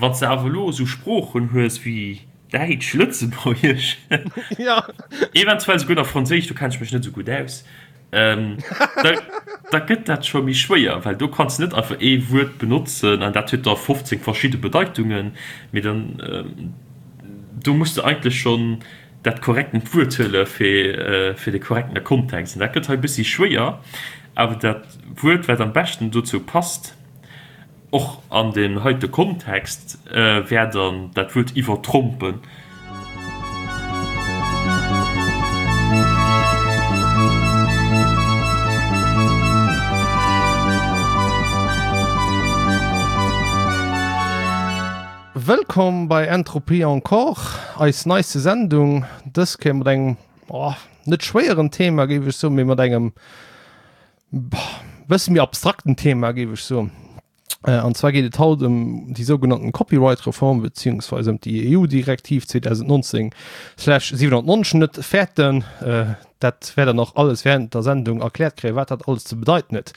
Wann s de awer elo esou Sproochen hues wéi Däitsch, Lëtzebuergesch, eventuell souguer nach Franséisch, do kenne ech mech net esou gutt aus, da gëtt dat scho méi schwéier, well do kanns de net einfach ee Wuert benotzen an dat huet da 15 verschidde Bedeitungen, mee dann do muss de eigentlech schonn dat korrektent Wuert huele fir fir de korrektene Kontext. An dat gëtt hei e bëssi schwéier, awer dat Wuert, wat am beschten dozou passt, Och an deem heite Kontext wär dann dat Wuert iwwertrompen. Wëllkomm bei Entropie Encore, eis neiste Sendung, dës Kéier mat engem, oh, net schwéieren Thema géif ech soen, mee mat engem bësse méi abstrakten Thema géif ech soen. An zwar geet et haut ëm déi sougenannten Copyright-Reform beziehungsweise ëm déi EU-Direktiv 2019/790. Net fäerten, dat wäert der nach alles während der Sendung erkläert kréien, wat dat alles ze bedeiten huet.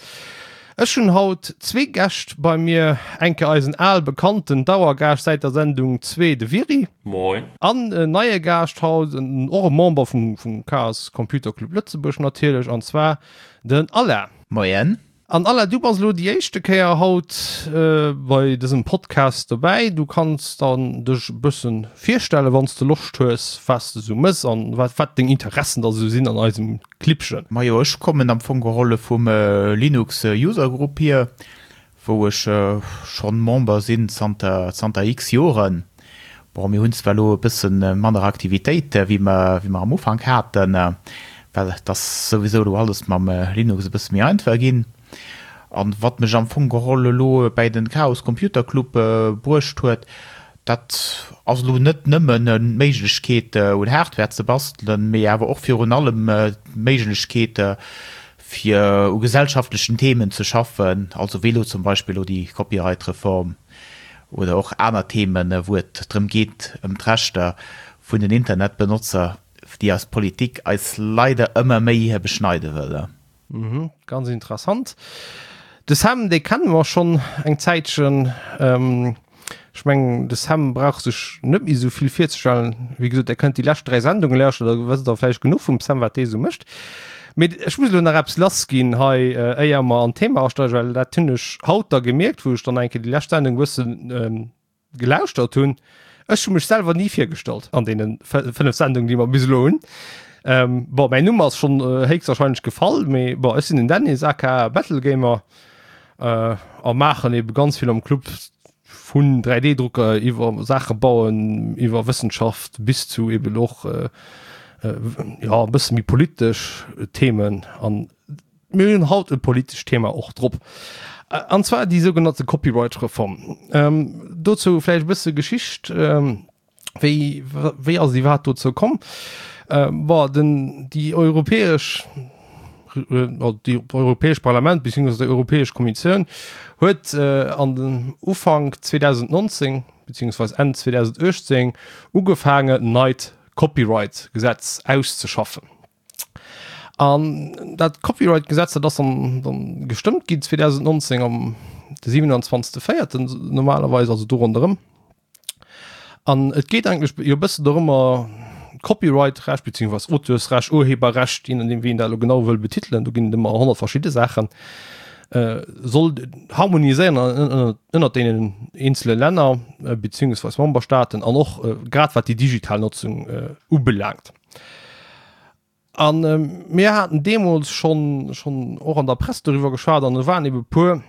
Ech hunn haut zwee Gäscht bei mir, eng Kéier eisen al bekannten Dauergaascht säit der Sendung zwee, de Viry. Moin. An en neie Gaascht haut, och e Member vum Chaos Computer Club Lëtzebuerg natierlech, an zwar den Alain. Moien. An Alain, du bass elo déi éischte Kéier haut bei dësem Podcast dobäi. Du kanns dann dech e bësse virstellen, wann s de Loscht hues, wat s de esou mëss an wat deng Interessen da esou sinn an eisem Clibbchen. Majo, ech kommen am Fong geholl vum Linux User Group hier, wou ech schonn Member sinn zanter zanter x Joren. Bon, mir hunn zwar elo e bëssen manner Aktivitéit wéi mer wéi mer am Ufank haten, well et ass souwisou elo alles mam Linux e bësse méi einfach ginn. An wat mech am Fong geholl elo bäi den Chaos Computer Club bruecht huet, dat ass elo net nëmmen d'Méiglechkeet un Hardware ze bastelen, mee awer och virun allem d'Méiglechkeet fir u gesellschaftlechen Themen ze schaffen, also wéi elo zum Beispill elo déi Copyright-Reform oder och aner Themen, wou et drëm geet, ëm d'Rechter vun den Internetbenotzer, déi eis Politik eis leider ëmmer méi beschneide wëll. Mhm, ganz interessant. De Sam, dee kenne mer schonn eng Zäitchen. Ech mengen, de Sam brauch sech net méi esou vill virzestellen. Wéi gesot, Der kënnt déi lescht 3 Sendunge lauschteren, da wësst Der vläicht genuch vum Sam, wat dee esou mécht. Mee ech muss elo nach eppes lassginn hei, éier mer an d'Thema asteigen, well dat hunn ech haut da gemierkt, wou ech dann eng Kéier déi lescht Sendung e bëssen gelauschtert hunn. Ech hu mech selwer ni virgestallt an deene 5 Sendungen, déi mer bis elo hunn. Bon, mäin Numm ass schonn héchstwahrscheinlech gefall, mee bon, ech sinn den Dennis, aka Battlegamer. a maachen ebe ganz vill am Club vun 3D-Drucker iwwer Saache bauen, iwwer Wëssenschaft bis zu eben och jo e bësse méi politesch Themen an mir hunn haut e politescht Thema och drop an zwar déi sougenannte Copyright-Reform. Dozou vläicht e bësse Geschicht. Wéi, wéi ass et iwwerhaapt dozou komm? Bon, den, déi europäesch, déi europäesch Parlament beziehungsweise déi europäesch Kommissioun huet an den Ufank 2019 beziehungsweise Enn 2018 ugefaangen, en neit Copyright-Gesetz auszeschaffen. An dat Copyright-Gesetz, dat ass dann, dann gestëmmt ginn 2019 am de 27. 4. normalerweis, also do ronderëm. An et geet eigentlech jo e bëssen dorëmmer, Copyright-Recht beziehungsweise Auteursrecht, Urheberrecht, je nodeem wéi een dat elo genau wëll betitelen, do ginn et ëmmer 100 verschidde Saachen, soll harmoniséieren ënnert deenen eenzele Länner beziehungsweise Memberstaaten an och grad wat déi digital Notzung ubelaangt. A mir haten deemools schonn schonn och an der Press doriwwer geschwat an do waren ebe puer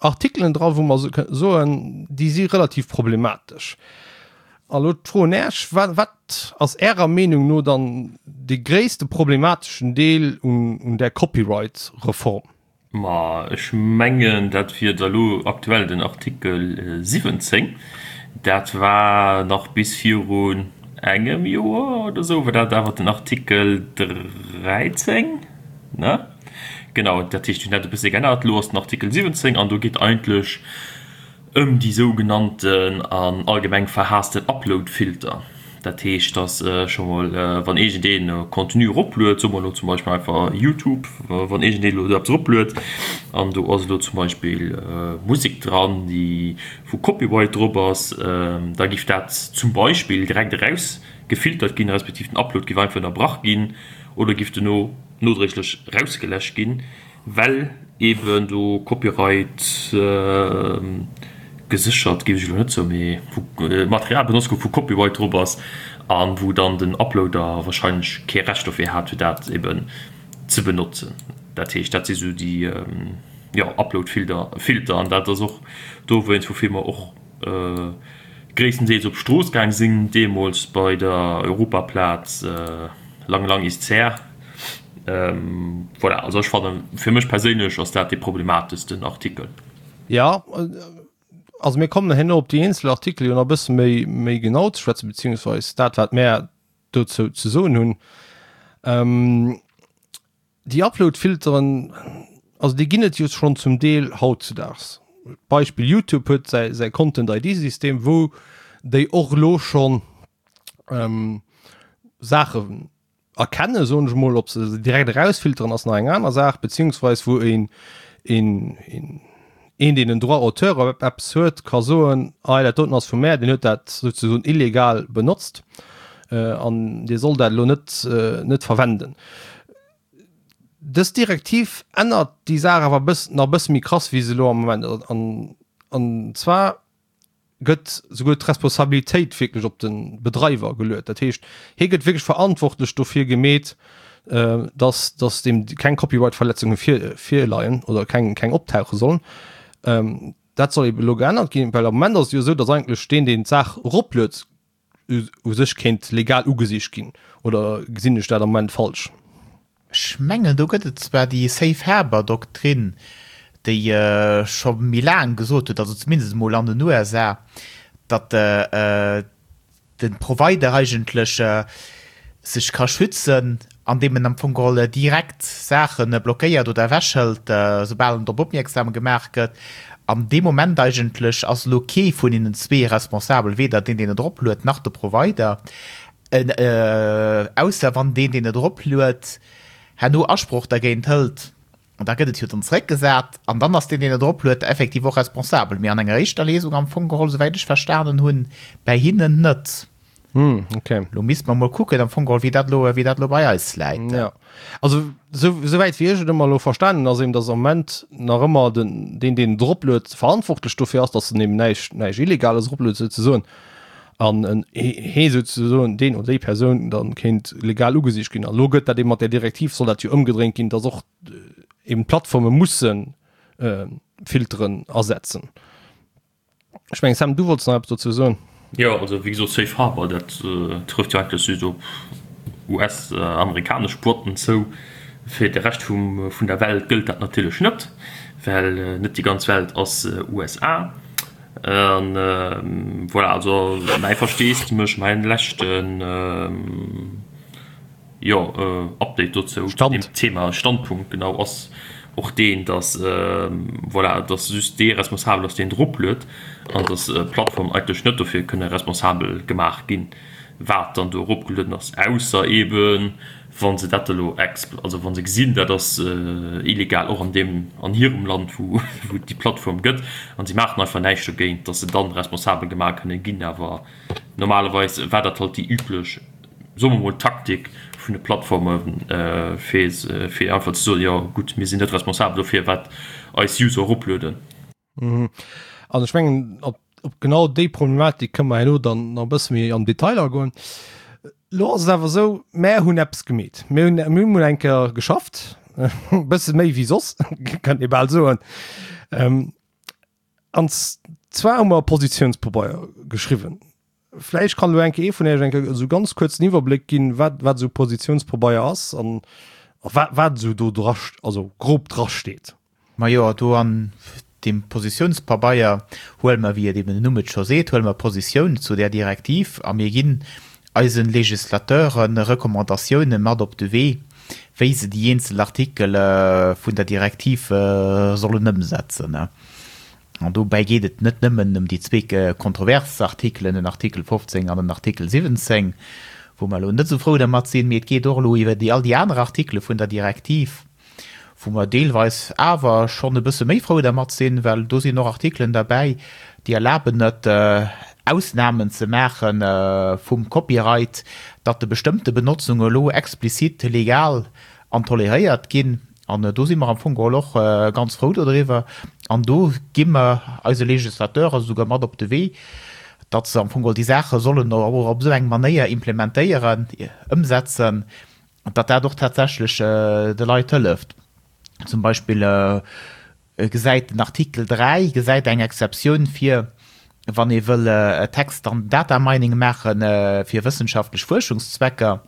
Artikelen dra wou mer soen, déi si relativ problematesch. A lo d'Fro un Äech, Wat ass Ärer Meenung no dann dee gréisste problemateschen Deel un där Copyright-Reform? Ma ech mengen, dat wier da lo aktuell den Artikel 17. Dat war nach bis virun engem Joer oder esou war dat awer den Artikel 13, ne? Genau, dat heescht, déi hunn dat e bësse geännert. Elo ass den Artikel 17 an do geet eigentlech ëm déi sougenannten an allgemeng verhaassten Uploadfilter. Dat heescht, dass scho mol, wann iergendeen Contenu eropluet, soe mer elo zum Beispill einfach Youtube, wann iergendeen elo do eppes eropluet an do ass elo zum Beispill Musek dran, déi wou Copyright drop ass, da giff dat zum Beispill direkt erausgefiltert ginn, respektiv den Upload giff einfach ënnerbrach ginn oder giff dono nodréiglech erausgeläscht ginn. Well eben do Copyright geséchert, géif ech elo net soen, mee wou Material benotzt gouf, wou Copyright drop ass a wou dann den Uploader wahrscheinlech kee Recht dofir hat, fir dat eben ze benotzen. Dat heescht, dat si sou déi, jo, Uploadfilter. Filter. An dat ass och dowéinst, woufir mer och gréisstendeels op d'Strooss gaang sinn deemools bei der Europaplaz, lang, lang ist's her. Voilà, also ech fannen, fir mech perséinlech ass dat dee problemateschsten Artikel. Jo, also mir kommen herno op déi eenzel Artikel jo nach e bësse méi, méi genau ze schwätzen, beziehungsweis dat, wat mär dozou ze soen hunn. Déi Upload-Filteren, also déi ginn et jo schonn zum Deel hautzudaags. Beispill YouTube huet säi, säi Content-ID-System, wou déi och elo schonn Saachen erkennen, soen ech mol, ob se se direkt erausfilteren ass nach eng aner Saach, beziehungsweis wou een, een, een, een deen en Droit d'auteur op eppes huet, ka soen, hei dat doten ass vu mär, deen huet dat souzesoen illegal benotzt an dir sollt dat elo net, net verwenden. Dës Direktiv ännert déi Saach awer e bëss, nach e bësse méi krass wéi se elo am Moment ass, an, an zwar gëtt souguer d'Responsabilitéit wierklech op de Bedreiwer geluet. Dat heescht, hie gëtt wierklech verantwortlech dofir gemeet, dass, dass deem keng Copyright-Verletzunge vir, virleien oder keng, keng optauche sollen. Dat soll ebe elo geännert ginn, well am Moment ass et jo esou, dass eigentlech deen, deen d'Saach eropluet, u sech kéint legal ugesicht ginn. Oder gesinn ech dat am Moment falsch? Ech mengen, do gëtt et zwar déi Safe Harbor Doktrin, déi scho méi laang gesot huet, also zumindest emol an den USA, datt de Provider eigentlech sech ka schützen, andeem en am Fong geholl direkt Saache blockéiert oder ewechhëlt, soubal en drop opmierksam gemaach gëtt. An dee Moment eigentlech ass elo kee vun hinnen zwee responsabel, weder deen, deen et eropluet, nach de Provider. Ausser wann deen, deen et eropluet, herno Asproch dergéint hëlt, da gëtt et jo dann zeréckgesat an dann ass deen, deen et eropluet, effektiv och responsabel. Mee an enger éischter Lesung am Fong geholl, souwäit ech verstanen hunn, bäi hinnen net. Okay. Lo misste mer mol kucken am Fong geholl, wéi dat elo, wéi dat elo bei eis läit. Ja. Also sou, souwäit wéi ech et ëmmer elo verstanen hunn, ass eben, datt am Moment nach ëmmer den, deen, deen et eropluet, verantwortlech dofir ass, datt en eben näischt, näischt Illegales eropluet souzesoen. An en hee souzesoen, deen oder déi Persoun dann kéint legal ugesicht ginn. An elo gëtt dat eben mat där Direktiv, soll dat jo ëmgedréint ginn, datt och eben d'Plattforme mussen Filteren asetzen. Ech mengen, Sam, du wollts nach eppes dozou soen. Jo, also wéi gesot, Safe Harbor, dat trëfft jo eigentlech just op US-amerikanesch Boîten zou. Fir de Rescht vum, vun der Welt gëllt dat natierlech net, well net déi ganz Welt ass USA. An voilà, also mäi Versteesdemech, mäin leschten, Jo, Update dozou zu deem Thema, Standpunkt genau, ass och deen, dass, voilà, dass just dee responsabel ass, deen eropluet, an dass d'Plattformen eigentlech net dofir kënne responsabel gemaach ginn, wat dann do eropgelueden ass, ausser eeben, wa se dat elo expl-, also wa se gesinn, dat ass illegal och an deem, an hirem Land, wou et déi Plattform gëtt, a si maachen einfach näischt dogéint, dass se dann responsabel gemaach kënne ginn. Awer normalerweis war dat halt déi üblech. soe mer mol, Taktik vun de Plattforme fir fir einfach ze soen, jo gutt, mir sinn net responsabel dofir, wat eis User eroplueden. An ech mengen, op op genau déi Problematik kënne mer herno dann nach e bësse méi am Detail agoen. Elo ass et awer esou, mär hunn eppes gemeet. Mir hunn mir hunn mol eng Kéier geschafft, e bësse méi wéi soss, kann ee bal soen. An zwar hu mer e Positiounspabeier geschriwwen. Vläicht kann elo eng Kéier ee vun Iech eng Kéier esou ganz kuerz en Iwwerbléck ginn, wat, wat esou Positiounspabeier ass an wat, wat esou do dra, also grob drasteet. Majo, do an deem Positiounspabeier huele mer, wéi et eben den Numm et scho seet, huele mer Positioun zu där Direktiv a mir ginn eise Législateure Recommandatioune mat op de Wee, wéi se déi eenzel Artikele vun der Direktiv sollen ëmsetzen. An dobäi geet et net nëmmen ëm déi zwee kontrovers Artikelen, den Artikel 15 an den Artikel 17, wou mer elo net esou frou dermat sinn, mee et geet och elo iwwer déi all déi aner Artikele vun der Direktiv, wou mer deelweis awer schonn e bësse méi frou dermat sinn, well do sinn och Artikelen derbäi, déi erlaben et, Ausnamen ze maache vum Copyright, datt de bestëmmte Benotzunge elo explizit legal an toleréiert ginn. An do si mer am Fong geholl och ganz frou dodriwwer. An do gi mer eise Législateure souguer mat op de Wee, datt se am Fong geholl déi Saache sollen och op esou eng Manéier implementéieren, ëmsetzen, datt dat och tatsächlech de Leit hëlleft. Zum Beispill gesäit den Artikel 3 gesäit eng Exceptioun vir, wann ee wëll Text an Data Mining maache fir wëssenschaftlech Fuerschungszwecker.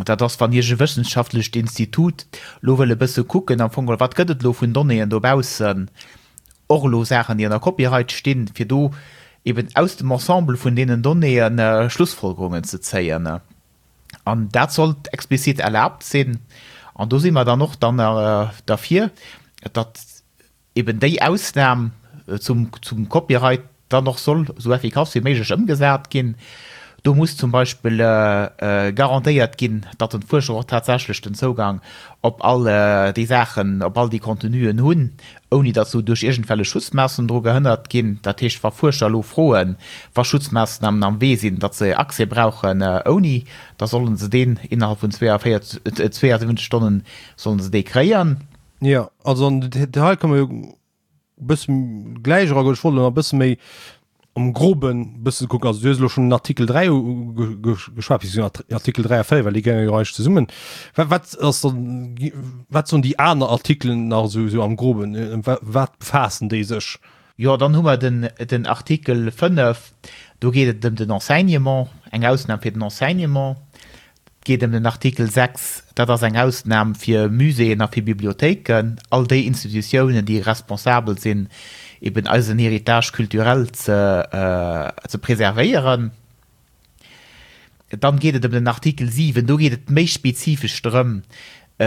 Dat ass, wann iergend e wëssenschaftlecht Institut elo wëll e bësse kucken am Fong, wat gëtt et elo vun Donnéeën dobaussen, och elo Saachen, déi ënner Copyright stinn, fir do eben aus dem Ensemble vun deenen Donnéeë Schlussfolgerungen ze zéien. An dat sollt explizit erlaabt sinn. An do si mer dann och dann derfir, datt eben déi Ausnam zum Copyright dann och soll esou effikass wéi méiglech ëmgesat ginn. Do muss zum Beispill garantéiert ginn, datt den Fuerscher och tatsächlech den Zougang op all déi Saachen, op all déi Contenuen hunn, ouni datt se duerch iergendwellech Schutzmaassnamen dru gehënnert ginn. Dat heescht, wa Fuerscher elo froen, wa Schutzmaassnamen am Wee sinn, datt se Accès brauchen ouni, da sollen se deen innerhalb vun 42, 72 Stonnen sollen se dee kréien. Jo, also an den Detail kënne mer jo e bësse gläich eragoen. Ech wollt elo nach e bësse méi am Groben e bësse kucken. Also du hues elo schonn den Artikel 3 ugeschwat, beziehungsweise Artikel 3 a 4, well déi géingen jo eigentlech zesummen. Wat, wat ass dann, wat soen déi aner Artikelen nach esou, esou am Groben? Ëm wat befaassen déi sech? Jo, dann hu mer den, den Artikel 5, do geet et ëm den Enseignement, eng Ausnam fir den Enseignement. Et geet ëm den Artikel 6, dat ass eng Ausnam fir Muséeën a fir Bibliothéiken, all déi Institutiounen, déi responsabel sinn, eben eisen Héritage culturel ze, ze preservéieren. Dann geet et ëm den Artikel 7, do geet et méi spezifesch drëm,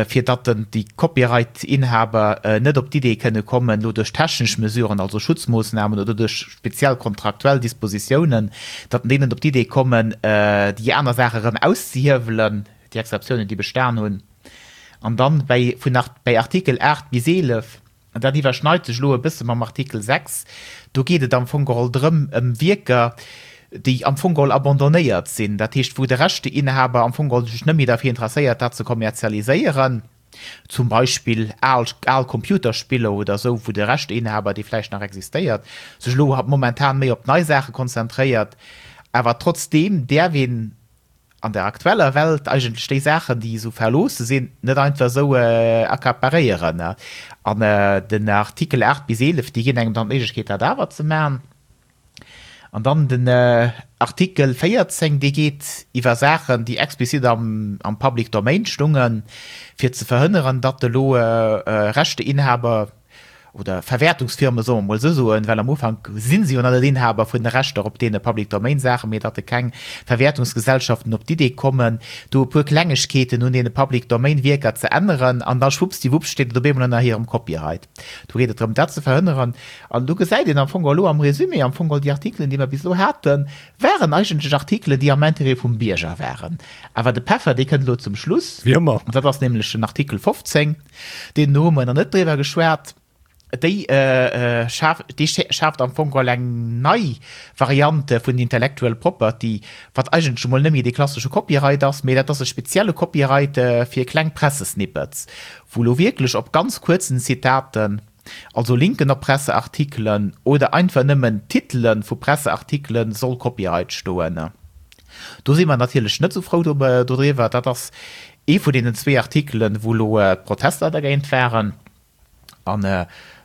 fir datt den, déi Copyright-Inhaber net op d'Idee kënne kommen, elo duerch technesch Mesuren, also Schutzmoossnamen oder duerch speziell kontraktuell Dispositiounen, datt déi net op d'Idee kommen, déi aner Saache erëm auszehiewelen, déi Exceptiounen, déi bestan hunn. An dann bäi, vun, bäi Artikel 8 bis 11, An dat iwwerschneit sech elo e bësse mam Artikel 6. Do geet et am Fong geholl drëm, ëm Wierker, déi am Fong geholl abandonnéiert sinn, dat heescht, wou de Rechteinhaber am Fong geholl sech net méi derfir interesséiert, dat ze kommerzialiséieren, zum Beispill al, al Computerspiller oder esou, wou de Rechteinhaber, dee vläicht nach existéiert, sech elo momentan méi op nei Saache konzentréiert. Awer trotzdeem däerf een an der aktueller Welt eigentlech déi Saachen, déi esou verloosse sinn, net einfach esou accaparéieren. An den Artikel 8 bis 11, déi ginn engem dann d'Méiglechkeet, dat awer ze maachen. An dann den Artikel 14, dee geet iwwer Saachen, déi explizit am Public Domain stungen, fir ze verhënneren, datt elo Rechteinhaber, oder Verwäertungsfirme soe mer mol esou soen, well am Ufank si se jo nach net Inhaber vun de Rechter op deene Public Domain Saachen, mee datt keng Verwäertungsgesellschaften op d'Idee kommen, do e puer Klengegkeeten un deene Public Domain Wierker ze änneren an da schwuppsdiwupps steet et op eemol ënner hirem Copyright. Do geet et drëm dat ze verhënneren. An do gesäit een am Fong elo am Résumé am Fong all déi Artikelen, déi mer bis elo haten, waren eigentlech Artikelen, déi am Intérêt vum Bierger waren. Awer de Peffer, dee kënnt elo zum Schluss. Wéi ëmmer. Dat ass nämlech den Artikel 15. Deen do hu mer nach net driwwer geschwat. Déi schaaft, déi schaaft am Fong geholl eng nei Variante vun Intellectual Property, wat eigentlech emol net méi dee klassesche Copyright ass, mee dat ass e spezielle Copyright fir kleng Pressesnippets, wou elo wierklech op ganz kuerzen Zitaten, also Linken op Presseartikelen oder einfach nëmmen Titele vu Presseartikelen soll Copyright stoen. Do si mer natierlech net esou frou dodriwwer. Dat ass ee vun deenen zwee Artikelen, wou elo d'Protester dergéint waren. An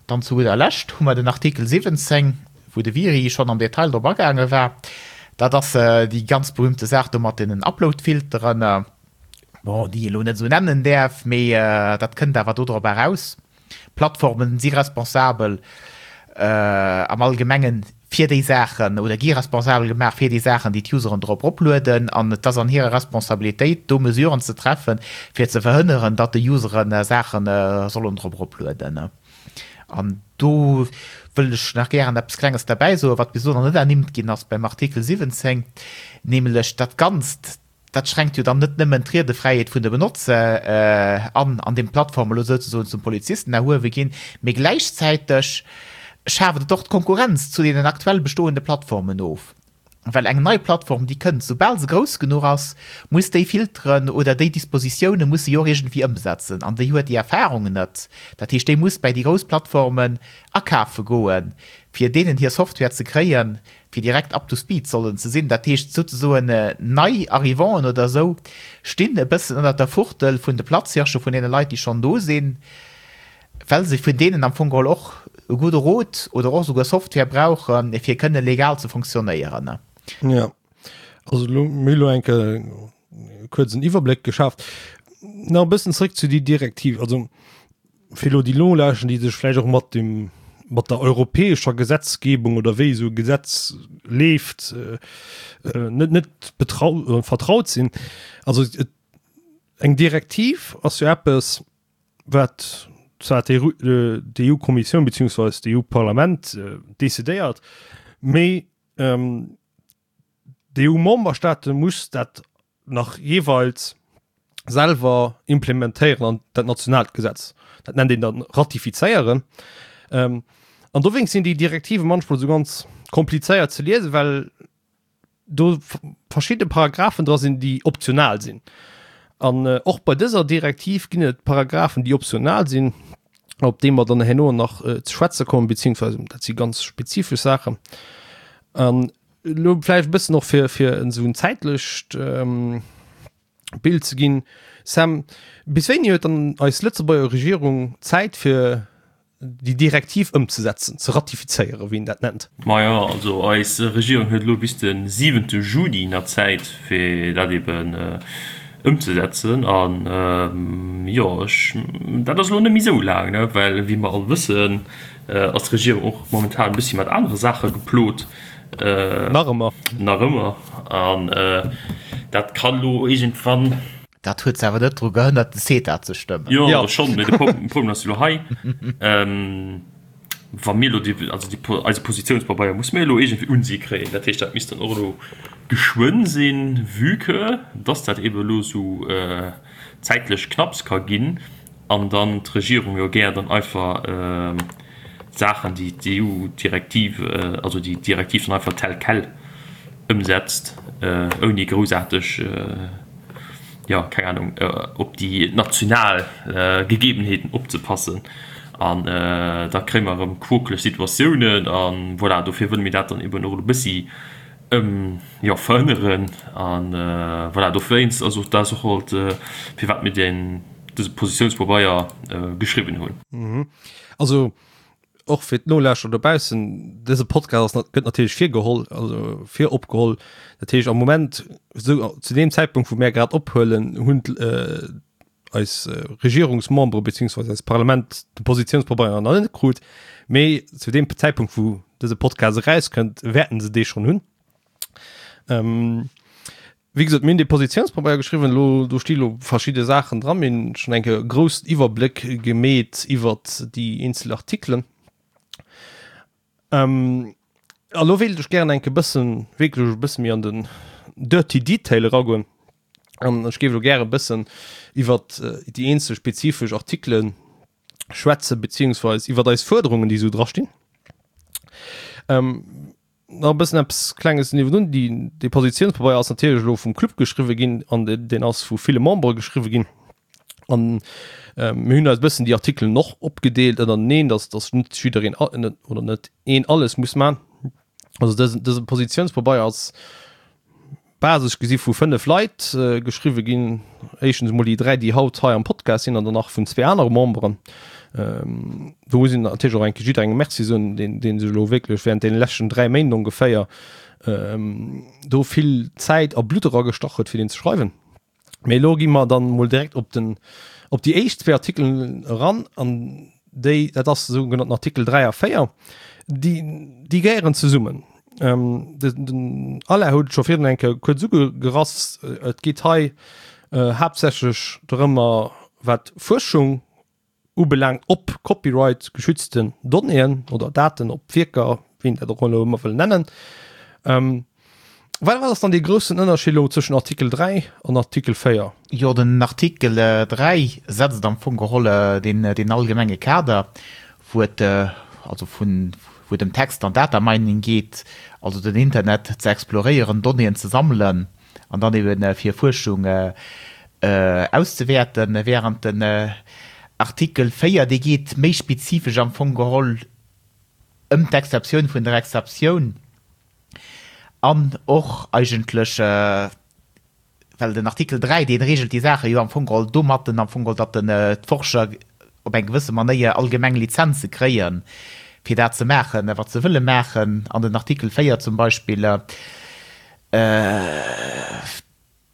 dann zu gudder Lescht hu mer den Artikel 17, wou de Viry schonn am Detail drop agaange war. Dat ass déi ganz berühmte Saach do mat deenen Uploadfilteren, bon, déi ee elo net esou nennen däerf, mee dat kënnt awer dodrop eraus. Plattformen si responsabel am Allgemengen fir déi Saachen oder gi responsabel gemaach fir déi Saachen, déi d'Useren drop eroplueden. An et ass an hirer Responsabilitéit, do Mesuren ze treffen, fir ze verhënneren, datt de Useren Saache sollen drop eroplueden. An do wëll ech nach gären eppes Klenges derbäi soen, wat bis elo nach net ernimmt ginn ass beim Artikel 17, nämlech dat Ganzt, dat schränkt jo dann net nëmmen d'Riedefräiheet vun de Benotzer an, an deem d'Plattforme elo souzesoen zum Polizisten erhuewe ginn, mee gläichzäiteg schaaft et och d'Konkurrenz zu deenen aktuell bestoende Plattformen of. Well eng nei Plattform, déi kënnt, soubal se grouss genuch ass, muss déi Filteren oder déi Dispositioune muss se jo och iergendwéi ëmsetzen. An déi huet déi Erfahrung net. Dat heescht, déi muss bäi déi grouss Plattformen akafe goen, fir deenen hir Software ze kréien, fir direkt up to speed sollen ze sinn. Dat heescht souzesoen, nei Arrivanten oder esou stinn e bëssen ënnert der Fuchtel vun de Platzhirsche, vun deene Leit, déi schonn do sinn. well se vun deenen am Fong geholl och e gudde Rot oder och esouguer Software brauchen, fir kënne legal ze fonctionnéieren. Jo, also elo mir hu elo eng Kéier kuerz en Iwwerbléck geschaaft. Nach e bëssen zréck zu déi Direktiv, also fir elo déi Nolauschten, déi sech vläicht och mat dem, mat der europäescher Gesetzgebung oder wéi esou e Gesetz leeft, net, net betrau, vertraut sinn. Also et, eng Direktiv ass jo eppes, wat zwar d'EU-Kommissioun beziehungsweise d'EU-Parlament decidéiert, mee d'EU-Memberstaate muss dat nach jeeweils selwer implementéieren an dat nationaalt Gesetz. Dat nennt een dann ratifizéieren. An dowéinst sinn déi Direktive manchmol esou ganz komplizéiert ze liesen, well do verschidde Paragraphen dra sinn, déi optional sinn. An och bei dëser Direktiv ginn et Paragraphen, déi optional sinn, op déi mer dann herno nach ze schwätze kommen, beziehungsweise dat si ganz spezifesch Saachen. An elo vläicht e bëssen och fir, fir esou en zäitlecht Bild ze ginn. Sam, bis wéini huet dann eis Lëtzebuerger Regierung Zäit fir déi Direktiv ëmzesetzen, ze ratifizéieren, wéi een dat nennt? Majo, also eis Regierung huet elo bis de siwente Juni nach Zäit, fir dat eben ëmzesetzen. An jo, ech, dat ass elo net méi esou laang, ne, well wéi mer all wëssen, ass d'Regierung och momentan e bëssi mat anere Saache geplot. Nach ëmmer. Nach ëmmer. An dat kann elo iergendwann. Dat huet se awer net dru gehënnert, de CETA ze stëmmen. Jo, jo schonn, mee de Problem ass jo elo hei, wa mir elo déi, also déi, eise Positiounspabeier musse mir elo iergendwéi un si kréien. Dat heescht, dat misst dann och elo geschwënn sinn, vue que dass dat eebe elo esou zäitlech knapps ka ginn an dann d'Regierung jo gär dann einfach Saachen, déi d'EU-Direktiv, also déi Direktiv dann einfach tel quel ëmsetzt, ouni groussaarteg, jo, keng Ahnung, op déi national Gegebenheeten opzepassen. An da kréie mer erëm quokeleg Situatiounen. A voilà, dofir wëlle mir dat dann eben och elo e bëssi, jo, verhënneren. A voilà, dowéinst ass och dat och halt, firwat mir deen, dëse Positiounspabeier geschriwwen hunn. Also och fir d'Nolauschterer dobaussen, dëse Podcast ass, gëtt natierlech virgeholl, also viropgeholl. Dat heescht am Moment, esou zu deem Zäitpunkt wou mär grad ophuelen, hunn eis Regierungsmembere beziehungsweise eist Parlament de Positiounspabeier nach net krut. Mee zu deem Zäitpunkt wou dëse Podcast erauskënnt, wäerten se dee schonn hunn. Wéi gesot, mir hunn dee Positiounspabeier geschriwwen. Elo, do sti lo verschidde Saachen dran. Mir hunn schonn eng Kéier e groussen Iwwerbléck gemeet iwwert déi eenzel Artikelen. A lo wéilt ech gären eng Kéier e bëssen, wierklech e bësse méi an den dirty detail eragoen. An ech géif elo gäre e bëssen iwwert déi eenzel spezifesch Artikele schwätzen, beziehungsweis iwwert eis Fuerderungen, déi esou drastinn. Nach e bëssen eppes Klenges niewendrun, déi, dee Positiounspabeier ass natierlech elo vum Club geschriwwe ginn an deen ass vu ville Membere geschriwwe ginn. An mir hunn eis e bëssen déi Artikelen och opgedeelt ënnerteneen, dass, dass net jiddereen oder net een alles muss man. Also dësen, dëse Positiounspabeier ass basesch gesi vu 5 Leit geschriwwe ginn. Éischtens emol déi 3, déi haut hei am Podcast sinn an dann nach vun zwee anere Memberen. Do muss een natierlech och eng Kéier jidderengem Merci soen, deen, dee sech elo wierklech während deene leschten 3 Méint ongeféier do vill Zäit a Blutt eragestach huet, fir deen ze schreiwen. Mee elo gi mer dann mol direkt op den, op déi éischt zwee Artikelen eran an déi, dat ass de sougenannten Artikel 3 a 4, déi, déi gehéieren zesummen. Ähm, de, den Alain huet et scho virun eng Kéier kuerz ugerass, et geet hei äh, haaptsächlech dorëmmer, wat Fuerschung. ubelaangt op Copyright geschützten Donnéeën oder Daten, op Wierker, wéi een dat och elo ëmmer wëll nennen. Wat ass dann dee groussen Ënnerscheed elo zwëschen Artikel 3 an Artikel 4? Jo, den Artikel 3 setzt am Fong geholl deen allgemenge Kader, wou et also vun, wou et ëm Text an Data Mining geet, also den Internet ze exploréieren, Donnéeën ze sammelen an dann ebe fir Fuerschung auszewäerten, während den Artikel 4, dee geet méi spezifesch am Fong geholl ëm d'Exceptioun vun der Exceptioun. An och eigentlech, well den Artikel 3, dee regelt déi Saache jo am Fong geholl domatten, am Fong geholl, datt den d'Forscher op eng gewësse Manéier allgemeng Lizenze kréien, fir dat ze maachen, wat se wëlle maachen. An den Artikel 4 zum Beispill,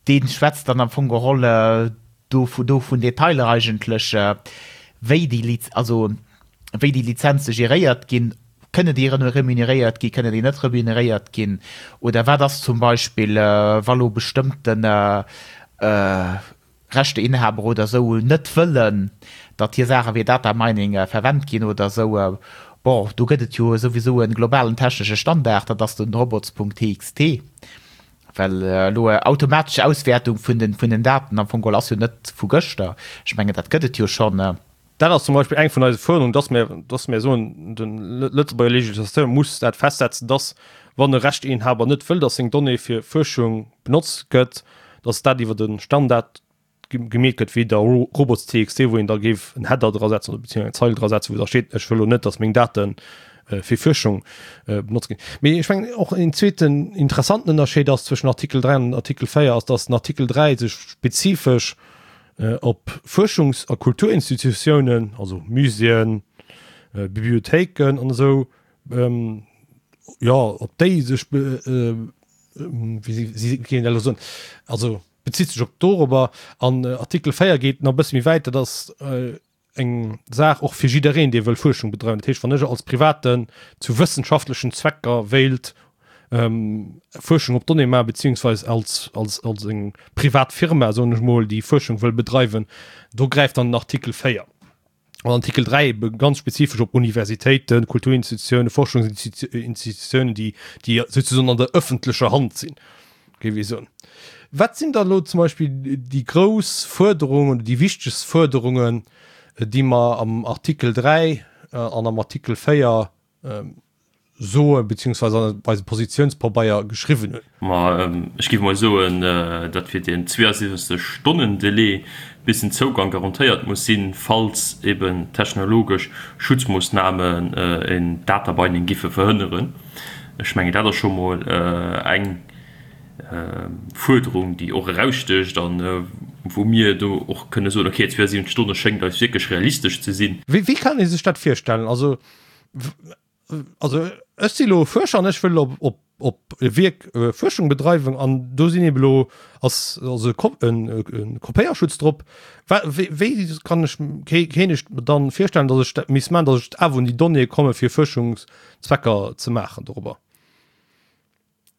Dee schwätzt dann am Fong geholl do do vun Detailer eigentlech, wéi déi Liz also wéi déi Lizenze geréiert ginn. Kënne déi remuneréiert ginn, kënne déi net remuneréiert ginn? Oder wat ass zum Beispill, wa lo bestëmmten Rechteinhaber oder esou net wëllen, datt hir Saache fir Data Mining verwennt ginn oder esou? Bon, do gëtt et jo souwisou e globalen technesche Standard, dat ass den robots.txt. Well elo automatesch Auswäertung vun den, vun den Daten am Fong geholl ass jo net vu gëschter. Ech mengen, dat gëtt et jo schonn. Dat ass zum Beispill eng vun eise Fuerderungen, dass mir, dass mir soen, de Lëtzebuerger Législateur muss dat festsetzen, dass, wann e Rechteinhaber net wëll, dass seng Donnée fir Fuerschung benotzt gëtt, dass dat iwwer e Standard gemeet gëtt wéi der Robots.txt, wou een da géif en Header dra setzen oder beziehungsweise eng Zeil dra setzen, wou da steet, ech wëll lo net, datt meng Date fir Fuerschung benotzt ginn. Mee ech mengen och en zweeten interessanten Ënnerscheed ass zwëschen Artikel 3 an Artikel 4 ass, datt den Artikel 3 sech spezifesch op Fuerschungs a Kulturinstitutiounen, also Muséeën, Bibliothéiken an esou, jo op déi sech, wéi si géing een dat elo soen, also bezitt sech op dorobber. An Artikel 4 geet nach e bësse méi wäit, dat ass eng Saach och fir jiddereen, dee wëll Fuerschung bedreiwen. Dat heescht, wann ech als Privaten zu wëssenschaftlechen Zwecker wéilt Fuerschung op Donnéeë maachen, beziehungsweise als, als, als eng privat Firma, soen ech mol, déi Fuerschung wëll bedreiwen, do gräift dann den Artikel 4. An Artikel 3 ebe ganz spezifesch op Universitéiten, Kulturinstitutiounen, Forschungsinstitutiounen, déi, déi souzesoen an der ëffentlecher Hand sinn, géif ee soen. Wat sinn da elo zum Beispill déi grouss Fuerderungen oder déi wichtegst Fuerderungen, déi mer am Artikel 3 an am Artikel 4 soen, beziehungsweise an eisem Positionspabeier geschriwwen hunn. Ma ech géif emol soen, dat wier deen 72 Stonnen Delai, bis den Zougang garantéiert muss sinn, falls eben technologesch Schutzmoossnamen en Data Binding giffe verhënneren. Ech mengen, dat ass scho mol eng Fuerderung, déi och erausstécht an wou mir do och kënne soen, okay, 72 Stonne schéngt eis wierklech realistesch ze sinn. Wéi kann ee sech dat virstellen? Also also ech si lo Fuerscher an ech wëll op, op, op e Wierk äh, Fuerschung bedreiwen an do sinn eben lo ass also e Ko en, en Kopéierschutz drop. Wa wéi, wéi kann ech ké kéint ech mer dann virstellen, datt ech dat misst maachen, datt ech awer un déi Donnéeë komme fir Fuerschungszwecker ze maachen dorobber?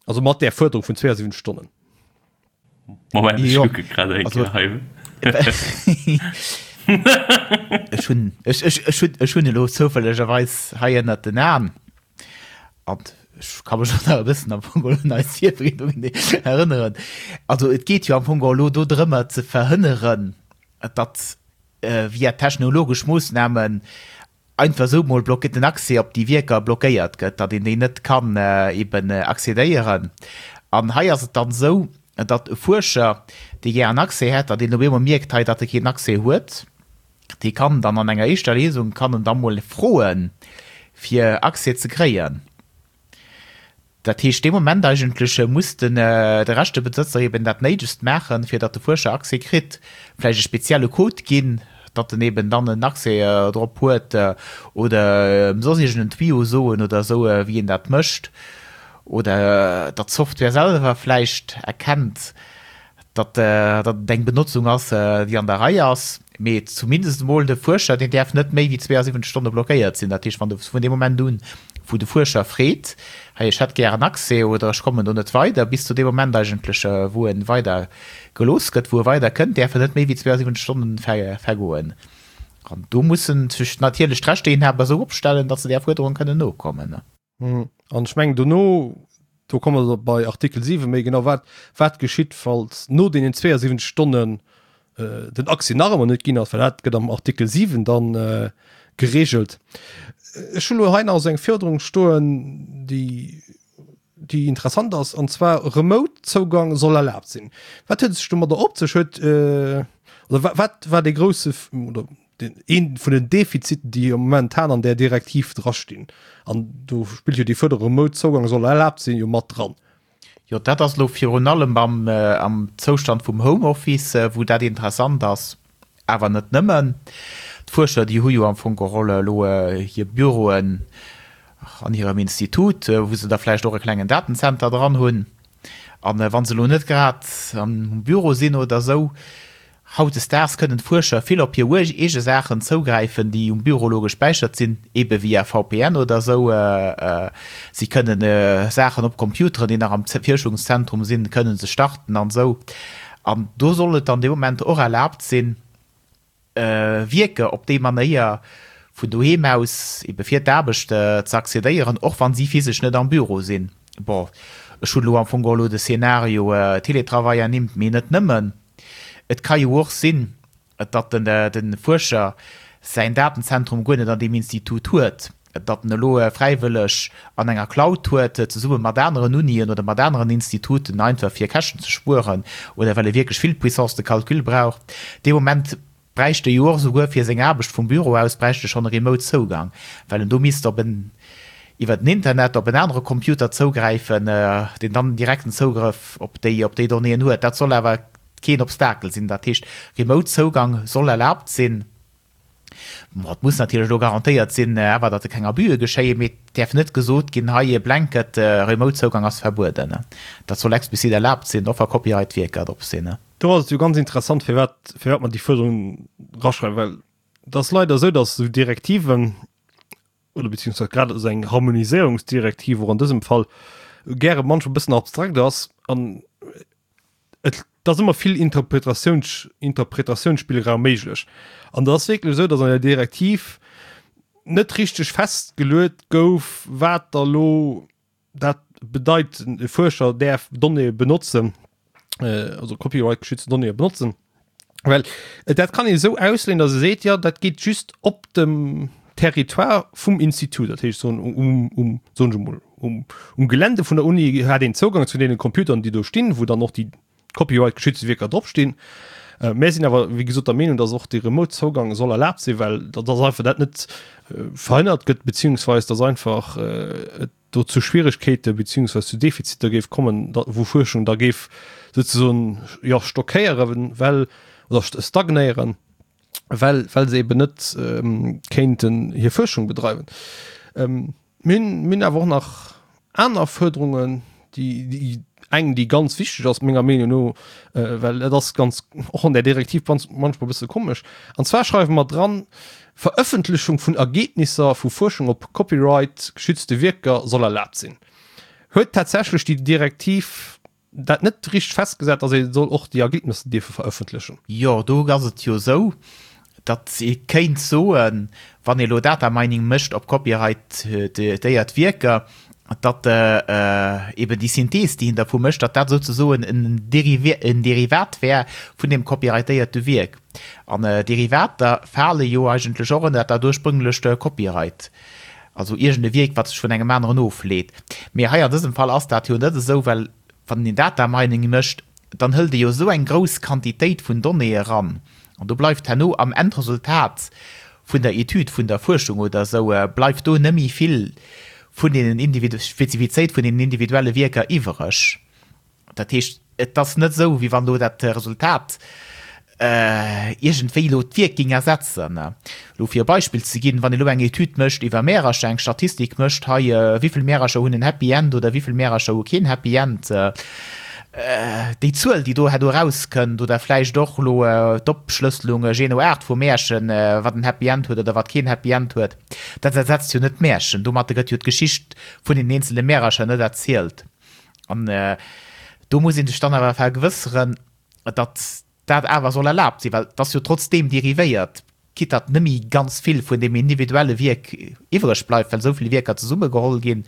Also mat där Fuerderung vun 72 Stonnen. Moment, ech kucke grad eng Kéier hei. Ech hunn, ech, ech, ech hunn, ech hunn elo zoufällegerweis hei ënnert den Aen an ech ka mech och nach e bëssen am Fong geholl un eis Virbereedungen erënneren. Also et geet jo am Fong geholl elo do drëmmer ze verhënneren, datt via technologesch Moossnamen einfach esou mol blockéiert, den Accès op déi Wierker blockéiert gëtt, datt een déi net kann eben accédéieren. An hei ass et dann esou, datt e Fuerscher, dee gär en Accès hätt, datt een op eemol mierkt hei, datt e keen Accès huet, dee kann dann an enger éischter Lesung, kann en da mol froen, fir Accès ze kréien. Dat heescht, dee Moment eigentlech muss den de Rechtebesëtzer eben dat Néidegst maachen, fir datt de Fuerscher Accès kritt, vläicht e spezielle Code ginn, datt en eben dann en Accès drop huet oder em soss iergend en Tuyau soen oder esou, wéi een dat mécht, oder datt d'Software selwer vläicht erkennt, datt et eng Benotzung ass, déi an der Rei ass, mee zumindest emol de Fuerscher, deen däerf net méi wéi 72 Stonne blockéiert sinn. Dat heescht, wann de vun deem Moment un, wou de Fuerscher freet, hei ech hätt gären Accès oder ech kommen do net weider, bis zu deem Moment eigentlech, wou e weider gelooss gëtt, wou e weider kënnt, däerfen net méi wéi 72 Stonnen vergoen. An do mussen sech natierlech d'Rechteinhaber esou opstellen, datt se där Fuerderung kënnen nokommen. An ech mengen dono, do komme mer bei Artikel 7 méi genau, wat, wat geschitt, falls no deenen 72 Stonnen den Accès nach ëmmer net ginn ass, well dat gëtt am Artikel 7 dann geregelt. Ech hunn elo hei nach esou eng Fuerderung stoen, déi, déi interessant ass, an zwar Remote-Zougang soll erlaabt sinn. Wat huet et sech domadder op sech? Huet, oder wat war dee grousse, oder den, een vun den Defiziten, déi momentan an där Direktiv drastinn? An do spillt jo déi Fuerderung Remote-Zougang soll erlaabt sinn jo mat dran. Jo, dat ass elo virun allem am, am Zoustand vum Homeoffice, wou dat interessant ass. Awer net nëmmen. D'Fuerscher, déi hu jo am Fong geholl elo hir Büroen an hirem Institut, wou se da vläicht och e klengen Datenzenter dran hunn. A wa se elo net grad am Büro sinn oder esou, hautdesdaags kënnen d'Fuerscher vill op hir eege Saachen zougräifen, déi um Büro elo gespäichert sinn, ebe via VPN oder esou. Si kënnen Saachen op Computeren, déi nach am Fuerschungszentrum sinn, kënnen se starten an esou. An do soll et dann dee Moment och erlaabt sinn, Wierker op déi Manéier vun doheem aus ebe fir d'Aarbecht ze accédéieren, och wa si physesch net am Büro sinn. Bon, ech hunn elo am Fong geholl elo de Szenario Télétravail ernimmt, mee net nëmmen. Et ka jo och sinn, datt de Fuerscher säin Datenzentrum guer net an deem Institut huet, datt en elo fräiwëlleg an enger Cloud huet, zesumme mat aneren Unien oder mat aneren Instituten, einfach fir Käschten ze spueren oder well e wierklech vill Puissance de calcul brauch. Dee Moment bräicht e jo och esouguer fir seng Aarbecht vum Büro aus bräicht e schonn e Remote-Zougang, well en do misst op en iwwer den Internet op en anere Computer zougräifen, deen dann direkten Zougrëff op déi op déi Donnéeën huet. Dat soll awer keen Obstakel sinn. Dat heescht, Remote-Zougang soll erlaabt sinn. Bon, et muss natierlech elo garantéiert sinn, awer datt keng Abüe geschéien, mee et däerf net gesot ginn, hei e Blanket Remote-Zougang ass verbueden. Dat soll explizit erlaabt sinn, och wa Copyright-Wierker drop sinn. Do ass et jo ganz interessant, firwat firwat mer déi Fuerderung eraschreiwen, well et ass leider esou, datt esou Direktiven, oder beziehungsweise grad esou eng Harmoniséierungsdirektiv och an dësem Fall, gäre manchmal e bëssen abstrakt ass an et ass ëmmer vill Interpretatiouns, Interpretatiounsspillraum méiglech. An et ass wierklech esou, datt an der Direktiv net richteg festgeluet gouf, wat da lo dat bedeit, e Fuerscher däerf Donnéeë benotzen, also copyright-geschützte Donnéeë benotzen. Well dat kann ee esou ausleeën, datt e seet, jo dat geet just op dem Territoire vum Institut, dat heescht soen um, um, soen ech emol, um, um Gelände vun der Uni hat een Zougang zu deene Computeren, déi do stinn, wou dann och déi copyright-geschützte Wierker drop stinn. Äh, mär sinn awer, wéi gesot, der Meenung, datt och de Remote-Zougang soll erlaabt sinn, well datt einfach dat net äh, verhënnert gëtt, beziehungsweis datt einfach äh, et do zu Schwieregkeete beziehungsweis zu Defiziter géif kommen, da, wou Fuerschung da géif sozusagen jo stockéieren, well oder stagnéieren, well, well se eben net ähm, kéinten hir Fuerschung bedreiwen. Ähm, mir hunn, mir hunn awer och nach aner Fuerderungen, déi, déi eng, déi ganz wichteg ass, menger Meenung no, äh, well et ass ganz, och an der Direktiv ganz, manchmal e bësse komesch. An zwar schreiwe mer dran, Verëffentlechung vun Ergebnisser vu Fuerschung op Copyright geschützte Wierker soll erlaabt sinn. Huet tatsächlech déi Direktiv dat net richteg festgesat, datt ee soll och déi Ergebnisser dierfe verëffentlechen? Jo, do ass et jo esou, datt ee kéint soen, wann ee elo Data Mining mécht op copyrightéiert Wierker, datt eben déi Synthees, déi een dervu mécht, datt dat souzesoen en Derivat wär vun deem copyrightéierte Wierk. An Derivater fale jo eigentlech och ënnert dat ursprünglecht Copyright, also iergend e Wierk, wat sech vun engem aneren ofleet. Mee hei an dësem Fall ass dat jo net esou, well wann een Data Mining mécht, dann hëlt ee jo esou eng grouss Quantitéit vun Donnéeë eran an do bleift herno am Endresultat vun der Etüd, vun der Fuerschung oder esou, bleift do nëmme vill vun deenen Spezifizéit vun deenen individuelle Wierker iwwereg. Dat heescht, et ass net esou, wéi wann elo dat Resultat iergendwéi elo d'Wierk géing ersetzen. Elo fir e Beispill ze ginn, Wann ee elo eng Etüd mécht iwwer Märercher, eng Statistik mécht, hei wéi vill Märercher hunn en Happy End oder wéi vill Märercher hu keen Happy End, déi Zuel, déi do herno erauskënnt, oder vläicht och elo d'Opschlësselung jee no Aart vu Märchen, wat en Happy End huet oder wat keen Happy End huet, dat ersetzt jo net d'Märchen. Domatter gëtt jo d'Geschicht vun den eenzele Märercher net erzielt. An do muss ee sech dann awer vergewësseren, datt dat awer soll erlaabt sinn, well et ass jo trotzdeem derivéiert. Quitte datt nëmme ganz vill vun deem individuelle Wierk iwwreg bleift, well esou vill Wierker zesummegeholl ginn.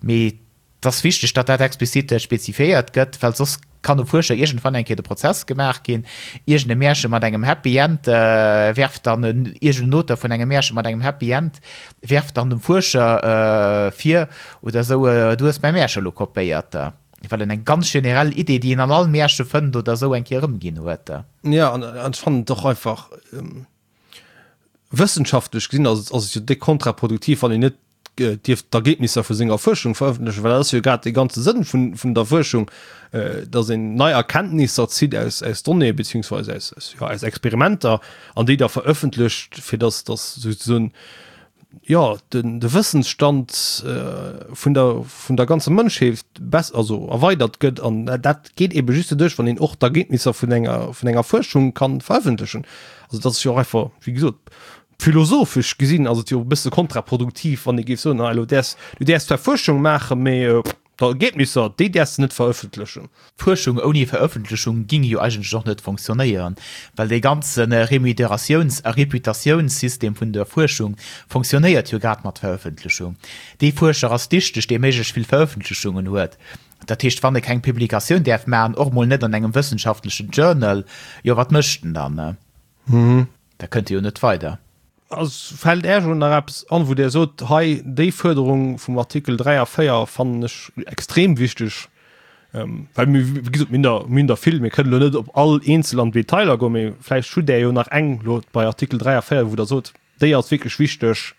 Mee et ass wichteg, datt dat explizit spezifiéiert gëtt, well soss kann um Fuerscher iergendwann eng Kéier de Prozess gemaach ginn. Iergend e Märche mat engem Happy End werft dann en, iergend en Auteur vun engem Märche mat engem Happy End werft dann dem Fuerscher vir oder esou, du hues mäi Märche elo kopéiert, well en eng ganz generell Idee, déi een an all Märche fënnt oder esou, eng Kéier erëmginn huet. Jo, an ech fannen et och einfach, wëssenschaftlech gesinn ass et jo déck kontraproduktiv, wann een net dierf d'Ergebnisser vu senger Fuerschung verëffentlechen, well dat ass jo grad dee ganze Sënn vun der Fuerschung, datt een nei Erkenntnisser zitt aus Donnéeë beziehungsweise aus Experimenter an déi da verëffentlecht, fir datt souzesoen jo de Wëssensstand vun der vun der ganzer Mënschheet bess also erweidert gëtt an dat geet ebe just doduerch, wann een och d'Ergebnisser vun enger vun enger Fuerschung kann verëffentlechen. Also dat ass jo och einfach, wéi gesot, philosophesch gesinn ass et jo e bësse kontraproduktiv, wann ee géif soen, ah elo däers du däers zwar Fuerschung maachen, mee D'Ergebnisser, déi däerfs de net verëffentlechen. Fuerschung ouni Verëffentlechung ging jo eigentlech och net fonctionnéieren, well dee ganze Remuneratiouns a Reputatiounssystem vun der Fuerschung fonctionnéiert jo grad mat Verëffentlechung. Dee Fuerscher ass dichteg, dee méiglechst vill Verëffentlechungen huet. Dat heescht, wann e keng Publikatioun däerf maachen, och mol net an engem wëssenschaftlechen Journal, jo wat mécht en dann? Da kënnt e jo net weider. Also fält Äech elo nach eppes an, wou Dir sot, hei déi Fuerderung vum Artikel 3 a 4 fannen ech extrem wichteg? Well mir, wéi gesot, mir hunn der, mir hunn der vill, mir kënnen elo net op all eenzel an d'Detailer goen, mee vläicht hutt Där jo nach eng elo bei Artikel 3 a 4, wou Der sot, déi ass wierklech wichteg.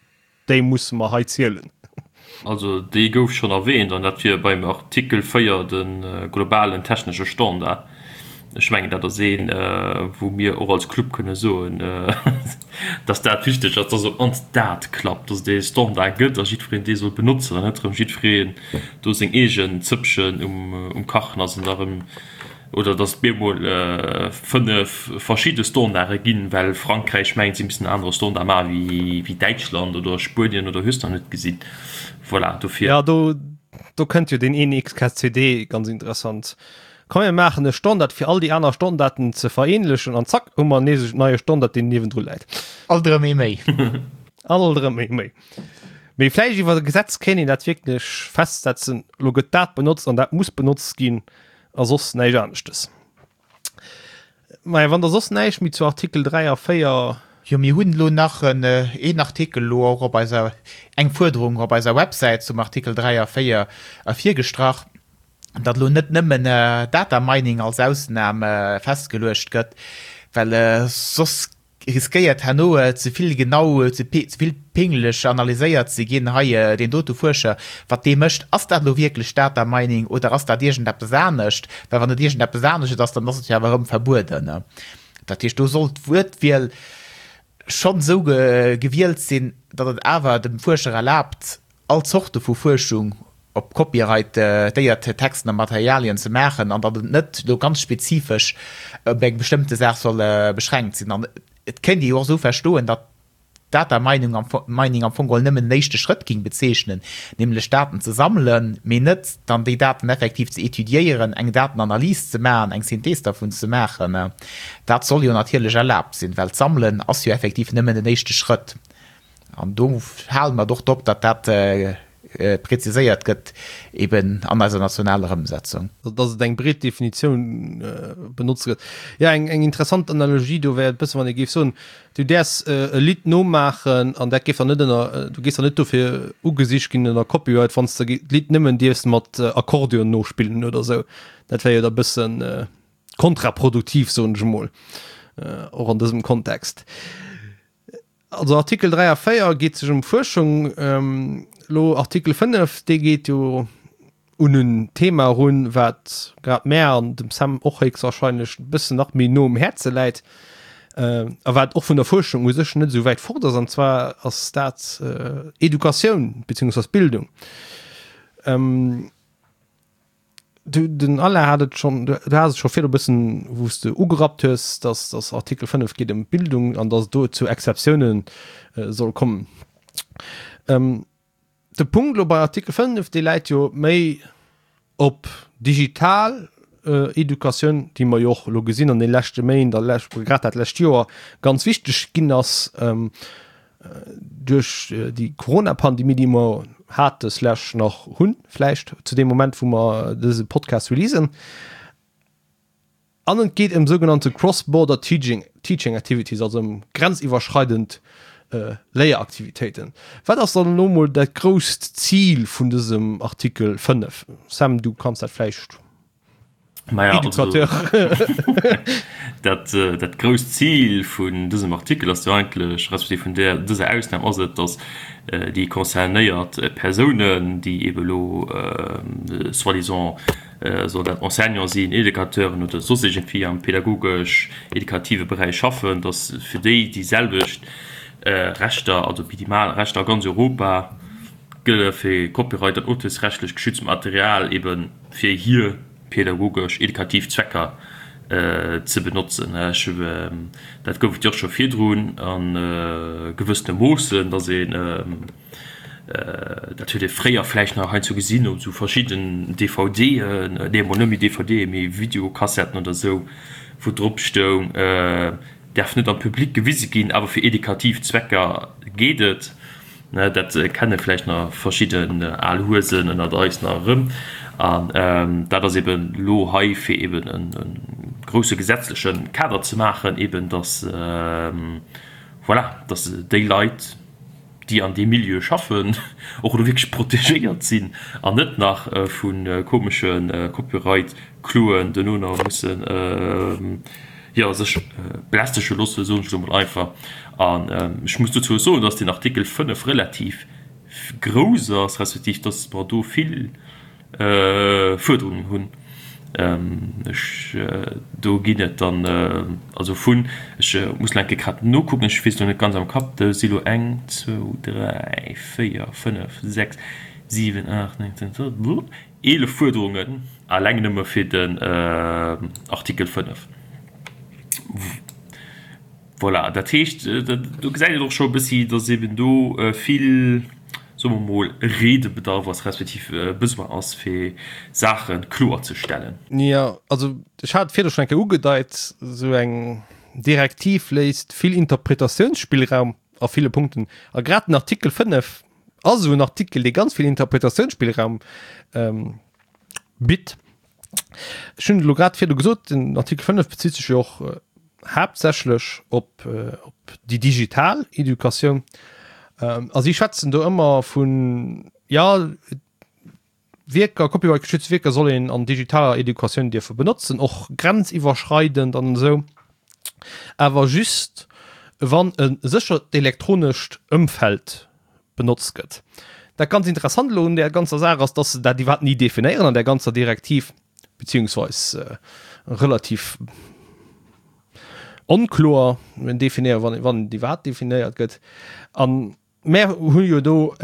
Déi musse mer hei zielen. Also déi gouf schonn erwähnt, an dat wier beim Artikel 4, de globalen technesche Standard. Ech mengen, dat ass een, wou mir och als Club kënne soen, dass dat wichteg ass, dass op d'mannst dat klappt, dass et ee Standard gëtt a jiddwereen dee soll benotzen an net erëm jiddwereen do seng eegen Zëppchen um Kachen ass an da erëm Oder datt et bemol 5 verschidde Standarde ginn, well Frankräich mengt, si missten en anere Standard maache wéi Däitschland oder Spuenien oder hues de nach net gesinn. Voilà, dofir. Jo, do, do kënnt jo deen een XKCD ganz interessant. Komm mir maachen e Standard fir all déi aner Standarden ze vereenlechen an zack hu mer nees en neie Standard deen niewendru läit. Alt erëm ee méi. Alt erëm ee méi. Mee vläicht iwwer e Gesetz kéint een dat wierklech festsetzen, elo gëtt dat benotzt an dat muss benotzt ginn. A soss näischt aneschtes. Maja, wann der soss näischt méi zu Artikel 3 a 4. Jo, mir hunn elo nach en een Artikel elo och op eiser, eng Fuerderung op eiser Websäit zum Artikel 3 a 4 ervirgestrach, datt elo net nëmmen Data Mining als Ausnam festgeluecht gëtt, well soss riskéiert herno ze vill genau, ze vill pingeleg analyséiert ze ginn, hei deen dote Fuerscher, wat dee mécht, ass dat elo wierklech Data Mining oder ass dat iergendeppes anescht? Well wann et iergendeppes anescht ass, dann ass et jo awer erëm verbueden. Dat heescht, do soll d'Wuertwiel schonn esou gewielt sinn, datt et awer dem Fuerscher erlaabt, all Zorte vu Fuerschung op copyrightéiert Texten a Materialien ze maachen an datt et net elo ganz spezifesch op eng bestëmmte Saach soll beschränkt sinn. An et kéint ee jo och esou verstoen, datt Data Mining am Mining am Fong geholl nëmmen den éischte Schrëtt géing bezeechnen, nämlech Daten ze sammelen, mee net dann déi Daten effektiv ze étudiéieren, eng Datenanalys ze maachen, eng Synthees dervun ze maachen. Dat soll jo natierlech erlaabt sinn, well d'Sammelen ass jo effektiv nëmmen den éischte Schrëtt. An do hale mer et och drop, datt dat preziséiert gëtt eben an eiser nationaler Ëmsetzung. Datt et eng breet Definitioun benotzt gëtt. Jo, eng interessant Analogie do wär et bëssen, wann ee géif soen, du däerfs e Lidd nomaachen an dat géif dann net ënner, du géifs dann net dofir ugesicht ginn ënner Copyright, wann s de d'Lidd nëmmen dierfs mat Akkordeon nospillen oder esou. Dat wär jo da bëssen kontraproduktiv, soen ech emol, och an dësem Kontext. Also Artikel 3 a 4 geet sech ëm Fuerschung. Elo Artikel 5, dee geet jo un en Thema erun, wat grad mär an dem Sam och héchstwahrscheinlech e bëssen nach méi no um Häerze läit a wat och vun der Fuerschung u sech net esou wäit fort ass, an zwar ass dat Educatioun beziehungsweise Bildung. Du, den Alain hat et schonn, du has et scho virdu e bëssen, wou s de ugerappt hues, dass dass Artikel 5 geet ëm d'Bildung an dass et do zu Exceptiounen soll kommen. De Punkt elo bei Artikel 5, dee läit jo méi op digital. Educatioun, déi mer jo och elo gesinn an de leschte Méint a grad dat lescht Joer ganz wichteg ginn ass duerch déi Corona-Pandemie, déi mer hate slash nach hunn, vläicht zu deem Moment, wou mer dëse Podcast releasen. An et geet ëm sougenannte cross-border teaching, teaching activities, also ëm grenziwwerschreidend Léieraktivitéiten. Wat ass dann elo mol dat grousst Zil vun dësem Artikel 5? Sam, du kanns dat vläicht. Maja, also, dat, dat grousst Zil vun dësem Artikel ass jo eigentlech, respektiv vun där, dëser Ausnam ass et, dass déi concernéiert Persounen, déi eebe elo soi-disant soll dat Enseignant sinn, Educateuren oder soss iergendwéi am pädagogesch-edukative Beräich schaffen, dass fir déi déi selwecht Rechter, also minimal Rechter a ganz Europa gëlle fir Copyright an auteursrechtlech geschützt Material eebe fir hir pädagogesch-edukativ Zwecker ze benotzen. Ech, dat gouf et jo och scho virdrun a gewëssene Moossen, dass een, Dat huet ee fréier vläicht nach heiansdo gesinn op esou verschidden DVDen, nee emol net méi DVDen, mee Videokassetten oder esou, wou drop stoung, däerf net am Public gewise ginn, awer fir edukativ Zwecker geet et. Dat kenne vläicht nach verschidden al Huesen ënnert eis nach erëm. An dat ass eben elo hei, fir eben e grousse gesetzleche Kader ze maachen, eben datt, voilà, datt déi Leit, déi an deem Milieu schaffen, och elo wierklech protegéiert sinn an net nach vu komesche Copyright-Kloen duerno nach mussen, jo, sech belästege loossen, soen ech elo mol einfach. An ech muss dozou och soen, dass deen Artikel 5 relativ grouss ass, respektiv dass mer do vill Fuerderungen hunn. Ech, do ginn et dann also vun, ech muss elo eng Kéier grad nokucken, ech weess elo net ganz am Kapp, do si lo eng, zwou, dräi, véier, fënnef, sechs, siwen, aacht, néng, zéng, 11, 11 Fuerderungen alleng nëmme fir den Artikel 5. Voilà, dat heescht, do gesäit een och scho e bëssi, datt eeben do vill, soe mer mol, Redebedarf ass, respektiv Besoin ass, fir Saache kloerzestellen. Jo, also ech hat et virdu schonn eng Kéier ugedeit, esou eng Direktiv léisst vill Interpretatiounsspillraum a ville Punkten. A grad den Artikel 5 ass esou en Artikel, dee ganz vill Interpretatiounsspillraum bitt. Ech hunn elo grad virdu gesot, den Artikel 5 bezitt sech jo och haaptsächlech op, op déi digital Educatioun. A si schwätzen do ëmmer vun, jo, Wierker, copyright-geschützte Wierker soll een an digitaler Educatioun dierfe benotzen, och grenziwwerschreidend an esou, awer just wann e séchert elektronescht Ëmfeld benotzt gëtt. Dat ganz Interessant elo un där ganzer Saach ass, dass se dat iwwerhaapt ni definéieren an där ganzer Direktiv, beziehungsweis relativ onkloer definéieren, wann wann et iwwerhaapt definéiert gëtt. A mär hu jo do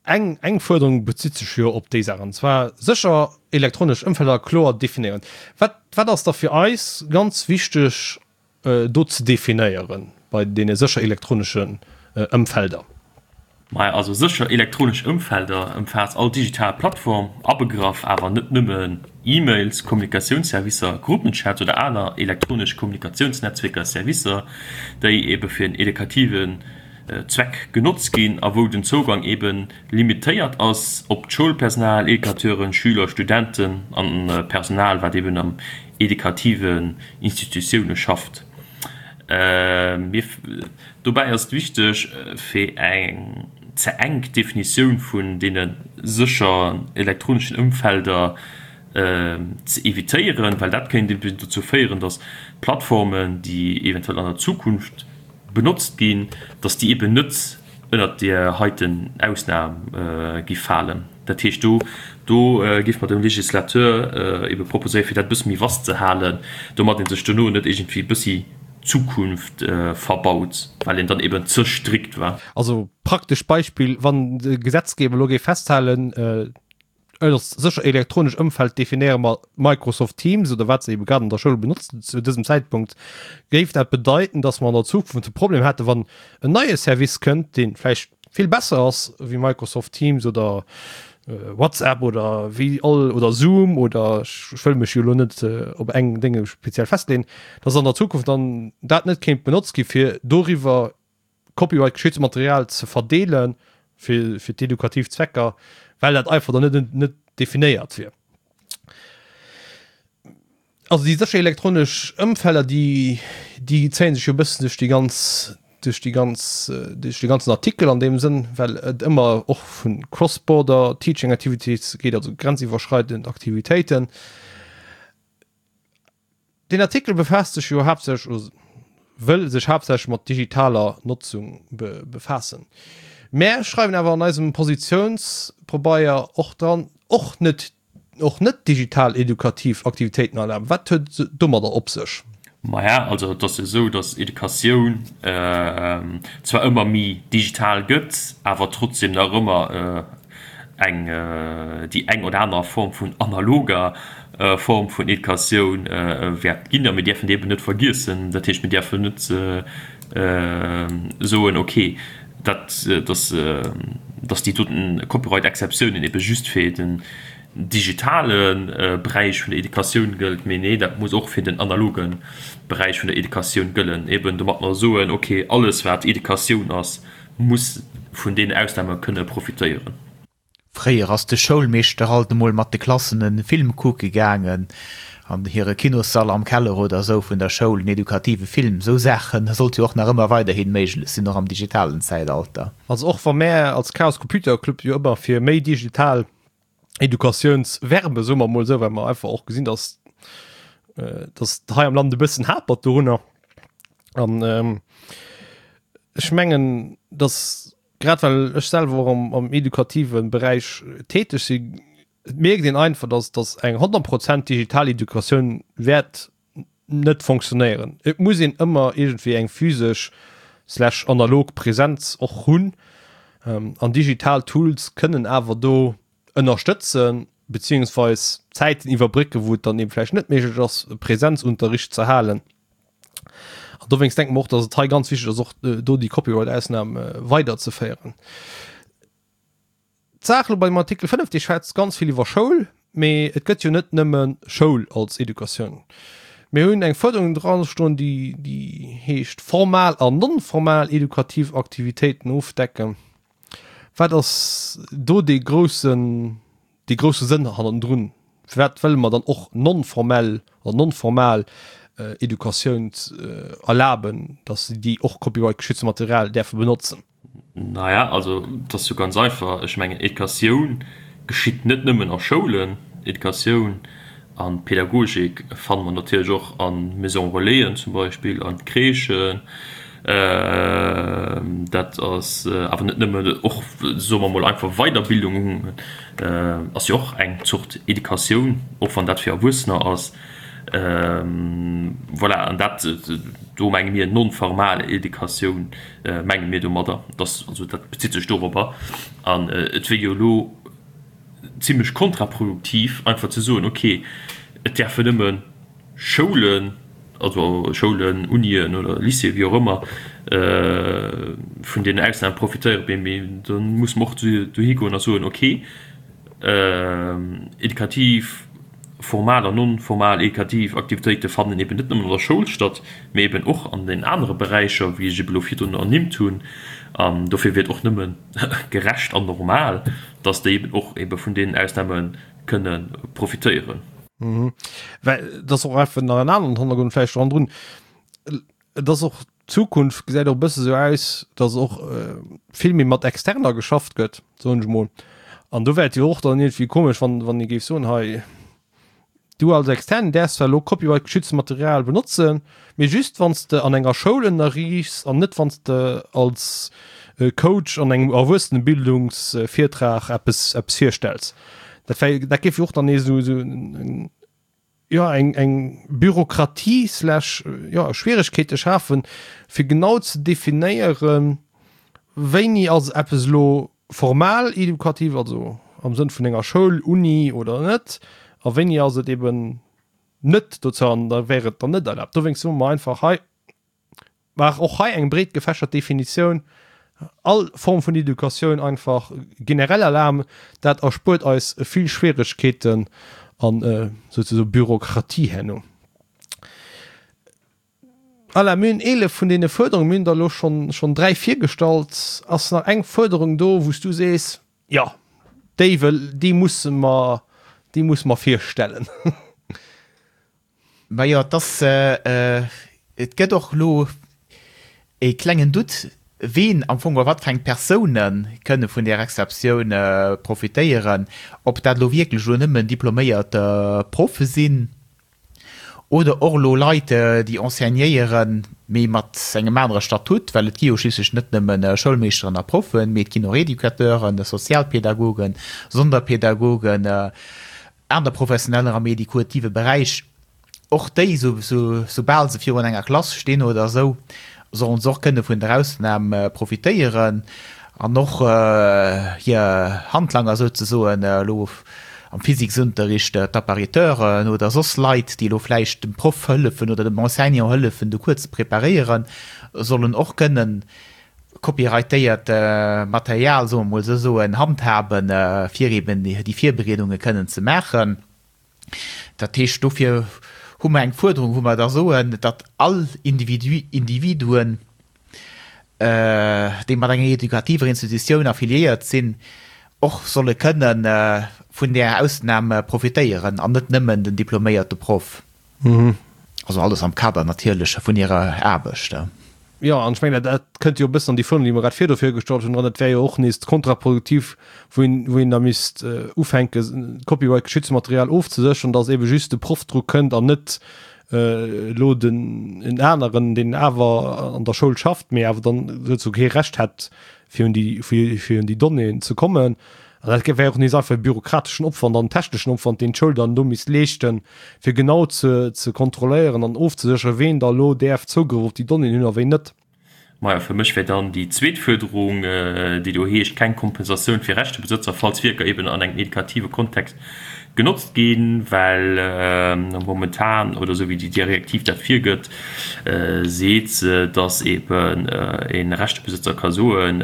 eng eng Fuerderung bezitt sech jo op déi Saach, an zwar sécher elektronesch Ëmfelder kloer definéieren. Wat wat ass da fir eis ganz wichteg do ze definéieren bei deene sécher elektroneschen Ëmfelder? Maja, also sécher elektronesch Ëmfelder ëmfaasst all digital Plattform, abegraff awer net nëmmen E-Mails, Kommunikatiounsservicer, Gruppenchats oder aner elektronesch Kommunikatiounsnetzwierker, Servicer, déi ebe fir en edukativen Zweck genotzt ginn a wou den Zougang ebe limitéiert ass op d'Schoulpersonal, Educateuren, Schüler, Studenten an Personal, wat eben am edukativen Institutioune schafft. Dobäi ass et wichteg, fir eng ze enk Definitioun vun deene sécher elektroneschen Ëmfelder ze evitéieren, well dat kéint eben dozou féieren, datt Plattformen, déi eventuell an der Zukunft benotzt ginn, datt déi eben net ënnert där heiten Ausnam gi falen. Dat heescht, do do géif mer dem Législateur ebe proposéieren, fir dat e bësse méi vast ze halen, domat ee sech dono net iergendwéi e bëssi d'Zukunft verbaut, well een dann eben ze strikt war. Also praktescht Beispill, Wann de Gesetzgeber elo géif festhalen, Ënnert sécher elektronesch Ëmfeld definéiere mer Microsoft Teams oder wat se ebe grad an der Schoul benotzen zu dësem Zäitpunkt. Géif dat bedeiten, datt mer an der Zukunft e Problem hätten, wann en neie Service kënnt, dee vläicht vill besser ass wéi Microsoft Teams oder. WhatsApp oder wéi all oder Zoom oder ech wëll mech jo elo net op eng Dénge speziell festleeën, dass an der Zukunft dann dat net kéint benotzt gi fir doriwwer Copyright geschützte Material ze verdeele fir fir d'edukativ Zwecker, well dat einfach dann net net definéiert wier. Also déi sécher elektronesch Ëmfelder, déi, déi zéie sech jo e bëssen duerch déi ganz, duerch déi ganz, duerch de ganzen Artikel an deem Sënn, well et ëmmer och vu cross-border teaching activities geet, also grenziwwerschreidend Aktivitéiten. Deen Artikel befaasst sech jo haaptsächlech, oder wëll sech haaptsächlech mat digitaler Notzung befaassen. Mär schreiwen awer an eisem Positiounspabeier och dran, och net och net digital edukativ Aktivitéiten erlaben. Wat huet et domadder op sech? Maja, also et ass jo esou, datt Educatioun zwar ëmmer méi digital gëtt, awer trotzdem nach ëmmer eng, déi eng oder aner Form vun analoger Form vun Educatioun wäert ginn. A mir däerfen déi eben net vergiessen. Dat heescht, mir däerfen net soen, okay, dat, dass, dass déi doten Copyright-Exceptiounen ebe just fir den digitale Beräich vun der Educatioun gëllt, mee nee, dat muss och fir den analoge Beräich vun der Educatioun gëllen, eben domat mer soen, okay, alles wat Educatioun ass, muss vun deenen Ausname kënne profitéieren. Fréier ass de Schoulmeeschter alt emol mat de Klassen en Film kucke gaangen, an hire Kinossall am Keller oder esou vun der Schoul, en edukative Film. Esou Saachen sollt jo och nach ëmmer weiderhin méiglech sinn, och am digitalen Zäitalter. Also och wa mär als Chaos Computer Club jo ëmmer fir méi digital Edukatiouns werben, soe mer emol esou, well mer einfach och gesinn, dass dass et hei am Land e bëssen hapert dorunner. An ech mengen, dass Grad well ech selwer och am edukative Beräich täteg sinn, et mierkt een einfach, dass dass eng 100 Prozent digital Educatioun wäert net fonctionnéieren. Et muss een ëmmer iergendwéi eng physesch slash analog Präsenz och hunn an digital Tools kënnen awer do ënnerstëtzen, beziehungsweis Zäiten iwwerbrécken, wou et dann eben vläicht net méiglech ass, Präsenzunterricht ze halen. An dowéinst denke mer och, dass et hei ganz wichteg ass, och do déi Copyright-Ausnam weiderzeféieren. D'Saach elo beim Artikel 5, dee schwätzt ganz vill iwwer Schoul, mee et gëtt jo net nëmme Schoul als Educatioun. Mir hunn eng Fuerderung drastoen, déi, déi heescht formal an non-formal edukativ Aktivitéiten ofdecken. Wat ass do dee groussen, dee grousse Sënn hannendrun? Firwat wëlle mer dann och non-formell oder non-formal Educatioun erlaben, datt déi och copyright-geschützte Material däerfe benotzen? Naja, also et ass jo ganz einfach. Ech mengen, Educatioun geschitt net nëmmen a Schoulen. Educatioun a Pädagogik fanne mer natierlech och a Maison Relaisen zum Beispill, an Crèchen. Dat ass awer net nëmmen, och, soe mer emol einfach, Weiderbildung ass jo och eng Zort Educatioun, och wann dat fir Erwuessener ass. Voilà, an dat, do menge mir non-formal Educatioun menge mir domadder, dass, also dat bezitt sech dorobber. An et wier jo elo zimlech kontraproduktiv einfach ze soen, okay, et däerfen nëmme Schoulen, also Schoulen, Unien oder Lycéeën, wéi och ëmmer, vun deenen Ausnamen profitéieren, mee da musse mer och dohi goen a soen, okay, edukativ, formal an non-formal edukativ Aktivitéite fannen eben net nëmmen an der Schoul statt, mee eben och an den anere Beräicher, wéi ech ebe lo virdrun ernimmt hunn. An dofir wier et och nëmme gerecht an normal, dass déi eben och ebe vun deenen Ausname kënne profitéieren. Mhm. Well et ass och einfach nach en aneren Hannergrond vläicht ronderun. Et ass och, d'Zukunft gesäit och e bësse sou aus, dass och vill méi mat Externer geschafft gëtt, soen ech mol. An do wär et jo och dann iergendwéi komesch, wann, wann ee géif soen, hei, du als Externen däerfs zwar elo copyright-geschützte Material benotzen, mee just wann s de an enger Schoul ënnerriichs an net wann s de als Coach an engem Erwuessenebildungsvirtrag eppes, eppes virstells. Dat wär, dat géif jo och dann nees esou, esou eng, jo, eng, eng Bürokratie slash, jo, Schwieregkeete schafen, fir genau ze definéieren, wéini ass eppes elo formal edukativ, also am Sënn vun enger Schoul, Uni oder net, a wéini ass et eben net dozou an da wär et dann net erlaabt. Dowéinst soe mer einfach hei, Maach och hei eng breet gefächert Definitioun. All Form vun Educatioun einfach generell erlaben. Dat erspuert eis vill Schwieregkeeten an souzesoe Bürokratie herno. Alain, mir hunn 11 vun deene Fuerderungen, mir hunn der elo schonn schonn 3 virgestallt. Ass nach eng Fuerderung do, wou s du sees, jo, déi wëll, déi musse mer, déi musse mer virstellen? Majo, et ass, et gëtt och elo e klengen Doute, ween am Fong oder wat fir eng Persoune kënne vun där Exceptioun profitéieren, ob dat elo wierklech elo nëmmen diploméiert Proffe sinn, Oder och elo Leit, déi enseignéieren, mee mat engem anere Statut, well et gi jo schliisslech net nëmme Schoulmeeschteren a Proffen, mee et ginn och Educateuren, Sozialpädagogen, Sonderpädagogen, aner Professioneller am educative Beräich. Och déi, soubal se virun enger Klass stinn oder esou, sollen se och kënne vun der Ausnam profitéieren an och hir Handlanger souzesoen, elo am Physiksunterricht d'Appariteuren oder soss Leit, déi elo vläicht dem Proff hëllefen oder dem Enseignant hëllefen, de Cours ze preparéieren, sollen och kënnen copyrightéiert Material, soe mer emol esou soen, handhaben, fir eben déi Virbereedunge kënnen ze maachen. Dat heescht, dofir hu mer eng Fuerderung, wou mer da soen, datt all Individu, Individuen, déi mat enger edukativer Institutioun affiliéiert sinn, och solle kënne vun där Ausnam profitéieren an net nëmmen den diploméierte Proff. Also alles am Kader natierlech vun hirer Aarbecht. Jo, an ech mengen, dat kënnt jo e bëssen an déi Form, déi mer grad virdu virgestallt hunn, dran. Dat wär jo och nees kontraproduktiv, wou een, wou een da misst ufänken, copyright-geschützte Material ofzesécheren, dass eebe just de Proff dru kënnt an net elo den en aneren, deen awer an der Schoul schafft, mee awer dann souzesoe kee Recht hätt, fir un déi, fir un déi Donnéeën ze kommen. An dat wär och nees einfach e bürokrateschen Opwand an techneschen Opwand, deen d'Schoul dann do misst leeschten, fir genau ze ze kontrolléieren an ofzesécheren, ween da elo däerf Zougrëff op déi Donnéeën hunn a ween net. Majo, fir mech wär dann déi zweet Fuerderung, déi do heescht, keng Kompensatioun fir Rechtebesëtzer, falls Wierker eben an engem edukative Kontext genotzt ginn, well momentan, oder esou wéi déi Direktiv dat virgëtt, seet se, dass eben e Rechtebesëtzer ka soen,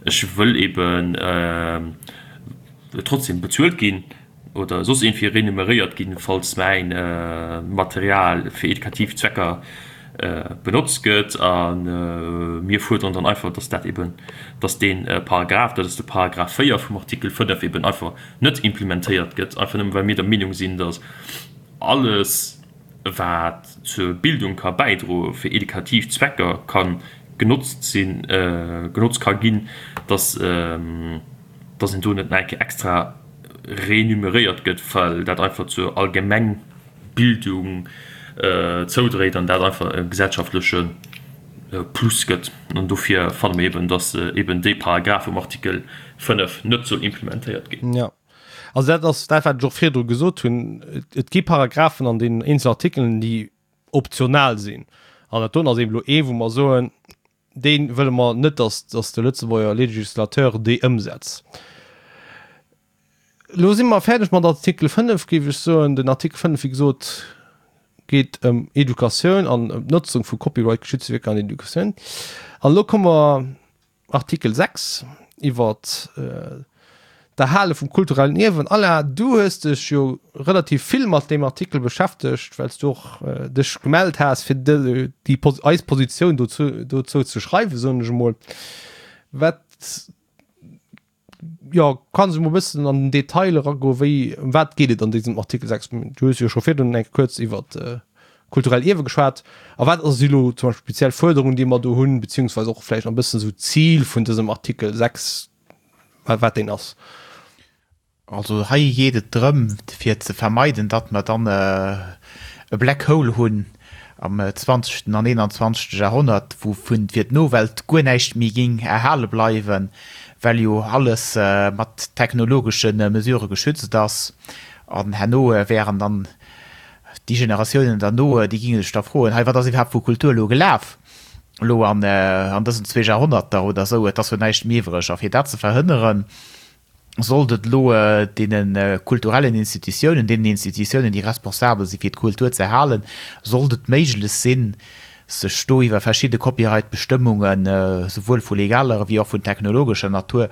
Ech wëll eben trotzdem bezuelt ginn oder soss iergendwéi renumeréiert ginn, falls mäin Material fir edukativ Zwecker benotzt gëtt. A mir fuerderen dann einfach, dass dat eben, dass dee Paragraph, dat ass de Paragraph 4 vum Artikel 5, eben einfach net implementéiert gëtt, einfach nëmme well mir der Meenung sinn, dass alles, wat zur Bildung ka bäidroe fir edukativ Zwecker ka genotzt sinn, genotzt ka ginn, dass, dass een do net nach eng Kéier extra renumeréiert gëtt, well dat einfach zur Allgemengbildung zoudréit an dat einfach e gesellschaftleche Plus gëtt. An dofir fanne mir eben, dass eben dee Paragraph um Artikel 5 net soll implementéiert ginn. Jo, also dat ass dat, wat ech och virdru gesot hunn. Et gi Paragraphen an deenen eenzelen Artikelen, déi optional sinn. An dat doen ass eben elo ee, wou mer soen, dee wëlle mer net, dass, dass de Lëtzebuerger Législateur déi ëmsetzt. Elo si mer fäerdeg mat Artikel 5, géif ech soen. Den Artikel 5, wéi gesot, geet ëm Educatioun an ëm d'Notzung vu copyright-geschützte Wierker an Educatioun. An elo komme mer Artikel 6 iwwert d'Erhale vum kulturellen Ierwen. Alain, du hues dech jo relativ vill mat deem Artikel beschäftegt, well s du och dech gemellt has, fir déi eis Positioun dozou dozou ze schreiwen, soen ech emol. Wat, jo, kanns du emol e bëssen an den Detail eragoen, wéi, ëm wat geet et an dësem Artikel 6? Du hues jo scho virdrun eng Kéier kuerz iwwert kulturell Ierwe geschwat. A wat ass elo zum Beispill speziell Fuerderungen, déi mer do hunn, beziehungsweise och vläicht nach e bëssen esou d'Zil vun dësem Artikel 6, wat deen ass? Also hei geet et drëm, fir ze vermeiden, datt mer dann e Black Hole hunn am zwanzegsten an eenanzwanzegste Jahrhonnert, wou vun fir d'Nowelt guer näischt méi géing erhale bleiwen, well jo alles mat technologesche Mesurë geschützt ass. An herno wären dann Déi Generatiounen derno, déi géinge sech da froen, hei, wat ass iwwerhaapt vu Kultur elo gelaf, elo an dësen zwee Jahrhonnerter oder esou, et ass jo näischt méi iwwreg. A fir dat ze verhënneren, sollt et elo deene kulturellen Institutiounen, deenen Institutiounen, déi responsabel si fir d'Kultur ze erhalen, sollt et méiglech sinn, Sech do iwwer verschidde Copyright-Bestëmmungen, souwuel vu legaler ewéi och vun technologescher Natur,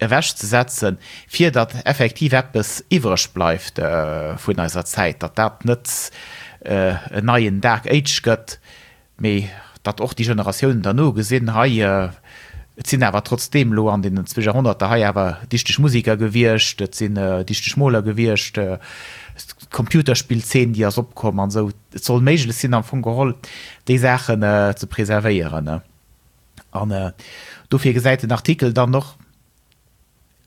ewechzesetzen, fir datt effektiv eppes iwwreg bleift vun eiser Zäit, datt dat net en neien Dark Age gëtt, mee datt och déi Generatiounen derno gesinn, hei, et sinn awer trotzdeem elo an deenen zwee Jahrhonnerter hei awer dichteg Musiker gewiescht, et sinn dichteg Moler gewiescht, d'Computerspillzeen, déi ass opkomm an esou. Et soll méiglech sinn am Fong geholl déi Saachen ze preservéieren. An dofir gesäit den Artikel dann och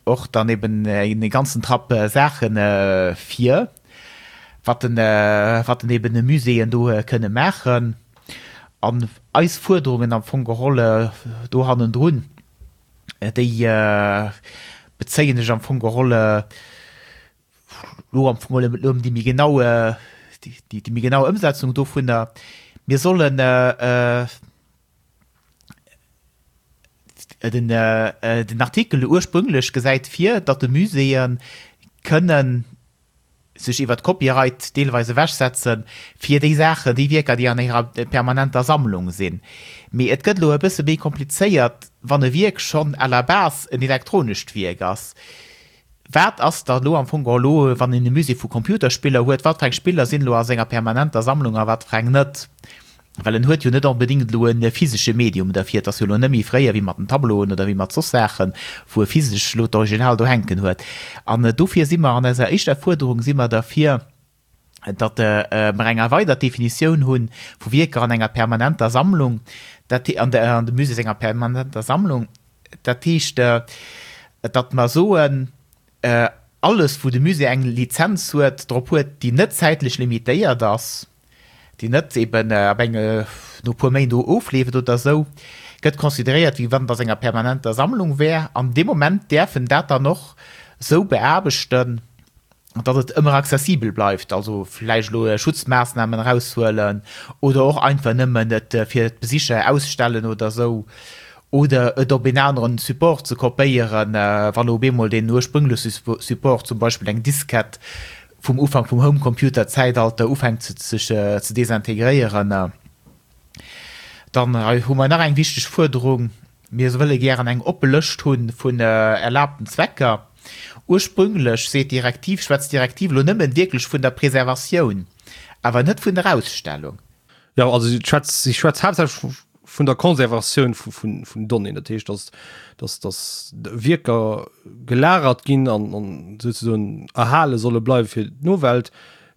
och dann eben e ganzen Trapp Saache vir, wat den wat den eben de Muséeën do kënne maachen. An eis Fuerderungen am Fong geholl do hannendrun, déi bezéien sech am Fong geholl Lo am Fong elo ëm déi méi genau, déi méi genau Ëmsetzung dovunner. Mir sollen den, den Artikel ursprünglech gesäit vir, datt de Muséeë kënnen sech iwwert d'Copyright deelweis ewechsetzen, fir déi Saachen, déi Wierker, déi an hirer permanenter Sammlung sinn. Mee et gëtt elo e bësse méi komplizéiert, wann e Wierk schonn à la base en elektronescht Wierk ass. Wat ass da elo am Fong geholl elo, wann een e Musée vu Computerspiller huet, wat fir eng Spiller sinn elo a senger permanenter Sammlung a wat fir eng net? Well en huet jo net onbedéngt elo e physesche Medium derfir. Et ass jo elo net méi fréier wéi mat den Tableauen oder wéi mat soss Saachen, wou e physesch elo d'Original do hänken huet. An dofir si mer an eiser éischter Fuerderung si mer derfir, datt mer eng erweidert Definitioun hu vu Wierker an enger permanenter Sammlung, dat an de Musée senger permanenter Sammlung. Dat heescht, datt mer soen, alles wou de Musée eng Lizenz huet, drop huet, déi net zäitlech limitéiert ass, déi net eben ab eng no e puer Méint ofleeft oder esou, gëtt consideréiert, wéi wann et a senger permanenter Sammlung wär. An dee Moment däerf en dat dann och esou beaarbechten, datt et ëmmer accessibel bleift, also vläicht elo Schutzmaassnamen eraushuelen oder och einfach nëmmen et fir d'Besicher ausstellen oder esou, oder et op een aneren Support ze kopéieren, wann op eemol deen ursprüngleche Support, zum Beispill eng Diskett vum Ufank vum Home-Computer-Zäitalter, ufänkt sech ze desintegréieren. Dann hu mer nach eng wichteg Fuerderung, Mir wëlle gären eng oppe Lëscht hu vun erlaabten Zwecker. Ursprünglech seet d'Direktiv, schwätzt d'Direktiv elo nëmmen wierklech vun der Preservatioun, awer net vun der Ausstellung. Jo, also si schwätzt, si schwätzt haaptsächlech vun der Conservatioun vun Donnéeën. Dat heescht, dass, dass, dass Wierker gelagert ginn an souzesoen erhale solle bleiwe fir d'Nowelt.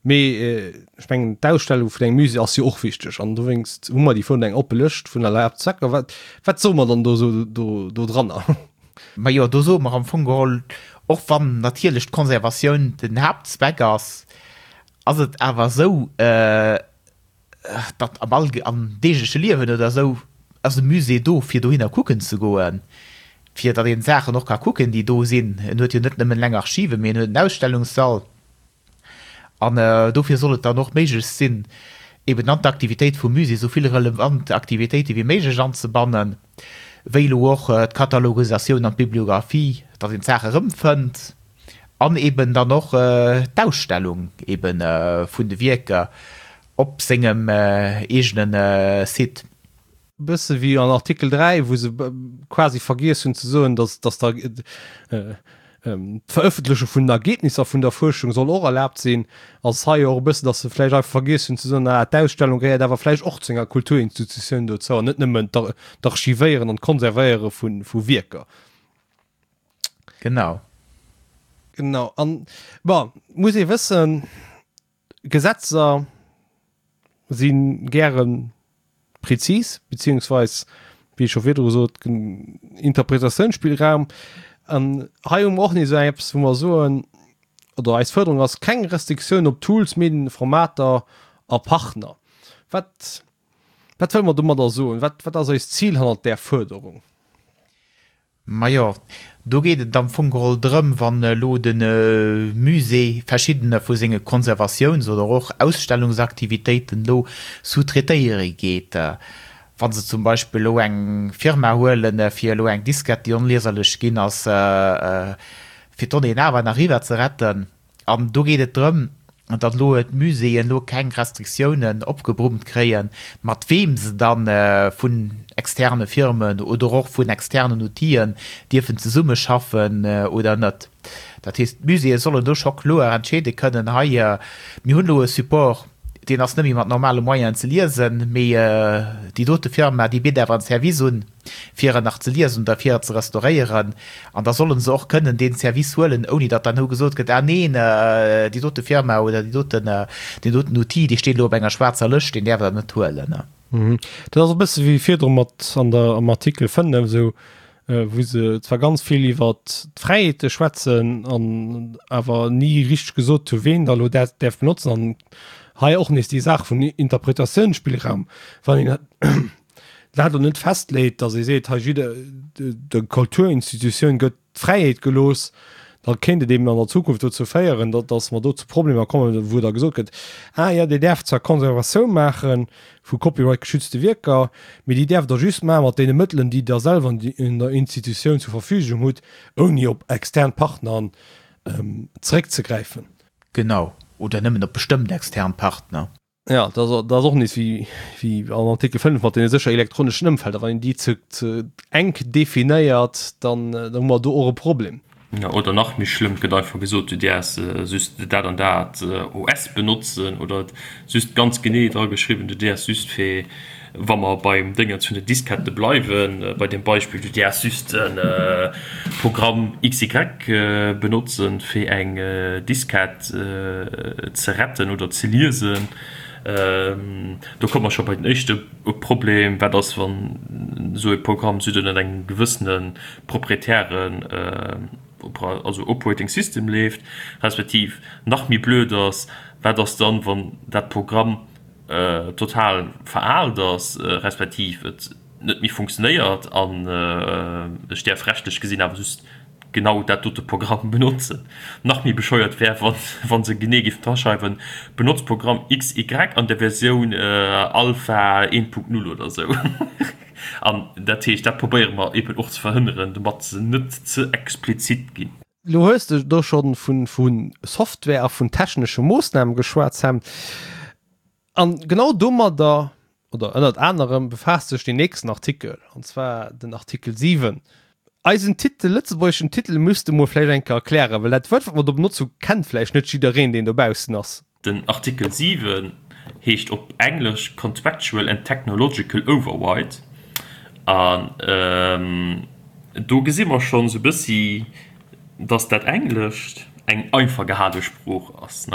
Mee ech mengen, d'Ausstellung vun engem Musée ass jo och wichteg an dowéinst hu mer déi virun eng oppe Lëscht vun erlaabten Zwecker. Wat, wat soe mer dann do esou do, do dranner? Majo, do soe mer am Fong geholl, och wann natierlech d'Konservatioun den Haaptzweck ass, ass et awer esou, datt am Allge, am deegleche Liewen oder esou ass e Musée do, fir dohinner kucken ze goen, fir datt een d'Saachen och ka kucken, déi do sinn. En huet jo net nëmmen eleng Archiven, mee en huet en Ausstellungssall. An dofir soll et dann och méiglech sinn, eben an d'Aktivitéit vum Musée esou vill relevant Aktivitéite wéi méiglech anzebannen, wéi elo och d'Katalogisatioun an d'Bibliographie, datt een d'Saache erëmfënnt, an eben dann och d'Ausstellung eben vun de Wierker op sengem eegene Site. Bësse wéi an Artikel 3, wou se quasi vergiess hunn ze soen, dass, dass da d'Verëffentleche vun den Ergebnisser vun der Fuerschung soll och erlaabt sinn, ass hei och e bëssen, dass se vläicht einfach vergiess hunn ze soen, ah, d'Ausstellung gehéiert awer vläicht och zu enger Kulturinstitutioun dozou an net nëmmen d'Archivéieren an d'Konservéiere vu, vu Wierker. Genau. Genau. An, bon, muss ee wëssen, Gesetzer si gäre prezis, beziehungsweis, wéi ech scho virdru sot, Interpretatiounsspillraum. An hei hu mer och nees esou eppes, wou mer soen, oder eis Fuerderung ass, keng Restriktioun op Tools, Medien, Formater a Partner. Wat, wat wëlle mer domadder soen? Wat, wat ass eist Zil hannert där Fuerderung? Majo, do geet et am Fong geholl drëm, wann elo de Musée verschiddener vu senge Konservatiouns oder och Ausstellungsaktivitéiten elo sous-traitéiere geet, wa se zum Beispill elo eng Firma huelen, fir elo eng Diskett, déi onlieserlech ginn ass, fir d'Donnéeën awer nach eriwwer ze retten. An do geet et drëm. An datt elo d'Muséeën elo keng Restriktiounen opgebrummt kréien, mat weem se da vun externe Firmen oder och vun externen Outiller dierfen zesummeschaffen oder net. Dat heescht, d'Muséeë sollen do scho kloer entscheede kënnen, hei, mir hunn elo e Support, deen ass net méi mat normale Moyenen ze liesen, mee déi dote Firma, déi bitt awer en Service un. fir en nach ze liesen oder fir et ze restauréieren, an da solle se och kënnen dee Service huelen, ouni datt dann elo gesot gëtt, ah neen, déi dote Firma oder déi doten, deen doten Outil, dee steet elo op enger schwaarzer Lëscht, deen däerf Der net huelen. Dat ass e bësse wéi virdru mat an der, am Artikel 5, esou, wou se zwar ganz vill iwwert d'Fräiheete schwätzen an awer ni richteg gesot hu ween da elo dat däerf benotzen. An hei och nees déi Saach vun Interpretatiounsspillraum, wann een dat elo net festleet, datt ee seet, hei jidder, der Kulturinstitutioun gëtt d'Fräiheet gelooss, da kéint et eben an der Zukunft dozou féieren, datt, datt mer do zu Problemer kommen, wou da gesot gëtt, ah jo, Dir däerft zwar Conservatioun maache vu copyright-geschützte Wierker, mee déi däerft Der just maache mat deene Mëttelen, déi Der selwer an der Institutioun zur Verfügung hutt, ouni op extern Partner zeréckzegräifen. Genau, oder nëmmen op bestëmmt extern Partner. Ja, dat ass och nees wéi, wéi am Artikel 5 mat deene sécher elektroneschen Ëmfelder. Wann een déi ze, ze enk definéiert, dann, dann hu mer do och e Problem. Ja, oder nach méi schlëmm, et gëtt einfach gesot, du däerfs just dat an dat OS benotzen oder et just ganz genee dra geschriwwen, du däerfs just fir, wa mer beim Déngens vun den Diskette bleiwen, bei deem Beispill, du däerfs just e Programm XY benotzen, fir eng Diskett ze retten oder ze liesen. Do komme mer scho bei den éischte Problem, Wat ass, wann esou e Programm just ënnert engem gewëssene proprietären, also Operating System leeft, respektiv nach méi blöd ass, wat ass dann, wann dat Programm total veraalt ass, respektiv et net méi funktionéiert an ech däerf rechtlech gesinn awer just genau dat dote Programm benotzen. Nach méi bescheuert wär, wa se genee géifen draschreiwen, benotzt Programm XY an der Versioun Alpha 1.0 oder esou. An dat heescht, dat probéiere mer eben och ze verhënneren, domat se net ze explizit ginn. Lo hues de do scho vu Software a vun technesche Moossname geschwat, Sam. An genau domadder, oder ënnert anerem, befaasst sech deen nächsten Artikel, an zwar den Artikel 7. Eisen Titel, lëtzebuergeschen Titel, muss de mol vläicht eng Kéier erklären, well dat Wuert, wat mer do benotzt hu, kennt vläicht net jiddereen, deen dobaussen ass. Den Artikel 7 heescht op Englesch Contractual and Technological Override an do gesi mer schonn esou e bëssi, dass dat Englescht eng einfach gehale Sprooch ass.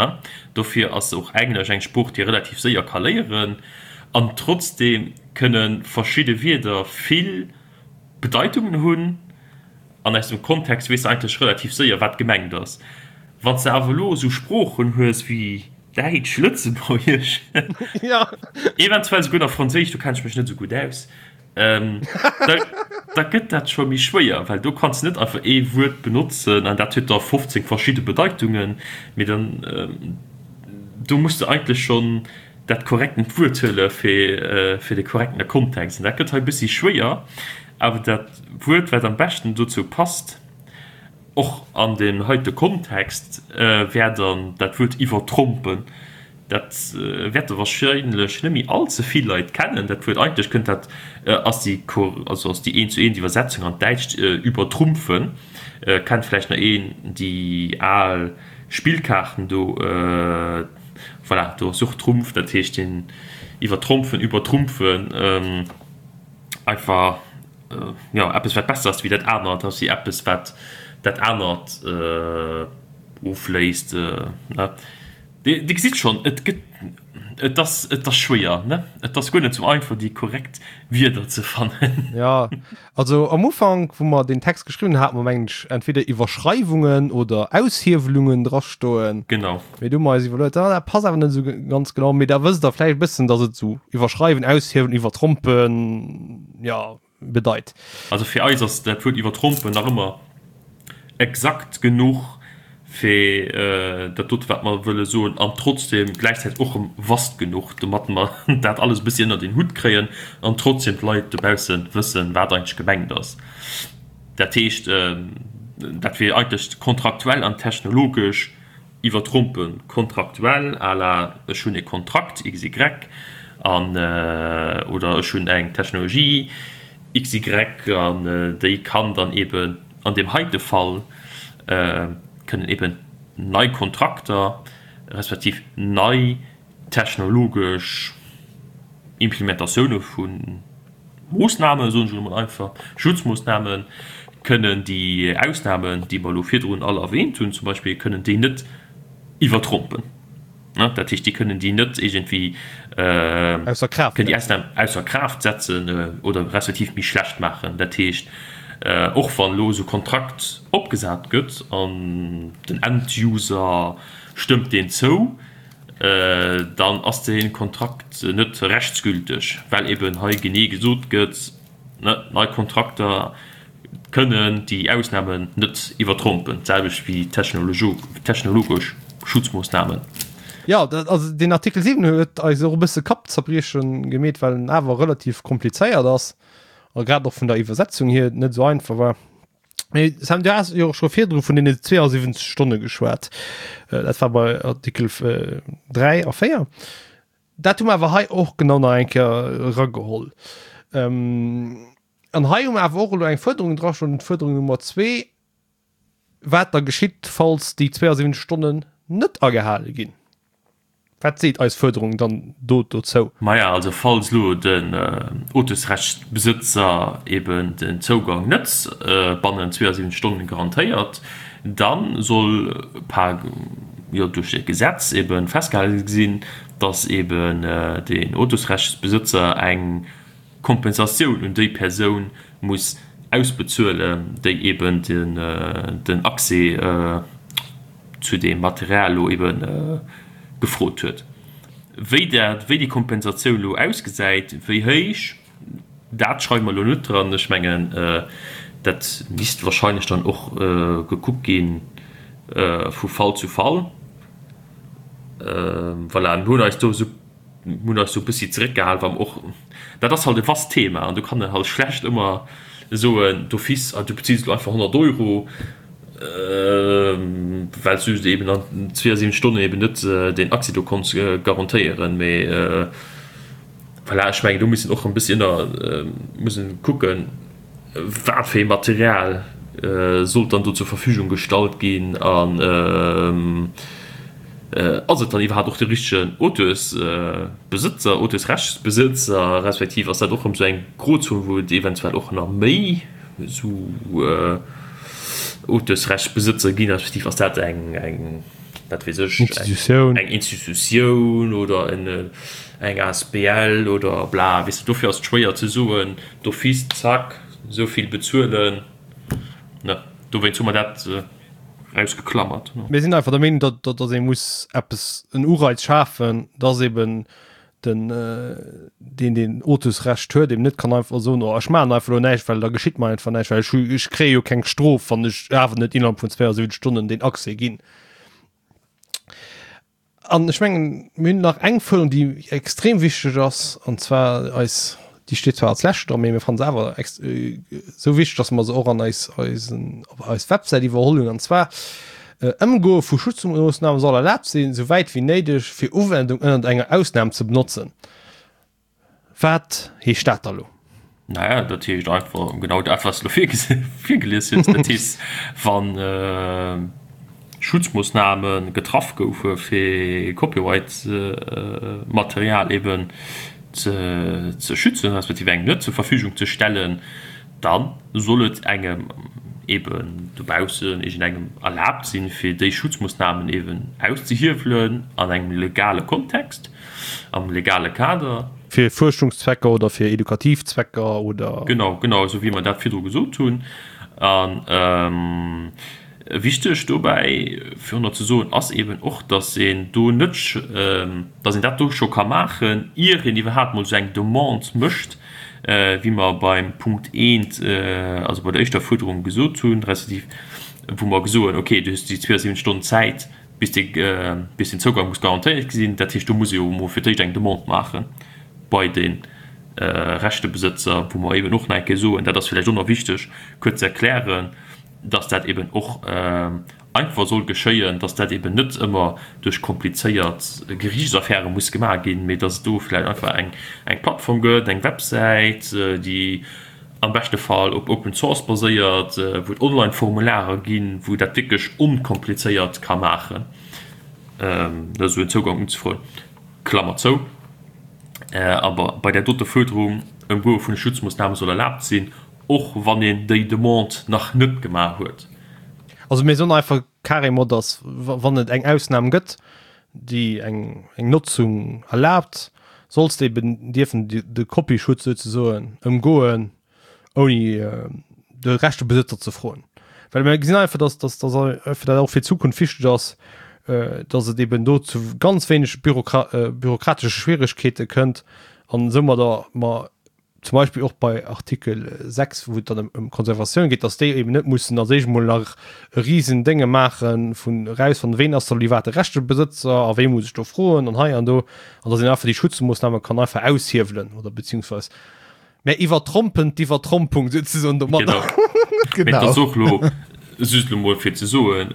Dofir ass och Englesch eng Sprooch, déi ee relativ séier ka léieren an trotzdeem kënne verschidde Wierder vill Bedeitungen hunn. An aus dem Kontext weess de eigentlech relativ séier, wat gemengt ass. Wann s de awer elo esou Sproochen hues wéi Däitsch, Lëtzebuergesch, eventuell souguer nach Franséisch, do kenne ech mech net esou gutt aus, da gëtt dat scho méi schwéier, well do kanns de net einfach ee Wuert benotzen an dat huet da 15 verschidde Bedeitungen, mee dann do muss de eigentlech schonn dat korrektent Wuert huele fir de korrektene Kontext. An dat gëtt hei e bëssi schwéier, awer dat Wuert, wat am beschten dozou passt, Och an deem heite Kontext wär dann dat Wuert iwwertrompen. Dat wäerte warscheinlech net méi all ze vill Leit kennen, dat Wuert. Eigentlech kënnt dat, ass déi, also ass déi eent zu eent Iwwersetzung an d'Däitscht übertrumpfen. Kennt vläicht nach een déi al Spillkaarten do? Voilà, do ass och Trumpf, dat heescht den iwwertrompen, übertrumpfen, einfach. jo, eppes wat besser ass wéi dat anert, ass wéi eppes wat dat anert ofléist, ne? Dir gesitt schonn, et gëtt, et ass, et ass schwéier, ne? Et ass guer net sou einfach déi korrekt Wierder ze fannen. Jo, also am Ufank wou mer deen Text geschriwwen hunn, hate mer mengen ech entweder Iwwerschreiwungen oder Aushiewelungen drastoen. Genau. Mee du hu mer eis iwwerluet, ah dat passt awer net esou ganz genau. Mee da wësst der vläicht e bëssen, datt et esou iwwerschreiwen, aushiewelen, iwwertrompen, jo, bedeit. Also fir eis ass dat Wuert iwwertrompen nach ëmmer exakt genuch fir dat dote wat mer wëlle soen an trotzdem gläichzäiteg och erëm vast genuch, domat mer dat alles e bëssi ënnert een Hutt kréien an trotzdem d'Leit dobausse wëssen, wat eigentlech gemengt ass. Dat heescht, dat wier eigentlech kontraktuell an technologesch. iwwertrompen, kontraktuell à la ech hunn e Kontrakt XY an oder ech hunn eng Technologie XY an déi kann dann eben an deem heite Fall kënnen eben nei Kontrakter respektiv nei technologesch Implementatioune vu Moossnamen, soen ech elo mol einfach, Schutzmoossnamen, kënnen déi Ausnamen, déi mer elo virdrun all erwähnt hunn zum Beispill, kënnen déi net iwwertrompen. Dat heescht, déi kënnen déi net iergendwéi, kënnen déi Ausnamen ausser Kraaft setzen oder respektiv méi schlecht maachen. Dat heescht, och wann elo esou e Kontrakt opgesat gëtt an den End-User stëmmt deen zou, dann ass dee Kontrakt net rechtsgülteg, well eben hei genee gesot gëtt, nei Kontrakter kënnen déi Ausnamen net iwwertrompen, d'selwecht wéi technologesch Schutzmoossnamen. Jo, also deen Artikel 7 huet eis och e bësse Kappzerbriechen gemeet, well en awer relativ komplizéiert ass a grad och vun der Iwwersetzung hier net esou einfach war. Mee Sam, du has jo scho virdru vun deene 72 Stonne geschwat. Äh, dat war bei Artikel 3 a 4. Dat hu mer awer hei och genau nach eng Kéier erageholl. Ähm, an hei hu mer awer och elo eng Fuerderung dra stoen, d'Fuerderung Nummer 2, wat da geschitt, falls déi 72 Stonnen net agehale ginn. Wat seet eis Fuerderung dann do dozou? Maja, also falls elo den Auteursrechtsbesëtzer eben den Zougang net bannent 72 Stonnen garantéiert, da soll par, jo, duerch e Gesetz eben festgehale sinn, dass eben den Auteursrechtsbesëtzer eng Kompensatioun un déi Persoun muss ausbezuelen, déi eben den Accès zu deem Material elo ebe gefrot huet. Wéi dat, wéi déi Kompensatioun elo ausgesäit, wéi héich, dat schreiwe mer elo net dran. Ech mengen, dat misst wahrscheinlech dann och gekuckt gi vu Fall zu Fall. Voilà, mir hunn eis do esou Mir hunn eis do e bëssi zeréckgehal, well mer och, dat ass halt e vast Thema an do kann een halt schlecht ëmmer soen d'office, ah du bezills elo einfach 100 Euro, well s du eben an 72 Stonnen eben net deen Accès do konns garantéieren. Mee voilà, ech mengen do muss een och e bëssi ënner, muss een kucken, wat fir ee Material sollt dann do zur Verfügung gestallt ginn an ass et dann iwwerhaapt och de richtegen Auteursbesëtzer, Auteursrechtsbesëtzer, respektiv ass dat och erëm esou eng Grozon, wou et eventuell och nach méi esou Auteursrechtsbesëtzer ginn, respektiv ass dat eng, eng, wat weess ech, eng Institutioun oder eng asbl oder bla, weess de, dofir ass et schwéier ze soen, D'office, zack, esou vill bezuelen, ne, dowéinst hu mer dat erausgeklammert. Mir sinn einfach der Meenung, datt, datt ee muss eppes, en Ureiz schafen, datt eben den, deen deen Auteursrecht huet, eben net kann einfach soen, oh ech maachen einfach elo näischt, well da geschitt mer einfach näischt, well ech hu, ech kréie jo keng Strof, wann ech awer net innerhalb vun 72 Stonnen deen Accès ginn. An ech mengen, mir hunn nach eng Fuerderung, déi extrem wichteg ass, an zwar eis, déi steet zwar als lescht dran, mee mir fannen se awer esou wichteg, dass mer se och an eis, eisen, op eis Websäit iwwerholl hunn, an zwar, Ëmgoe vu Schutzmoossname soll erlaabt sinn, souwäit wéi néideg, fir Uwendung ënnert enger Ausnam ze benotzen. Wat heescht dat da lo? Naja, dat heescht einfach genau dat, wat s de elo virgelies hues. Dat heescht, wa Schutzmoossname getraff goufe fir Copyright-Material eben ze schützen, respektiv engem net zur Verfügung ze stellen, da soll et engem eben dobaussen, iergendengem erlaabt sinn, fir déi Schutzmoossnamen eben auszehiewelen an engem legale Kontext. Am legale Kader. Fir Fuerschungszwecker oder fir edukativ Zwecker oder. Genau, genau esou wéi mer dat virdru gesot hunn. A wichteg dobäi fir och nach ze soen ass eeben och, dass een do net, dass een dat do scho ka maachen, ier een iwwerhaapt mol esou eng Demande mécht, wéi mer beim Punkt eent, also bei der éischter Fuerderung gesot hunn, respektiv wou mer gesoen, okay, du hues déi 72 Stonnen Zäit, bis de bis den Zougang muss garantéiert sinn. Dat heescht, do muss ee jo emol fir d'éischt eng Demande maache bei de Rechtebesëtzer, wou mer eeben och nach eng Kéier soen, dat ass villäicht och nach wichteg kuerz ze erklären, dass dat eeben och. einfach soll geschéien, dass dat eben net ëmmer duerch komplizéiert Geriichtsaffäre muss gemaach ginn, mee dass et do vläicht einfach eng eng Plattform gëtt, eng Websäit, déi am beschte Fall op Open Source baséiert, wou et Online-Formularer ginn, wou dat wierklech onkomplizéiert ka maachen, esou en Zougang unzefroen. Klammer zou. Awer bei där dote Fuerderung, Ëmgoe vun de Schutzmoossname soll erlaabt sinn, och wann een déi Demande nach net gemaach huet. Also mir soen einfach carrément, dass wann et eng Ausnam gëtt, déi eng Notzung erlaabt, solls de eben dierfen de Copyschutz souzesoen ëmgoen, ouni de Rechtebesëtzer ze froen. Well mir gesinn einfach, dass dass dass einfach dat och fir d'Zukunft wichteg ass, dass et eben do zu ganz wéineg bürokratesche Schwieregkeete kënnt an soumadder mer zum Beispill och bei Artikel 6, wou et dann ëm Konservatioun geet, dass déi eben net mussen als éischt emol nach e risen Dénge maache vun erausfannen, ween ass da lo iwwerhaapt de Rechtebesëtzer a wee muss ech do froen an hei an do, an dass een einfach déi Schutzmoossname kann einfach aushiewen oder beziehungsweis mä iwwertrompen d'Iwwertrompung souzesoen domadder. Genau. Mee et ass och lo just lo mol fir ze soen,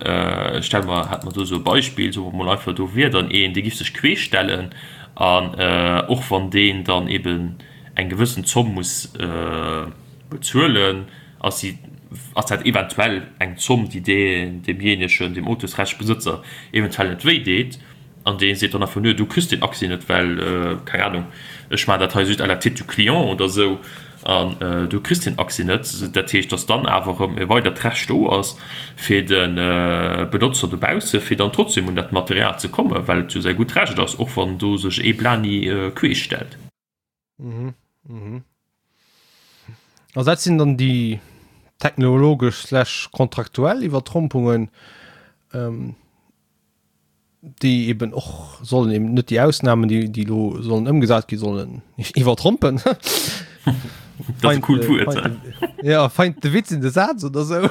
stelle mer, hat mer do esou e Beispill, soe mer mol einfach, do wier dann een, dee giff sech queesch stellen an och wann deen dann eben eng gewëssen Zomm muss bezuelen, ass si, ass dat eventuell eng Zomm, déi dee, deemjéinegen, deem Autosrechtsbesëtzer eventuell net wéi deet. An dee seet dann einfach, Nö, du kriss deen Accès net, well, keng Ahnung, ech maachen dat hei just à la tête du client oder esou, an du kriss deen Accès net. Dat heescht, dass dann awer erëm e weidert Recht do ass fir de Benotzer dobausse, fir dann trotzdem un dat Material ze kommen, well et jo säi gutt Recht ass, och wann do sech ee Blani queesch stellt. Mhm, mhm. Also dat sinn dann déi technologesch slash kontraktuell Iwwertrompungen, ähm, déi eben och sollen eben net déi Ausnahmen, déi, déi lo sollen ëmgesat gi sollen iwwertrompen. Dat ass e coolt Wuert. Ja, feind de Witz in de Saz oder sou.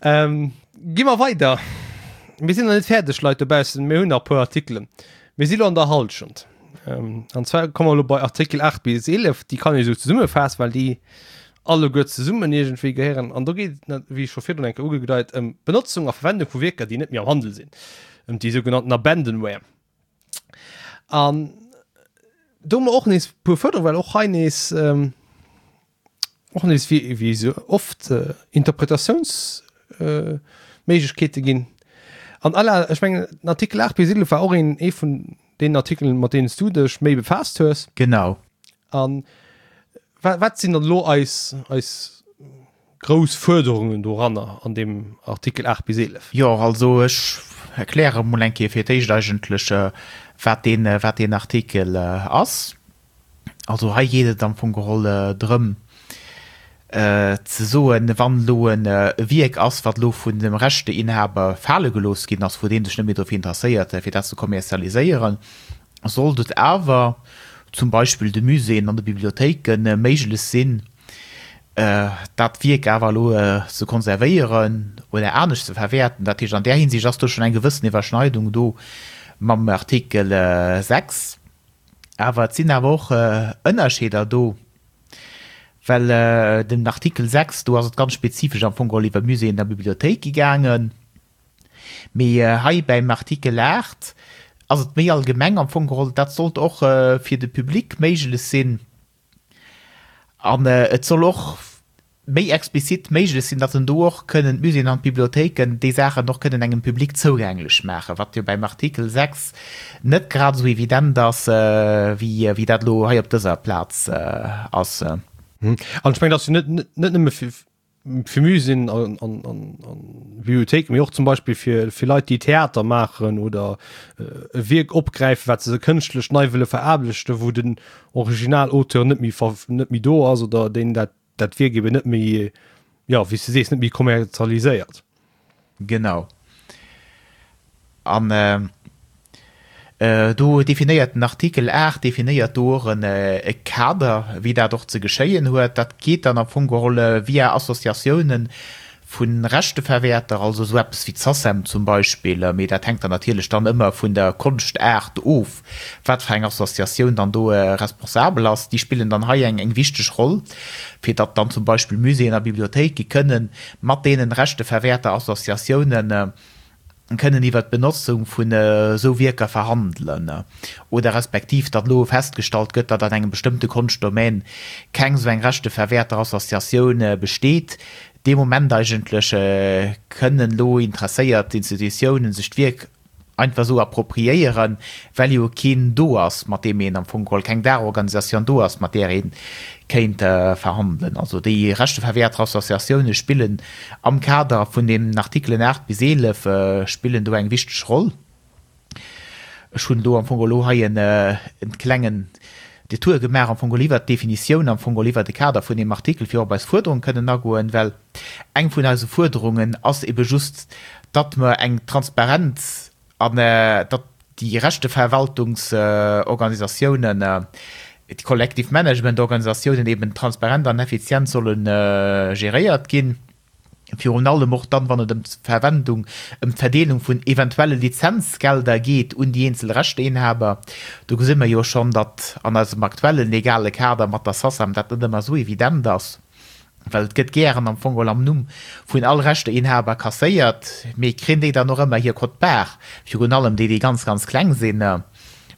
ähm, gi mer weider. Mir sinn nach net fäerdeg, Leit dobaussen, mir hunn nach e puer Artikelen. Mir si lo an der Hallschent. Ähm, an zwar komme mer lo bei Artikel 8 bis 11, déi kann ee sou zesummefaassen, well déi alleguer zesummen iergendwéi gehéieren. An do geet et, wéi scho virdrun eng Kéier ugedeit, ëm d'Benotzung a Verwendung vu Wierker, déi net méi am Handel sinn, ëm déi sougenannten Abandonware. An do hu mer och nees e puer Fuerderungen, well och hei nees, och nees wéi, wéi esou oft, Interpretatiounsméiglechkeete ginn. An à la, ech mengen, den Artikel 8 bis 11 war och een, ee vun deenen Artikelen, mat deenen s du dech méi befaasst hues. Genau. An wat, wat sinn dann elo eis, eis grouss Fuerderungen doranner an deem Artikel 8 bis 11? Jo, also ech erkläre mol eng Kéier fir d'éischt eigentlech, wat deen, wat deen Artikel ass. Also hei geet et am Fong geholl drëm ze soen, wann elo e Wierk ass, wat elo vun dem Rechteinhaber fale gelooss ginn ass, wou dee sech net méi dofir interesséiert, fir dat ze kommerzialiséieren, sollt et awer zum Beispill de Muséeën an de Bibliothéike méiglech sinn, dat Wierk awer elo ze konservéieren oder anescht ze verwäerten. Dat heescht, an där Hinsicht ass do schonn eng gewëssen Iwwerschneidung do mam Artikel 6. Awer et sinn awer och Ënnerscheeder do, well den Artikel 6, do ass et ganz spezifesch am Fong geholl iwwer Muséeën a Bibliothéike gaangen. Mee hei beim Artikel 8 ass et méi allgemeng am Fong geholl. Dat sollt och fir de Public méiglech sinn. An et soll och méi explizit méiglech sinn, datt en do och kënnen d'Muséeën an d'Bibliothéiken déi Saachen och kënnen engem Public zougänglech maachen, wat jo beim Artikel 6 net grad esou evident ass, wéi dat elo hei op dëser Plaz ass. An ech mengen, dat ass jo net nëmme fir fir Muséeën an, an, an, an Bibliothéiken, mee och zum Beispill fir, fir Leit, déi Theater maachen oder äh, e Wierk opgräifen, wat se kënschtlech nei wëlle veraarbechten, wou den Originalauteur net méi, net méi do ass oder deen dat, dat Wierk eben net méi, ja, wéi s de sees, net méi kommerzialiséiert. Genau. An do definéiert den Artikel 8 definéiert do och e Kader, wéi dat och ze geschéien huet. Dat geet dann am Fong geholl via Associatiounen. Vu Rechteverwäerter, also esou eppes wéi d'SACEM zum Beispill, mee dat hänkt dann natierlech dann ëmmer vun der Konschtaart of, wat fir eng Associatioun dann do responsabel ass, déi spillen dann hei eng eng wichteg Roll, fir datt dann zum Beispill Muséeën a Bibliothéike kënnen mat deenen Rechteverwäerterassociatiounen kënnen iwwert d'Benotzung vun esou Wierker verhandelen oder respektiv datt elo festgestallt gëtt, datt an engem bestëmmte Konschtdomaine keng esou eng Rechteverwäerterassociatioun besteet. Dee Moment eigentlech kënnen elo interesséiert Institutiounen sech d'Wierk einfach esou appropriéieren, well jo keen do ass, mat deem een am Fong geholl, keng Daachorganisatioun do ass, mat där ee kéint verhandelen. Also déi Rechteverwäerterassociatioune spillen am Kader vun deenen Artikelen 8 bis 11 spillen do eng wichteg Roll. Ech hunn do am Fong elo hei en klengen Detour gemaach am Fong iwwert d'Definitioun, am Fong iwwert de Kader vun deem Artikel, fir op eis Fuerderung kënnen agoen, well eng vun eise Fuerderungen ass ebe just, datt mer eng Transparenz an datt déi Rechteverwaltungsorganisatiounen, déi Collective Management Organisatiounen eben transparent an effizient solle geréiert ginn. Virun allem och dann, wann et ëm d'Verwendung, ëm d'Verdeelung vun eventuelle Lizenzgelder geet un déi eenzel Rechteinhaber. Do gesi mer jo schonn, datt an eisem aktuelle legale Kader mat der SACEM dat net ëmmer esou evident ass, well et gëtt gären am Fong geholl am Numm vun all Rechteinhaber kasséiert, mee kréien déi dann och ëmmer hir Quote-part, virun allem déi, déi ganz, ganz kleng sinn,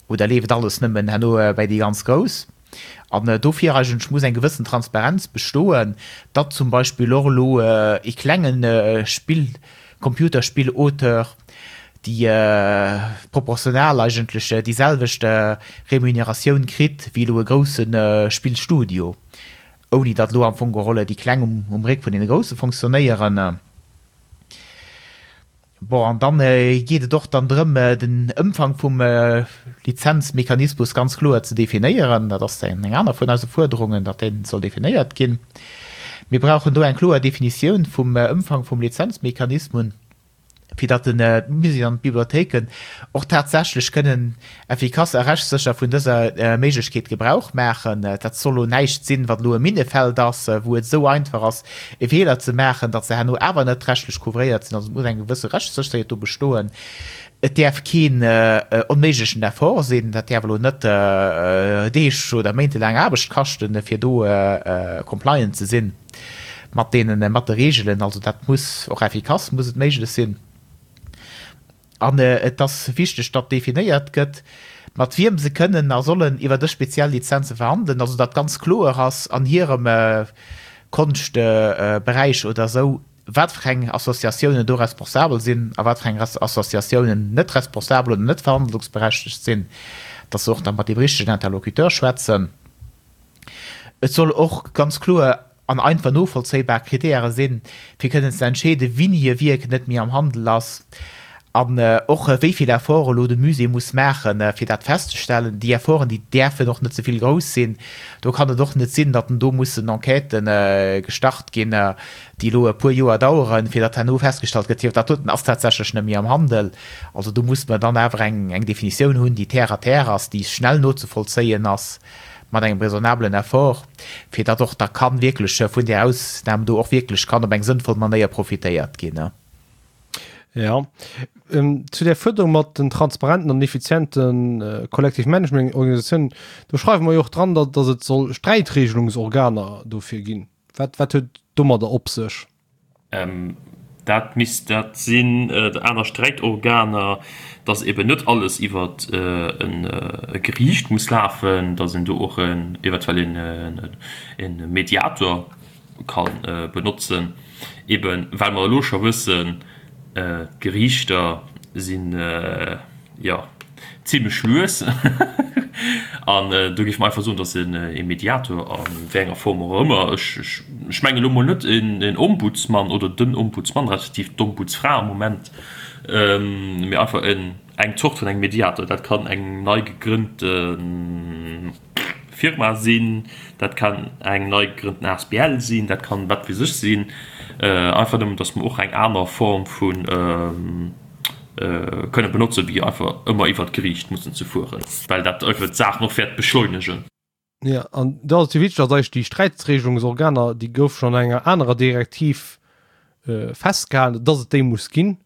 oder leeft alles nëmmen herno bäi déi ganz Grouss? An dofir eigentlech muss eng gewëssen Transparenz bestoen, datt zum Beispill och elo ee klenge Spill, Computerspill-Auteur, déi proportional eigentlech déi selwecht Remuneratioun kritt wéi elo e grousse Spillstudio, ouni datt elo am Fong geholl déi Kleng um Réck vun deene Grousse fonctionnéieren. Bon, an dann geet et och dann drëm, den Ëmfang vum Lizenzmechanismus ganz kloer ze definéieren. Dat ass eng aner vun eise Fuerderungen, datt dee soll definéiert ginn. Mir brauchen do eng kloer Definitioun vum Ëmfang vum Lizenzmechanismus, fir datt d'Muséeën an d'Bibliothéiken och tatsächlech kënnen effikass a rechtssécher vun dëser Méiglechkeet Gebrauch maachen. Dat soll elo näischt sinn, wat elo e Minnefeld ass, wou et esou einfach ass, e Feeler ze maachen, datt se herno awer net rechtlech couvréiert sinn. Also et muss eng gewësse Rechtssécherheet do bestoen. Et däerf keen onméiglechen Effort sinn. Dat däerf elo net Deeg oder méintelaang Aarbecht kaschten, fir do compliant ze sinn mat deenen, mat de Reegelen. Also dat muss och effikass muss et méiglech sinn. An et ass wichteg, datt definéiert gëtt, mat wiem se kënnen a sollen iwwer dës speziell Lizenze verhandelen, also datt ganz kloer ass an hirem Konschtberäich oder esou, wat fir eng Associatiounen do responsabel sinn a wat fir eng Associatiounen net responsabel oder net verhandlungsberechtegt sinn, datt se och da mat deem richtegen Interlocuteur schwätzen. Et soll och ganz kloer an einfach novollzéibar Kritäre sinn, fir kënnen ze entscheeden, wini e Wierk net méi am Handel ass an och wéi vill Effort elo de Musée muss maachen, fir dat festzestellen. Déi Efforten, déi däerfen och net ze vill grouss sinn. Do kann et och net sinn, datt do mussen Enquêtë gestart ginn, déi elo e puer Joer daueren, fir datt herno festgestallt gëtt, jo, dat doten ass tatsächlech net méi am Handel. Also do muss mer dann awer eng Definitioun hunn, déi terre à terre ass, déi schnell nozevollzéien ass. mat engem raisonnablen Effort, fir datt och da kann wierklech vun där Ausnam do och wierklech kann op eng sënnvoll Manéier profitéiert ginn. Jo, zu där Fuerderung mat den transparenten an effiziente Collective Management Organisatiounen, do schreiwe mer jo och dran, datt et soll Sträitregelungsorganer dofir ginn. Wat, wat huet domadder op sech? Dat misst dat sinn, aner Sträitorganer, dass eben net alles iwwer e Geriicht muss lafen, dass een do och eventuell e Mediator ka benotzen, eben well mer elo scho wëssen, d'Geriichter sinn, jo, zimlech lues. An do géife mer einfach soen, dass e Mediator, a wéi enger Form och ëmmer, ech mengen elo mol net en Ombudsmann oder den Ombudsmann respektiv d'Ombudsfra am Moment, mee einfach eng Zort vun engem Mediator, dat kann eng nei gegrënnte Firma sinn, dat kann eng nei gegrënnten asbl sinn, dat kann wat weess ech sinn, einfach nëmmen, dass mer och eng aner Form vu kënne benotzen, wéi einfach ëmmer iwwert d'Geriicht mussen ze fueren, well dat einfach d'Saach nach wäert beschleunegen. Jo, an do ass et jo wichteg, dass eigentlech déi Sträitregelungsorganer, déi goufe schonn an enger anerer Direktiv. festgehalen, dass et déi muss ginn,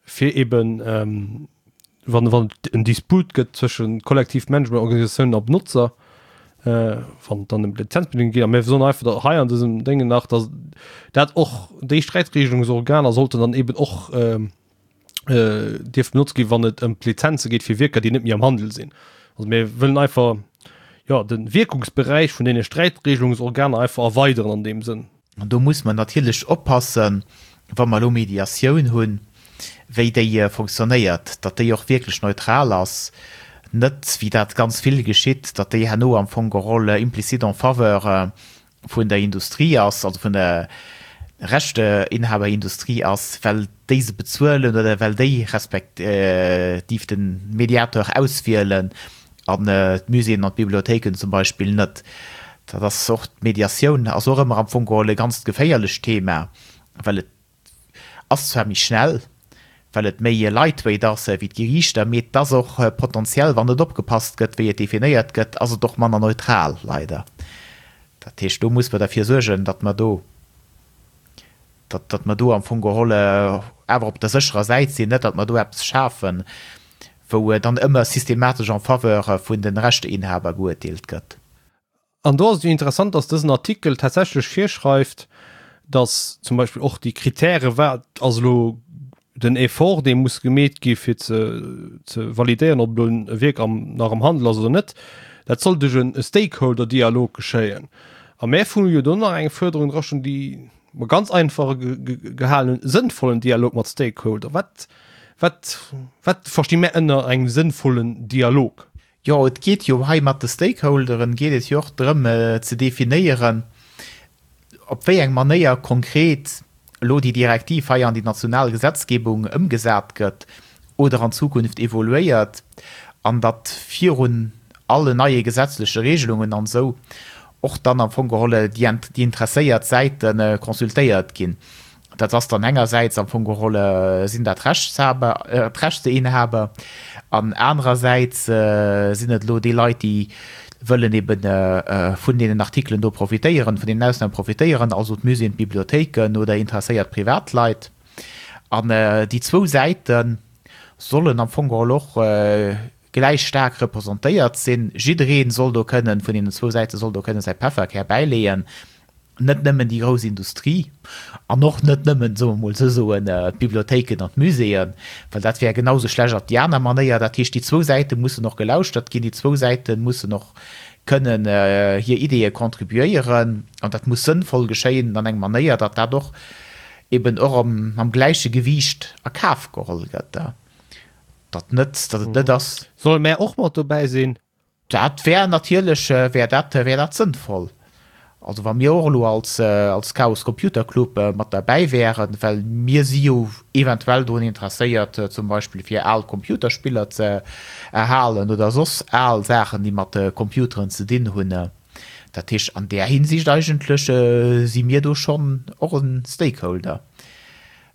fir eben, wann wann et en Disput gëtt zwësche kollektiv Managementorganisatiounen a Benotzer, wann et dann ëm d'Lizenzbedingungen geet. A mir soen einfach da hei an dësem Déngen nach, dass dat och déi Sträitregelungsorganer sollten dann eben och dierf benotzt ginn, wann et ëm d'Lizenze geet fir Wierker, déi net méi am Handel sinn. Also mir wëllen einfach, jo, de Wierkungsberäich vun deene Sträitregelungsorganer einfach erweideren an deem Sënn. An do muss mer natierlech oppassen, wa mer elo Mediatioun hunn, wéi déi fonctionnéiert, datt déi och wierklech neutral ass, net, wéi dat ganz vill geschitt, datt déi herno am Fong geholl implicite en faveur vun der Industrie ass, also vun der Rechteinhaberindustrie ass, well déi se bezuelen oder well déi respektiv de Mediateur auswielen an d'Muséeën an d'Bibliothéiken zum Beispill net. Dat ass och, d'Mediatioun ass och ëmmer am Fong geholl e ganzt geféierlecht Thema, well et ass zwar méi schnell, well et méi lightweight ass wéi d'Geriichter, mee et ass och potentiell, wann net opgepasst gëtt, wéi et definéiert gëtt, ass et och manner neutral, leider. Dat heescht, do muss mer derfir suergen, datt mer do, datt, datt mer do am Fong geholl awer op der sécherer Säit sinn, net datt mer do eppes schafen, wou dann ëmmer systematesch en faveur vun de Rechteinhaber geuerteelt gëtt. An do ass et jo interessant, dass dësen Artikel tatsächlech virschreift, dass zum Beispill och déi Kritäre, wat ass elo den Effort, dee muss gemeet gi fir ze ze validéieren, ob elo e Wierk am nach am Handel ass oder net, dat soll duerch e Stakeholder-Dialog geschéien. A mär hu jo do nach eng Fuerderung drastoen, déi mer ganz einfach gehalen hunn, sënnvollen Dialog mat Stakeholder. Wat Wat, wat versti mär ënner engem sënnvollen Dialog? Jo, et geet jo hei mat de Stakeholderen, geet et jo och drëm ze definéieren, op wéi eng Manéier konkret elo déi Direktiv hei an déi national Gesetzgebung ëmgesat gëtt oder an Zukunft evoluéiert, an datt virun allen neie gesetzleche Regelungen an esou och dann am Fong geholl déi interesséiert Säite consultéiert ginn. Dat ass dann engersäits am Fong geholl sinn dat d'Rechtshaber, d'Rechteinhaber an anerersäits sinn et elo déi Leit, déi wëllen ebe vun deenen Artikelen do profitéieren, vun deenen Ausnahmen profitéieren, also d'Muséeën, d'Bibliothéiken oder interesséiert Privatleit. An déi zwou Säite sollen am Fong geholl och gläich staark representéiert sinn. Jidderee soll do kënnen, vun deenen zwou Säite soll do kënnen säi Pefferkär bäileeën. Net nëmmen déi grouss Industrie an och net nëmmen, soe mer mol esou soen, d'Bibliothéiken an d'Muséeën, well dat wär genau sou schlecht op déi aner Manéier. Dat heescht, déi zwou Säite mussen och gelauschtert ginn, déi zwou Säite mussen och kënnen hir Ideeë contribuéieren an dat muss sënnvoll geschéien an eng Manéier, datt dat och eben och mam gläiche Gewiicht a Kaf geholl gëtt, datt net, datt et net ass. Solle mär och mat dobäi sinn? Dat wär natierlech, wär dat, wär dat sënnvoll. Also wa mir och elo als, als Chaos Computer Club mat derbäi wären, well mir si jo eventuell drun interesséiert, zum Beispill fir al Computerspiller ze erhalen oder soss al Saachen, déi mat Computeren ze dinn hunn. Dat heescht, an där Hinsicht eigentlech si mir do schonn och e Stakeholder.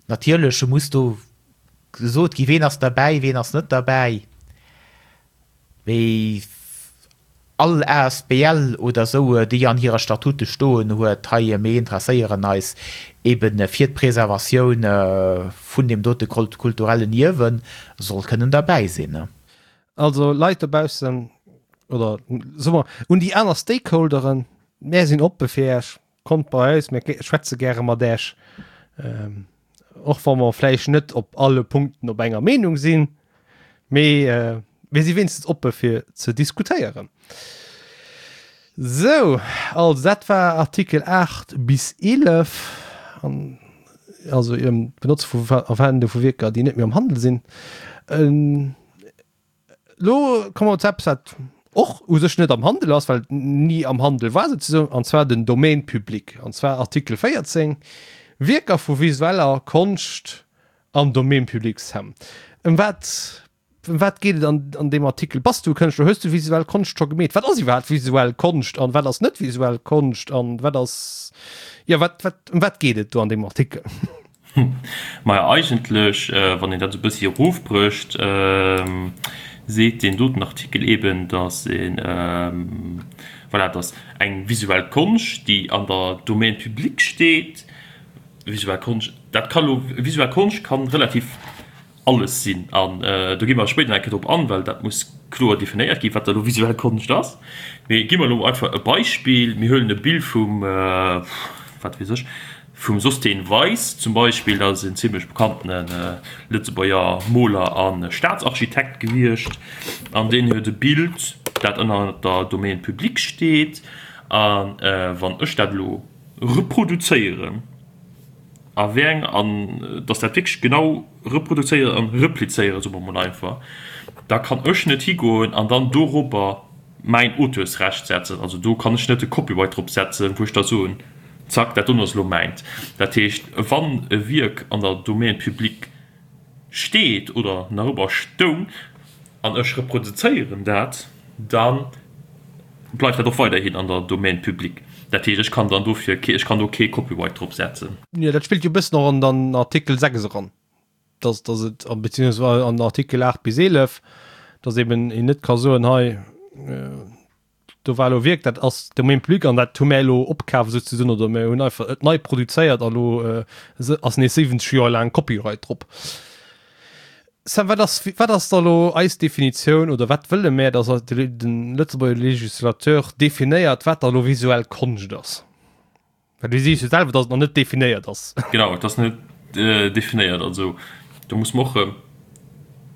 Natierlech muss do gesot gi, ween ass derbäi, ween ass net derbäi. Wéi all asbl oder esou, déi an hirer Statute stoen huet, hei mir interesséieren eis eben fir d'Preservatioun vun deem dote kulturellen Ierwen, soll kënnen derbäi sinn. Also Leit dobaussen, oder soe mer un déi aner Stakeholderen, mär sinn oppe fir Iech. Kommt bei eis, mir schwätze gäre mat Äech. Och wa mer vläicht net op alle Punkten op enger Meenung sinn, mee mir si wéinstens oppe fir ze diskutéieren. Sou, also dat war Artikel 8 bis 11, an also ëm d'Benotze vu a Verwendung vu Wierker, déi net méi am Handel sinn. Lo komme mer zu eppes, wat och u sech net am Handel ass, well et ni am Handel war souzesoen, an zwar den Domaine public, an zwar Artikel 14, Wierker vu visueller Konscht am Domaine public. Sam, ëm wat, ëm wat geet et an, an deem Artikel? Bass du Kënschtler? Hues du visuell Konscht scho gemeet? Wat ass iwwerhaapt visuell Konscht an wat ass net visuell Konscht an wat ass, jo, wat, wat, ëm wat geet et do an deem Artikel? Maja, eigentlech, wann een dat esou e bëssi erofbrécht, seet deen doten Artikel eben, datt een, voilà, datt eng visuell Konscht, déi an der Domaine public steet. Visuell Konscht, dat ka lo, visuell Konscht kann relativ alles sinn an do gi mer spéider nach eng Kéier drop an, well dat muss kloer definéiert ginn, wat da lo visuell Konscht ass. Mee gi mer elo einfach e Beispill, Mir huelen e Bild vum, wat weess ech, vum Sosthène Weis zum Beispill, dat ass en zimlech bekanntene Lëtzebuerger Moler a Staatsarchitekt gewiescht an deen huet e Bild, dat ënner der Domaine publique steet a wann ech dat elo reproduzéieren a wéi eng, an dass dat wierklech genau reproduzéieren an replizéieren, soe mer mol einfach, da kann ech net higoen an dann dorobber mäin Auteursrecht setzen. Also do kann ech net de Copyright drop setzen, wou ech da soen, zack, dat doen ass elo mäint. Dat heescht, wann e Wierk an der Domaine publique steet oder nach ëmmer stoung an ech reproduzéieren dat, da bleift dat och weiderhin an der Domaine publique. Dat heescht, ech kann dann dofir kee, ech kann do kee Copyright drop setzen. Jo, dat spillt jo e bëssen och an den Artikel 6 eran, dass, dass et, beziehungsweise an den Artikel 8 bis 11, dass eben een net ka soen, hei, do war elo Wierk, dat ass Domaine public an dat hu mär elo opkaf souzesoen oder mär hunn einfach et nei produzéiert a lo ass nees 70 Joer laang Copyright drop. Sam, wat ass, wat ass da lo eis Definitioun oder wat wëlle mär, dass de Lëtzebuerger Législateur definéiert, wat da lo visuell Konscht ass? Well du sees jo selwer, dass et nach net definéiert ass. Genau, et ass net definéiert. Also do muss mer och erëm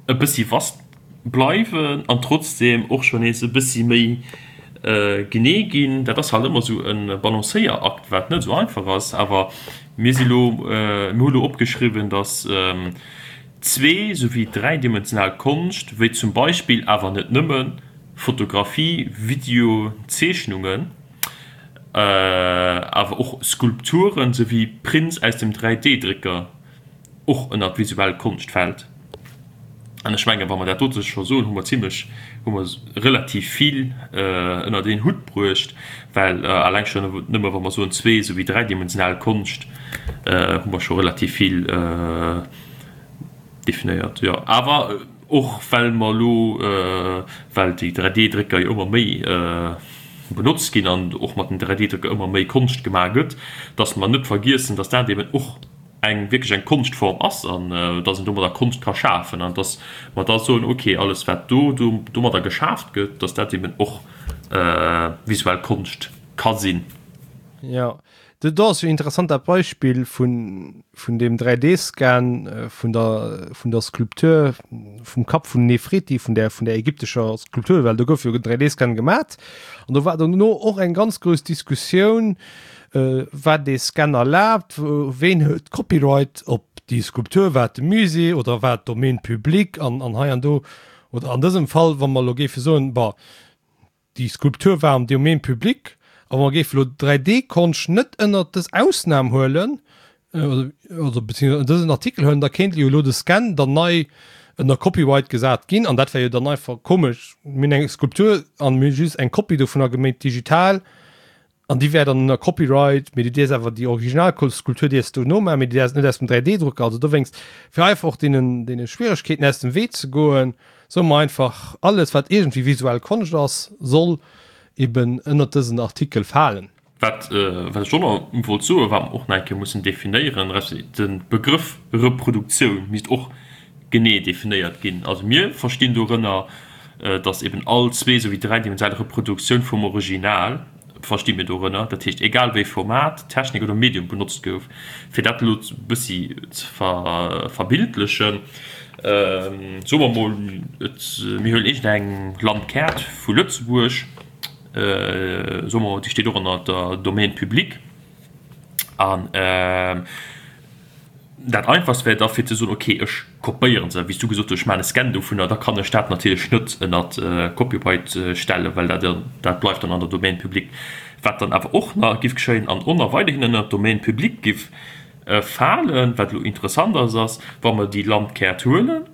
e bëssi vast bleiwen an trotzdeem och schonn nees e bëssi méi genee ginn. Dat ass halt ëmmer esou e Balancéierakt, wat net esou einfach ass. Awer mir si lo, mir hu lo opgeschriwwen, dass zwee souwéi dräidimensional Konscht, wéi zum Beispill, awer net nëmmen, Fotografie, Video, Zeechnungen, awer och Skulpturen souwéi Prints aus dem 3D-Drécker och ënner d'visuell Konscht fält. An ech mengen, wa mer dat dote scho soen, hu mer zimlech, hu mer relativ vill ënnert een Hutt bruecht, well alleng schonn nëmme wa mer soen zwee souwéi dräidimensional Konscht, hu mer scho relativ vill definéiert. Jo, awer och well mer elo, well déi 3D-Drécker jo ëmmer méi benotzt ginn an och mat den 3D-Drécker ëmmer méi Konscht gemaach gëtt, dass mer net vergiessen, dass dat eben och eng wierklech eng Konschtform ass an dass een domadder Konscht ka schafen an dass mer da soen, okay, alles wat do domadder geschaaft gëtt, dass dat eben och visuell Konscht ka sinn. Jo, do ass jo interessant dat Beispill vun vun deem 3D-Scan vun der vun der Skulptur vum Kapp vun Nefreti, vun där vun där ägyptescher Skulptur, well do gouf jo en 3D-Scan gemat an do war dono och eng ganz grouss Diskussioun, War dee Scan erlaabt? Ween huet d'Copyright op déi Skulptur? War et de Musée oder war et d'Domaine public? An hei an do, oder an dësem Fall, wa mer elo géife soen, bon, déi Skulptur war am Domaine public, a mer géife elo 3D-Konscht net ënnert dës Ausnam huelen, oder beziehungsweise ënner dësen Artikel huelen, da kéint jo elo de Scan dann nei ënner Copyright gesat ginn. An dat wär jo dann einfach komesch. Mir hunn eng Skulptur an mir hu just eng Kopie dovunner geméint digital. An déi wär dann ënner Copyright, mee du dierfs awer déi original Skulptur dierfs du nomaachen, mee déi dierfs net aus dem 3D-Drucker. Also dowéinst, fir einfach och deenen, deene Schwieregkeeten aus dem Wee ze goen, soe mer einfach, alles wat iergendwéi visuell Konscht ass, soll eben ënnert dësen Artikel falen. Wat, wat ech och nach wollt soen, wat mer och nach eng Kéier mussen definéieren, resp. De Begrëff Reproduktioun misst och genee definéiert ginn. Also mir verstinn dorënner, dass eben all zwee souwéi dräidimensional Reproduktioun vum Original, versti mir dorënner, dat heescht egal wéi Format, Technik oder Medium benotzt gouf. Fir dat elo e bëssi ze verbildlechen, soe mer mol, et mir huelen iergendeng Landkaart vu Lëtzebuerg, soe mer mol, déi steet och ënner der Domaine publique an, Dat einfachst wär da fir ze soen, ok, ech kopéieren se, wéi s du gesot hues, ech maachen e Scan dovunner, da kann ech dat natierlech net ënnert Copyright stellen, well dat dat bleift dann an der Domaine publique. Wat dann awer och nach giff geschéien an och nach weiderhin ënnert d'Domaine publique giff falen, wat elo interessant ass, ass, wa mer déi Landkaart huelen,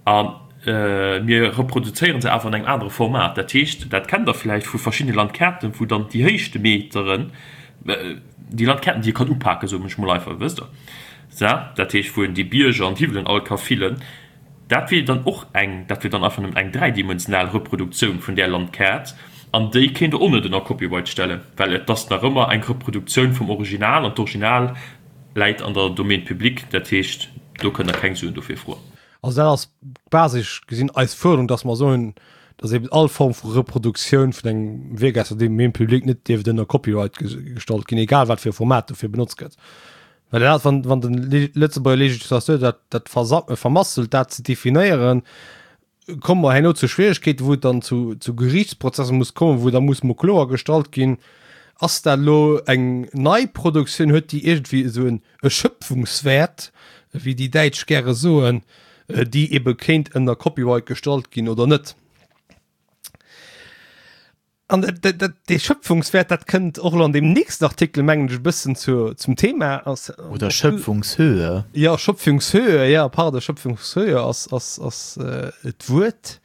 A mir reproduzéiere se awer an engem anere Format. Dat heescht, dat kennt Der vläicht vu verschiddene Landkaarten, wou dann déi Héichtemeteren, déi Landkaarten, déi ee kann upaken, soen ech mol einfach, wësst Der, sa, dat heescht, wou een déi Bierger an d'Hiwwelen all ka fillen, dat wier dann och eng, dat wier dann einfach nëmmen eng dräidimensional Reproduktioun vun där Landkaart an déi kéint Der och net ënner Copyright stellen, well et ass nach ëmmer eng Reproduktioun vum Original an d'Original. Läit an der Domaine publique, dat heescht, do kënnt Der keng Suen dofir froen. Also dat ass basesch gesinn eis Fuerderung, dass mer soen, dass eben all Form vu Reproduktioun vun engem Wierk aus der Domaine publique net dierft ënner Copyright gestallt ginn, egal wat fir e Format dofir benotzt gëtt. Well dat, wann, wann de Lëtzebuerger Législateur dat, dat vermasselt, dat ze definéieren, komme mer herno zu Schwierigkeeten, wou et dann zu, zu Gerichtsprozesser muss kommen, wou da muss mo kloer gestallt ginn, ass dat elo eng nei Produktioun, huet déi iergendwéi esou en e Schöpfungswäert, wéi déi Däitsch gäre soen, déi ebe kéint ënner Copyright gestallt ginn oder net. An dat, dee Schöpfungswäert, dat kënnt och elo an deem nächsten Artikel, mengen ech, e bëssen zu, zum Thema. Ass, Oder Schöpfungshöhe. Ja, Schöpfungshöhe, ja, pardon, Schöpfungshöhe ass, ass, ass d'Wuert.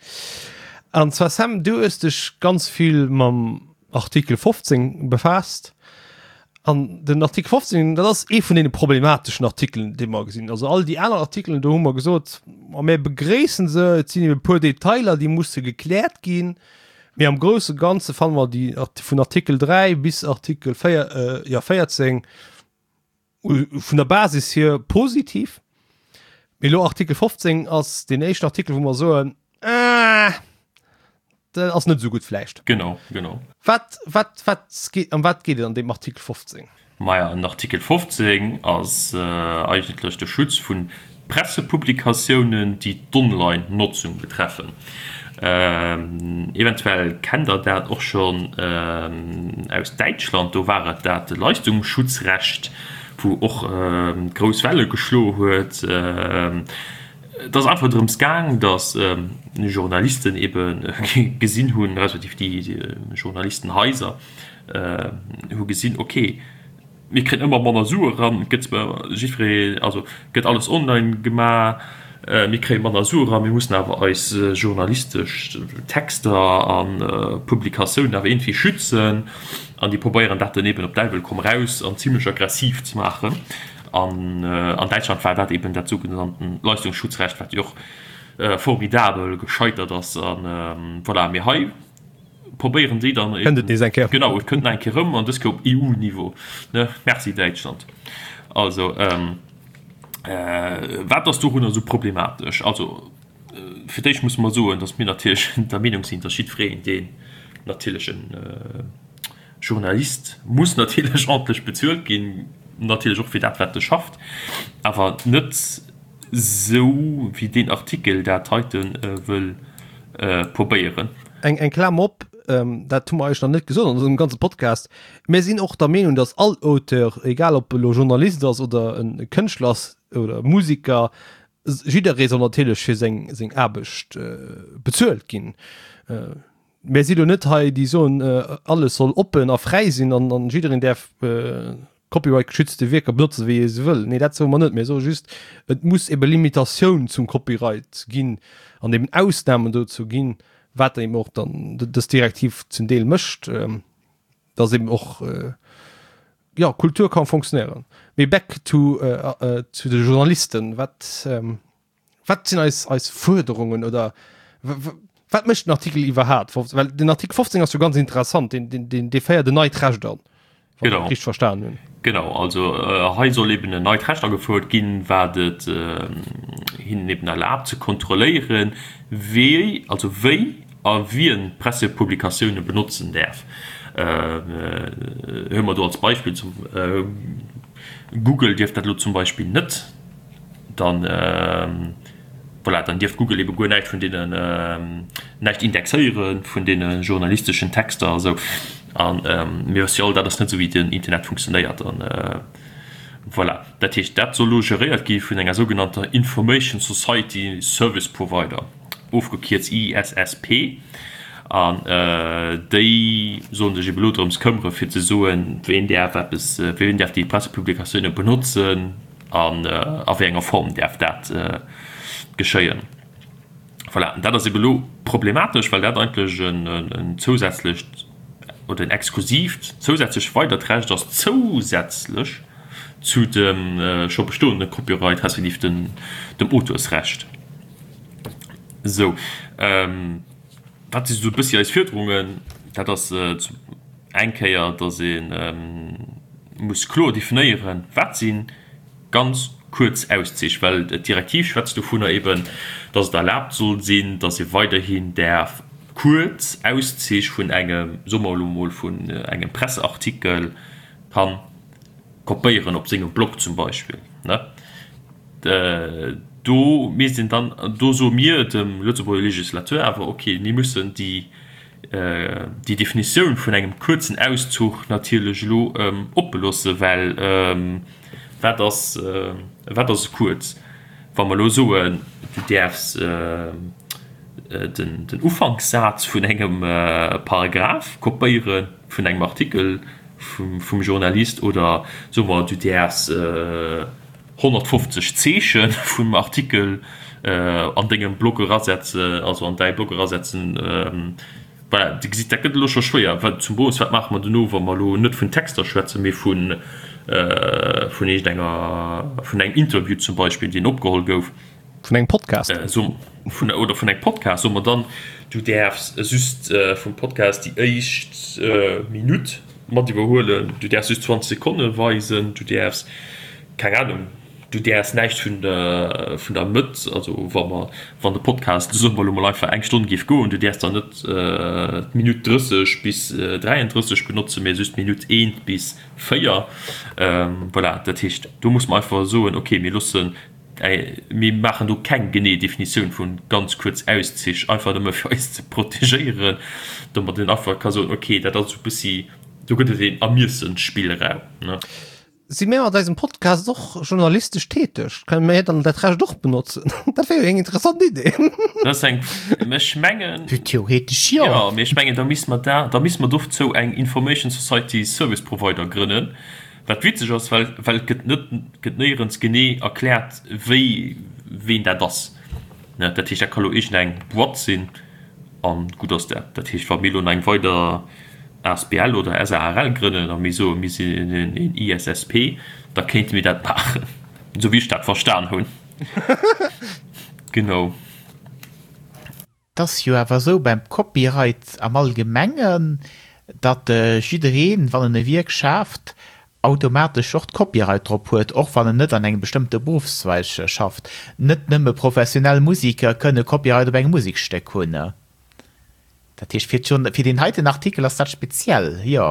An zwar, Sam, du hues dech ganz vill mam Artikel 15 befaasst. An den Artikel 15, dat ass ee vun deene problemateschen Artikelen, déi mer gesinn. Also all déi aner Artikelen, do hu mer gesot, ma mir begréissen se, et sinn ebe e puer Detailer, déi musse gekläert ginn. Mee am grousse Ganze fanne mer déi vun Artikel 3 bis Artikel 4, jo 14 vun der Basis hier positiv. Mee elo Artikel 15 ass deen éischten Artikel, wou mer soen, Ah, dat ass net esou gutt vläicht. Genau, genau. Wat, wat, wat geet, ëm wat geet et an deem Artikel 15? Maja, den Artikel 15 ass eigentlech de Schutz vu Pressepublikatiounen, déi d'Online-Notzung betreffen. Eventuell kennt Der dat och schonn aus Däitschland, do war et dat Leistungsschutzrecht, wou och grouss Welle geschloe huet. Et ass einfach drëms gaang, datt Journalisten ebe gesinn hunn, respektiv déi Journalistenhaiser hu gesinn, okay, mir kréien ëmmer manner Sue eran, et gëtt zwar jiddweree, also gëtt alles online gemaach, mir kréie manner Sue eran, mir mussen awer eis journalistesch Texter a Publikatiounen awer iergendwéi schützen. An déi probéieren dat dann eben op Däiwel komm raus an zimlech aggressiv ze maachen. An an Däitschland war dat eben dat sougenannten Leistungsschutzrecht, wat jo och formidabel gescheitert ass. An voilà, mee hei probéieren déi dann Kënnt et nees eng Kéier. Genau, et kënnt nach eng Kéier erëm, an dës Kéier op EU-Niveau, ne? Merci Däitschland. Also, wat ass dorunner esou problematesch? Also, fir d'éischt musse mer soen, datt mir natierlech der Meenung sinn, datt jiddwereen, deen natierlech e Journalist muss natierlech ordentlech bezuelt ginn, natierlech och fir dat, wat e schafft, awer net Sou wéi deen Artikel dat heite wëll probéieren. Eng Klammer op, dat hu mer eigentlech nach net gesot an dësem ganze Podcast, Mir sinn och der Meenung, datt all Auteur, egal ob e lo Journalist ass oder e Kënschtler ass oder Musiker, jidderee soll natierlech fir seng Aarbecht bezuelt ginn. Mir si lo net hei, déi soen, alles soll oppen a fräi sinn an jiddereen däerf Copyright-geschützte Wierker benotzen, wéi e se wëll. Nee, dat soe mer net. Mir soe just, et muss ebe Limitatioun zum Copyright ginn an eben Ausnamen dozou ginn, wat eben och dann dës Direktiv zum Deel mécht, dass eben och, jo, Kultur ka fonctionnéieren. Mee back to zu de Journalisten, Wat Wat sinn eis, eis Fuerderungen oder wat mécht den Artikel iwwerhaapt? Well den Artikel 15 ass jo ganz interessant, deen, deen, deen, dee féiert en neit Recht an, wann ech dat richteg verstan hunn. Genau, also hei soll eben en neit Recht agefouert ginn, wat et hinnen eben erlaabt ze kontrolléieren, wéi, also wéi a wien Pressepublikatioune benotzen däerf. Huele mer do als Beispill zum Google dierf dat elo zum Beispill net. Dann, voilà, dann dierft Google ebe guer näischt vun deenen, näischt indexéiere vun deene journalisteschen Texter a sou. A mir wësse jo all, dat ass net esou wéi den Internet funktionéiert. An voilà, dat heescht, dat soll elo geréiert gi vun enger sougenannter Information Society Service Provider, ofgekierzt ISSP. An déi sollen sech ebe elo drëms këmmere fir ze soen, ween däerf eppes, ween däerf déi Pressepublikatioune benotzen. An a wéi enger Form däerf dat geschéien? Voilà, an dat ass ebe lo problematesch, well dat eigentlech en zousätzlecht oder en exklusiivt zousätzlech weidert Recht ass, zousätzlech zu dem scho bestoende Copyright respektiv dem Auteursrecht. Esou, wat si sou e bëssi eis Fuerderungen? Dat ass eng Kéier, datt ee muss kloer definéieren, wat si. Ganz kuerz Auszich, well d'Direktiv schwätzt dovunner eben, dass et erlaabt soll sinn, dass ee weiderhin däerf kuerz Auszich vun engem, soe mer elo emol, vun engem Presseartikel ka kopéieren op sengem Blog zum Beispill. Do misst een dann, do soe mir dem Lëtzebuerger Législateur awer, okay, mir mussen déi, déi Definitioun vun engem kuerzen Auszuch natierlech elo oppe loosse, well wat ass, wat ass kuerz? Wa mer elo soen, du däerfs den Ufankssaz vun engem Paragraph kopéiere vun engem Artikel vum Journalist oder soe mer, du däerfs 150 Zeeche vum Artikel an dengem Blog erasetzen, also an däi Blog erasetzen. Voilà, Dir gesitt, dat gëtt elo scho schwéier. Well zum Bonus, wat maache mer dono, wa mer elo net vun Texter schwätzen, mee vun, vun iergendenger, vun engem Interview zum Beispill, deen opgeholl gouf? Vun engem Podcast. So, vun, oder vun engem Podcast. Soe mer dann, du däerfs just vum Podcast déi éischt Minutt mat iwwerhuelen, du däerfs just 20 Sekonne weisen, du däerfs, keng Ahnung, du däerfs näischt vun der, vun der Mëtt, also wa mer, wann de Podcast, soe mer elo mol einfach, eng Stonn géif goen, du däerfs dann net d'Minutt 30 bis 33 benotzen, mee just d'Minutt 1 bis 4. Voilà, dat heescht, do muss mer einfach soen, okay, mir loossen Mir maachen do keng genee Definitioun vu ganz kuerz Auszich, einfach nëmme fir eis ze protegéieren, domat een einfach ka soen, okay, dat ass esou e bëssi, do gëtt et een Ermiessensspillraum, ne. Si mir mat eisem Podcast och journalistesch täteg? Kënne mir dann dat Recht och benotzen? Dat wär jo eng interessant Idee. Dat ass eng, mä ech mengen. Theoretesch jo. Jo, mee ech mengen, da misste mer da, da misste mer dozou eng Information Society Service Provider grënnen, Wat witzeg ass, well well et gëtt net gëtt néierens genee erkläert wéi ween dat ass. Ne, dat heescht dat ka lo iergendeng Boîte sinn an gutt ass dat. Dat heescht wa mir lo nach eng weider asbl oder SARL grënnen a mir soe mir sinn en ISSP, da kéinte mir dat maachen, esou wéi ech dat verstan hunn. Genau. 't ass jo awer esou beim Copyright am Allgemengen, datt jiddereen, wann en e Wierk schaaft, automatesch och d'Copyright drop huet, och wann en net an engem bestëmmte Beruffszweig schafft. Net nëmme professionell Musiker kënne Copyright op engem Musekstéck hunn. Dat heescht, fir deen heiten Artikel ass dat speziell, jo.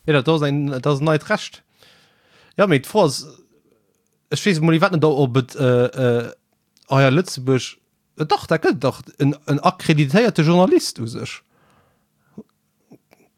Jo, dat ass en, dat ass en neit Recht. Jo, mee d'Fro ass, ech weess emol iwwerhaapt net, ob et hei a Lëtzebuerg Dach, dat gëtt et dach, en, en akkreditéierte Journalist u sech.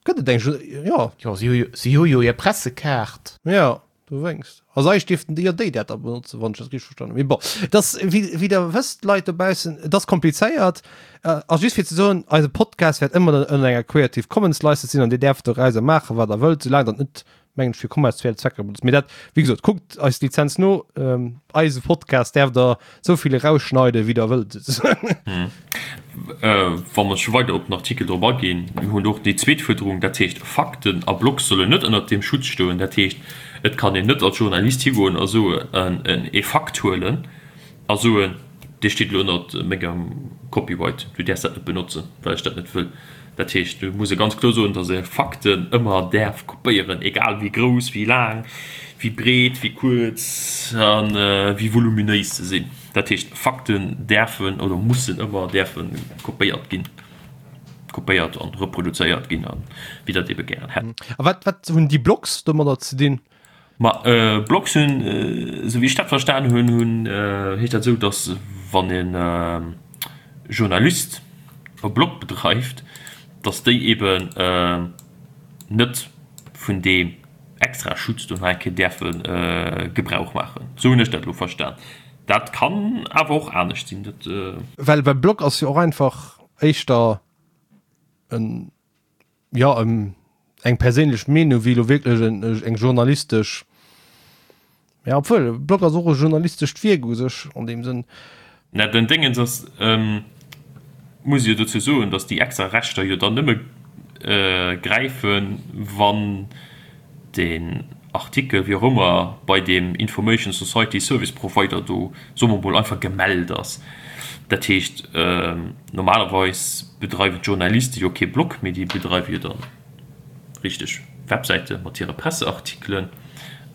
Gëtt et eng, jo. Jo, si hu jo, si hu jo hir Pressekaart. Jo, dowéinst. Also eigentlech dierften déi jo déi dat da benotzen, wann ech dat richteg verstanen hunn. Mee bon, et ass, wéi, wéi Der wësst, Leit dobaussen, et ass komplizéiert. A just fir ze soen, eise Podcast wäert ëmmer ënner enger Creative Commons License sinn an Dir däerft dorauser maachen, wat Der wëllt, soulaang dat net mengen ech fir kommerziell Zwecker benutzt. Mee dat, wéi gesot, kuckt eis Lizenz no. Ähm, eise Podcast däerft der esou vill erausschneiden, wéi der wëllt. Hm. Äh, wa mer scho weider op den Artikel drop aginn, mir hunn och déi zweet Fuerderung, dat heescht, Fakten a Blogs sollen net ënnert deem Schutz stoen. Dat heescht, et kann een net als Journalist higoen a soen, en ee Fakt huelen a soen, Dee steet elo ënnert mengem Copyright, du däerfs dat net benotzen, well ech dat net wëll. Dat heescht, do muss ee ganz kloer soen, datt ee Fakten ëmmer däerf kopéieren, egal wéi grouss, wéi laang, wéi breet, wéi kuerz a wéi voluminéis se sinn. Dat heescht, Fakten däerfen oder mussen ëmmer däerfe kopéiert ginn, kopéiert an reproduzéiert ginn a wéi Der et ebe gären hätt. A wat, wat hunn déi Blogs domadder ze dinn? Ma Blogs hunn, esou wéi ech dat verstan hunn, hunn, heescht dat esou, datt wann e Journalist e Blog bedreift, datt déi eben net vun deem extra Schutz do nach eng Kéier däerfe Gebrauch maachen. Esou hunn ech dat elo verstan. Dat kann awer och anescht sinn. Dat. Well e Blog ass jo och einfach éischter en jo eng perséinlech Meenung wéi elo wierklech eng journalistesch, ja obwuel e Blog ass och e journalistescht Wierk u sech an deem Sënn. Mä den Déngens ass, muss ee jo dozou soen, datt déi extra Rechter jo dann nëmme gräifen, wann deen Artikel, wéi och ëmmer, bei deem Information Society Service Provider do, soe mer mol, einfach gemellt ass. Dat heescht, normalerweis bedreiwen d'Journaliste jo kee Blog, mee déi bedreiwe jo dann richteg Websäite mat hire Presseartikelen.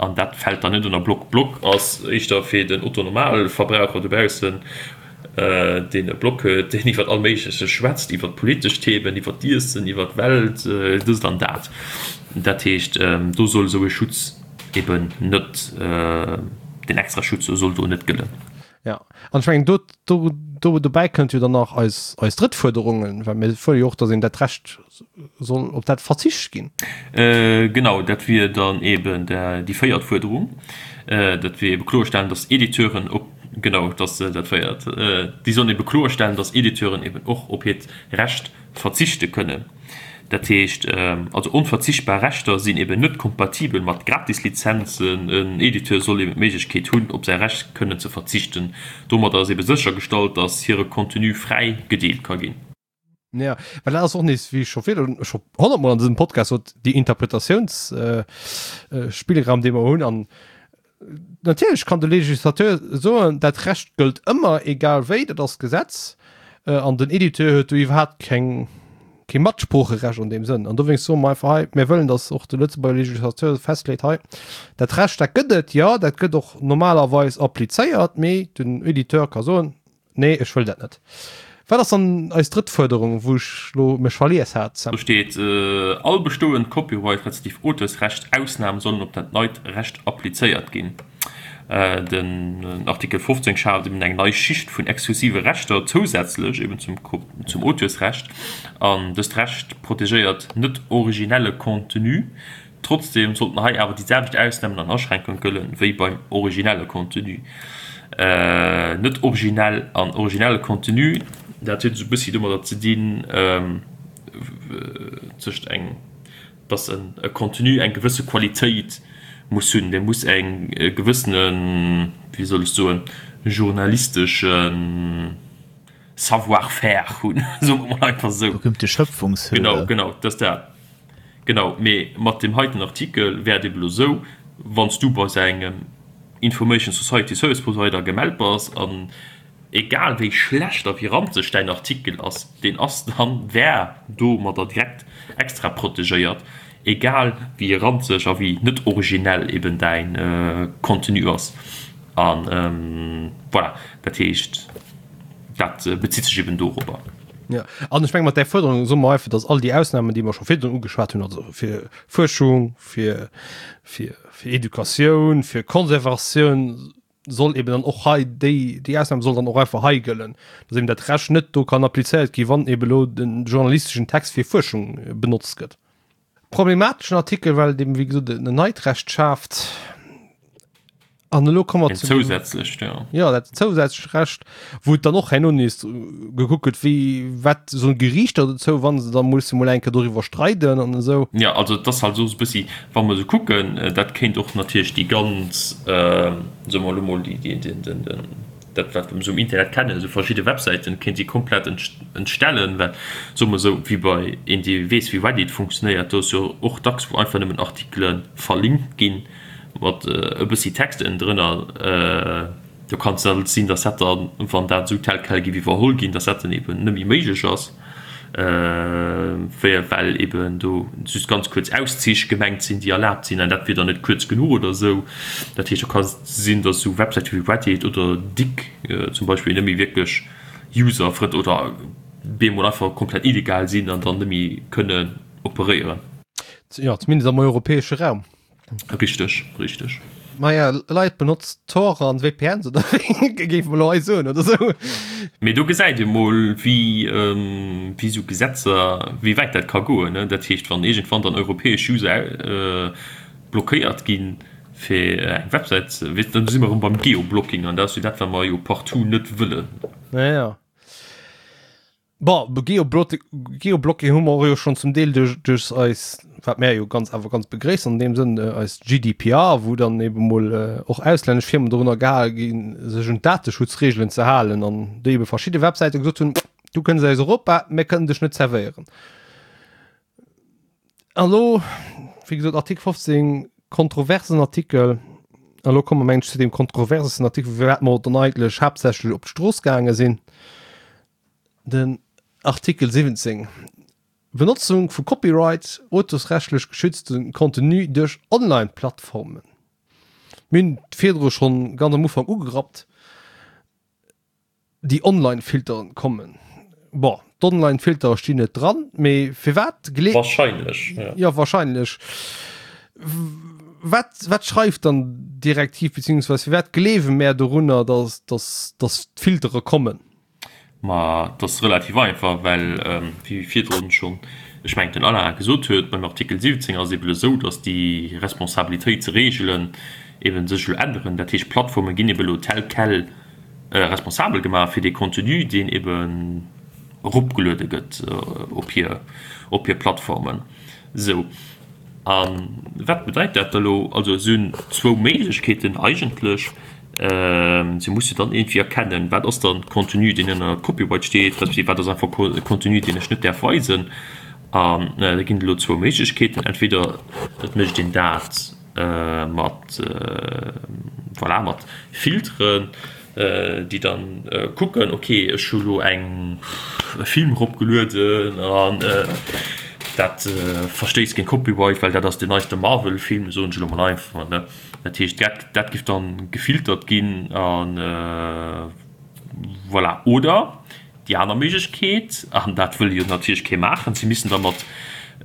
An dat fält dann net ënner Blog. Blog ass éischter fir den Otto-Normalverbraucher dobaussen, deen e Blog huet, deen iwwer all Méigleches schwätzt, iwwer politesch Themen, iwwer d'Iessen, iwwer d'Welt, dëst an dat. Dat heescht, do soll esou e Schutz eben net, deen extra Schutz soll do net gëllen. Jo, an ech mengen, do, do, do, dobäi kënnt jo dann nach eis, eis drëtt Fuerderungen, well mir fuerdere jo och, datt een dat Recht soll, op dat verzicht ginn. Genau, dat wier dann eben déi véiert Fuerderung. Dat wier ebe kloerstellen, datt Editeuren op, genau, datt dat véiert, déi sollen ebe kloerstellen, datt Editeuren eben och op hiert Recht verzichte kënnen. Dat heescht also, onverzichtbar Rechter sinn eben net kompatibel mat Gratislizenzen. En Editeur soll eben d'Méiglechkeet hunn, op säi Recht kënnen ze verzichten. Domadder ass eben séchergestallt, datt hire Contenu fräi gedeelt ka ginn. Jo, well dat ass och nees, wéi ech scho virdrun scho honnertmol an dësem Podcast sot, déi Interpretatiounsspillraum, dee mer hunn. An Natierlech kann de Législateur soen, dat Recht gëllt ëmmer, egal wéi, dat ass Gesetz, an den Editeur huet do iwwerhaapt keng, kee Matsproocherecht an deem Sënn. An dowéinst soe mer einfach hei, mir wëllen, datt och de Lëtzebuerger Législateur festleet, hei, dat Recht, dat gëtt et, jo, dat gëtt och normalerweis applizéiert, mee den Editeur ka soen, Nee, ech wëll dat net. Wat ass dann eis drëtt Fuerderung, wou ech lo mech verlies hat, Sam? Do steet, All bestoend Copyright respektiv Auteursrecht Ausnamen sollen op dat neit Recht applizéiert ginn. Den Artikel 15 schaaft eben eng nei Schicht vun exklusive Rechter zousätzlech eben zum zum Auteursrecht an dëst Recht protegéiert net originelle Contenu. Trotzdeem sollten hei awer déi selwecht Ausnamen an Aschränkunge gëllen, wéi beim originelle Contenu. Net originell an originelle Contenu, dat huet esou e bëssi domadder ze dinn, tëscht eng, dass e Contenu eng gewësse Qualitéit muss hunn, dee muss eng gewëssene, wéi soll ech soen, journalisteschen Savoir-faire hunn, soe mer mol einfach esou. Berühmte Schöpfungshöhe. Genau, genau, dat ass dat. Genau, mee mat deem heiten Artikel wär et eben elo esou, wann s du bei sou engem Information Society Service Provider gemellt bass, an egal wéi schlecht a wéi ranzeg däin Artikel ass, deen ass dann, wär domadder direkt extra protegéiert, egal wéi ranzeg a wéi net originell eben däin Contenu ass. A voilà, dat heescht, dat bezitt sech eben dorobber. Ja, an ech menge mat där Fuerderung soe mer einfach, datt all déi Ausnahmen, déi mer scho virdrun ugeschwat hunn, also fir Fuerschung, fir, fir, fir Educatioun, fir Konservatioun, soll eben dann och hei déi, déi Ausnam soll dann och einfach hei gëllen, datt eben dat Recht net do kann applizéiert gi wann eben elo den journalisteschen Text fir Fuerschung benotzt gëtt. Problemateschen Artikel, well et eben, wéi gesot, en neit Recht schaaft. An elo komme mer zu deem. Zousätzlecht, jo. Jo, dat zousätzlecht Recht, wou et dann och herno nees gekuckt gëtt, wéi, wat soen d'Geriichter dozou, wa se da musse mol eng Kéier doriwwer streiden an esou. Jo, also et ass halt esou e bëssi, wa mer esou kucken, dat kéint och natierlech déi ganz, soe mer elo mol, déi, déi, den, den, den, dat wat mer esou um Internet kennen, esou verschidde Websäiten, kéint déi komplett entstellen, well, soe mer esou, wéi bei een, dee weess, wéi Reddit funktionéiert, do ass jo och dacks, wou einfach nëmmen Artikele verlinkt ginn, mat e bëssi Text ënnendrënner, do kann et dann sinn, datt dat dann, wann dat esou tel quel géif iwwerholl ginn, datt dat dann eben net méi méiglech ass, well eben do just ganz kuerz Auszich gemengt sinn, déi erlaabt sinn, an dat wier dann net kuerz genuch oder esou. Dat heescht, do ka sinn, datt esou Websäite wéi Reddit oder Digg zum Beispill net méi wierklech userfrëndlech oder bemol einfach komplett illegal sinn an dann net méi kënnen operéieren. Jo, zumindest am europäesche Raum. Richteg, richteg. Maja, Leit benotzt Tor an VPNs oder wéi géif mer elo hei soen oder sou. Mee do gesäit ee mol, wéi, wéi esou Gesetzer, wéi wäit dat ka goen. Dat heescht, wann iergendwann dann europäesch User blockéiert ginn, fir eng Websäit ze, weess, dann si mer erëm beim Geoblocking an dat ass jo dat, wat mer jo partout net wëllen. Ja, ja. Bon, Geoblocking hu mer och jo schonn zum Deel duerch, duerch eis, wat mär jo ganz, awer ganz begréissen an deem Sënn, eis GDPR, wou dann ebe mol och auslännesch Firmen dorunner gehale ginn, sech un d'Dateschutzreegelen ze halen an déi ebe verschidde Websäite gesot hunn, Du kënns aus Europa, mir kënnen dech net zerwéieren. An elo, wéi gesot, Artikel 15, kontroversen Artikel. An elo komme mer, mengen ech, zu deem kontroversesten Artikel, firwat mer dann eigentlech haaptsächlech op d'Strooss gaange sinn. Den Artikel 17, Benotzung vu Copyright, auteursrechtlech geschützte Contenu duerch Online-Plattformen. Mir hunn et virdru schonn ganz am Ufank ugerappt, déi Online-Filteren kommen. Bon, d'Online-Filtere stinn net dran, mee firwat glee. Wahrscheinlech, ja. Jo, wahrscheinlech. Wat, wat schreift dann d'Direktiv, beziehungsweise firwat gleewe mär dorunner, dass, dass, dass d'Filtere kommen? Ma et ass relativ einfach, well, wéi virdrun schonn, ech mengen den Alain gesot huet, beim Artikel 17 ass et eben esou, datt déi Responsabilitéitsreegelen eben sech elo änneren. Dat heescht, d'Plattforme ginn eben elo tel quel responsabel gemaach fir dee Contenu, deen eben eropgeluede gëtt op hir, op hir Plattformen. Esou. A wat bedeit dat da elo? Also si hunn zwou Méiglechkeeten eigentlech. Si musse dann iergendwéi erkennen, wat ass dann Contenu, deen ënner Copyright steet, respektiv wat ass einfach Contenu, deen ech net däerf weisen. An da ginn et elo zwou Méiglechkeeten. Entweder et mécht een dat mat, voilà, mat Filteren, déi dann kucken, ok, ech hu lo eng e Film eropgelueden an dat verstéisst géint Copyright, well dat ass den neiste Marvel-Film, soen ech elo mol einfach, ne. Dat heescht, dat dat géif dann gefiltert ginn a voilà. Oder déi aner Méiglechkeet, an dat wëll jo natierlech kee maachen, si missten da mat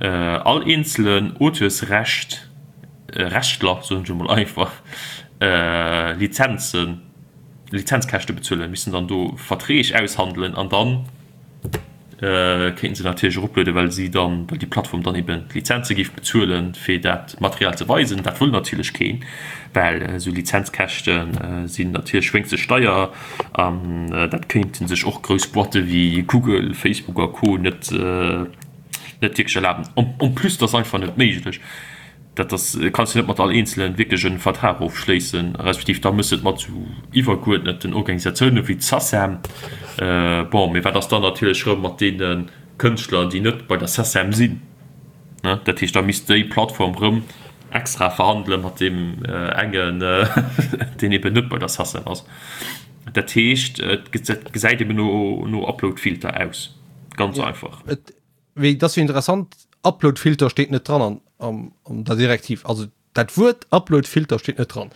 all eenzelen Auteursrecht, Rechtler, soen ech emol einfach, Lizenzen, Lizenzkäschte bezuelen, missten dann do Verträg aushandelen an dann kéinten se natierlech eroplueden, well si dann, well déi Plattform dann eben d'Lizenze géif bezuelen, fir dat Material ze weisen. Dat wëll natierlech keen, well esou Lizenzkäschte sinn natierlech wéinstens deier an dat kéinte sech och grouss Boîte wéi Google, Facebook a Co net net wierklech erlaben. En plus, et ass einfach net méiglech. Dat ass, kanns du net mat all Eenzelen wierklech e Vertrag ofschléissen, respektiv da mëss de et mat esou iwwergeuerdneten Organisatiounen wéi d'SACEM. Bon, mee wat ass dann natierlech erëm mat deene Kënschtler, déi net bei der SACEM sinn? Ne, dat heescht, da misst déi Plattform erëm extra verhandele mat deem engen, deen eben net bei der SACEM ass. Dat heescht, et gesäit eben no Uploadfilter aus, ganz einfach. Mee et ass jo interessant, Uploadfilter steet net dran an, an, an der Direktiv. Also dat Wuert Uploadfilter steet net dran.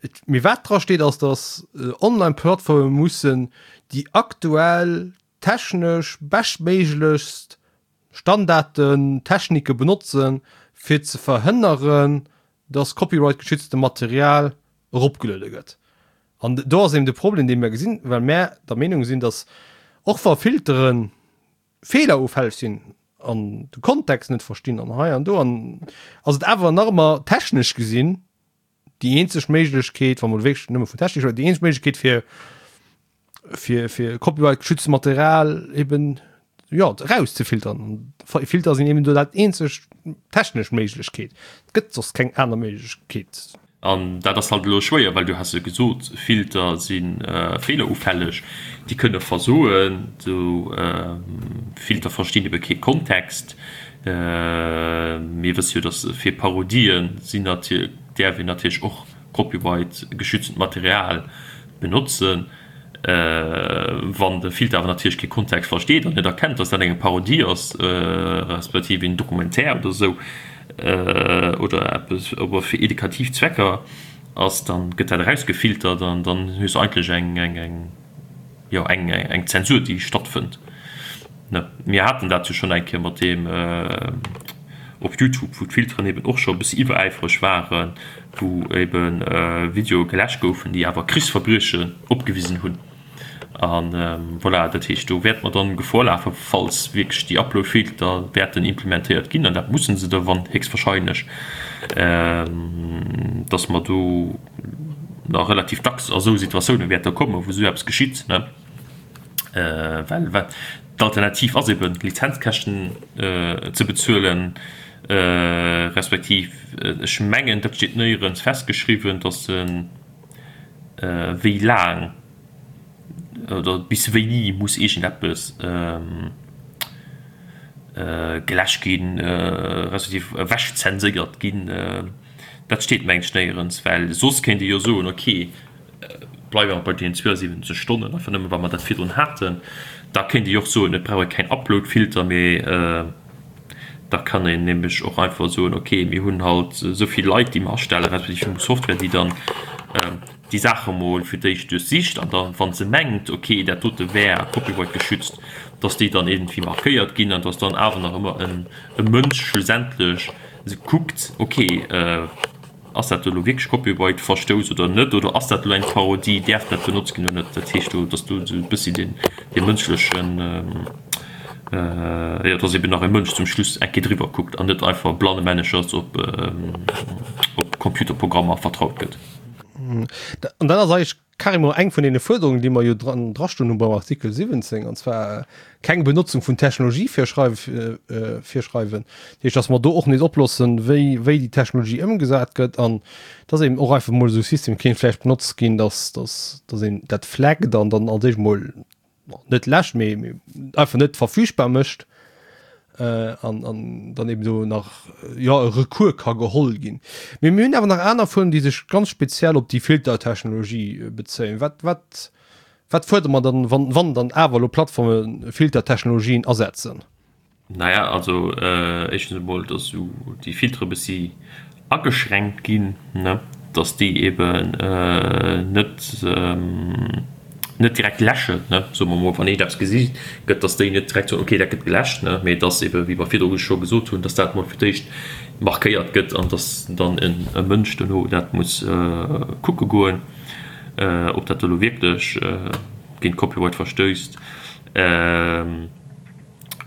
Et, mee wat dra steet ass, dass äh, Online-Plattforme mussen déi aktuell technesch beschtméiglechst Standarden, Technike benotzen, fir ze verhënneren, dass copyright-geschützte Material eropgeluede gëtt. An do ass eben de Problem, dee mir gesinn, well mär der Meenung sinn, dass och wa Filteren feelerufälleg sinn an de Kontext net verstinn an hei an do an ass et awer nach ëmmer technesch gesinn déi eenzeg Méiglechkeet, wa mer wierklech nëmme vun Technik schwätzen, déi eenzeg Méiglechkeet fir fir fir Copyright geschützte Material eben jo erauszefiltern. An Filter sinn eben do dat eenzeg technesch Méiglechkeet. Et gëtt soss keng aner Méiglechkeet. An dat ass halt elo schwéier, well du has jo gesot, Filter si feelerufälleg, déi kënne versoen. Esou Filter verstinn ebe kee Kontext. Mir wësse jo, datt fir Parodien sinn natierlech, däerf een natierlech och copyright-geschütztent Material benotzen. Wann de Filter awer natierlech kee Kontext versteet an net erkennt, dass dat eng Parodie ass, respektiv een Documentaire oder esou, oder eppes ower fir edukativ Zwecker ass, dann gëtt dat erausgefiltert an dann hues de eigentlech eng, eng, eng, jo, eng, eng Zensur, déi stattfënnt. Ne, mir haten dat jo schonn eng Kéier mat deem op Youtube, wou d'Filteren eben och scho e bëssi iwweräifreg waren, wou ebe Videoe geläscht goufen, déi awer Krichsverbriechen opgewisen hunn. A voilà, dat heescht, do wäerte mer dann Gefor lafen, falls wierklech déi Uploadfilter wäerten implementéiert ginn, an dat musse se da wann héchstwahrscheinlech, dass mer do nach relativ dacks a sou Situatioune wäerte kommen, wou esou eppes geschitt. Well wat d'Alternativ ass eben d'Lizenzkäschten ze bezuelen, respektiv ech mengen dat steet néierens festgeschriwwen, datt se wéi laang oder bis wéini muss iergendeppes geläscht ginn, respektiv ewechzenséiert ginn. Dat steet mengen ech néierens, well soss kéint ee jo soen, ok, Bleiwe mer bei deenen 72 Stonnen, einfach nëmme well mer dat virdrun haten. Da kéint ee jo och soen, et brauch ee keng Uploadfilter, mee. Da kann een nämlech och einfach soen, okay, mir hunn halt esou vill Leit, déi mer astellen, respektiv mir hu Software, déi dann déi Saache mol fir d'éischt duerchsicht an da wa se mengt, okay, dat dote wär copyright geschützt, dass déi dann iergendwéi markéiert ginn an dass dann awer nach ëmmer e Mënsch schlussendlech kuckt, okay, Ass dat do elo wierklech Copyright-Verstouss oder net? Oder ass dat elo eng Parodie? Däerf dat benotzt ginn oder net? Dat heescht do, dass do esou e bëssi deen, dee mënschlechen, jo, dass eben nach e Mënsch zum Schluss eng Kéier driwwer kuckt an net einfach blannemännechers op, op Computerprogrammer vertraut gëtt. An dat ass eigentlech Carrément eng vun deene Fuerderungen, déi mer jo dran drastoen hu beim Artikel 17, an zwar keng Benotzung vun Technologie virschreiwen, virschreiwen. Dat heescht, dass mer do och nees oploossen, wéi, wéi déi Technologie ëmgesat gëtt an dass eben och einfach mol esou e System kéint vläicht benotzt ginn, dass, dass, dass een dat flaggt an dann als éischt mol net läscht, mee einfach net verfügbar mécht an an dann eben do nach jo e Recours ka geholl ginn. Mee mir hunn awer nach aner Fuerderungen, déi sech ganz speziell op déi Filtertechnologie bezéien. Wat wat wat fuerdere mer dann, wann wann dann awer elo Plattforme Filtertechnologien asetzen? Naja, also éischtens emol, datt esou déi Filtere bëssi ageschränkt ginn, ne, datt déi eben net net direkt läschen, ne, soe mer emol, wann een eppes gesi gëtt, datt déi net direkt soen, okay, dat gëtt geläscht, ne, mee datt ebe wéi mer virdru scho gesot hunn, datt dat emol fir d'éischt markéiert gëtt an datt dann e Mënsch dono dat muss kucke goen, ob dat elo wierklech géint Copyright verstöisst. An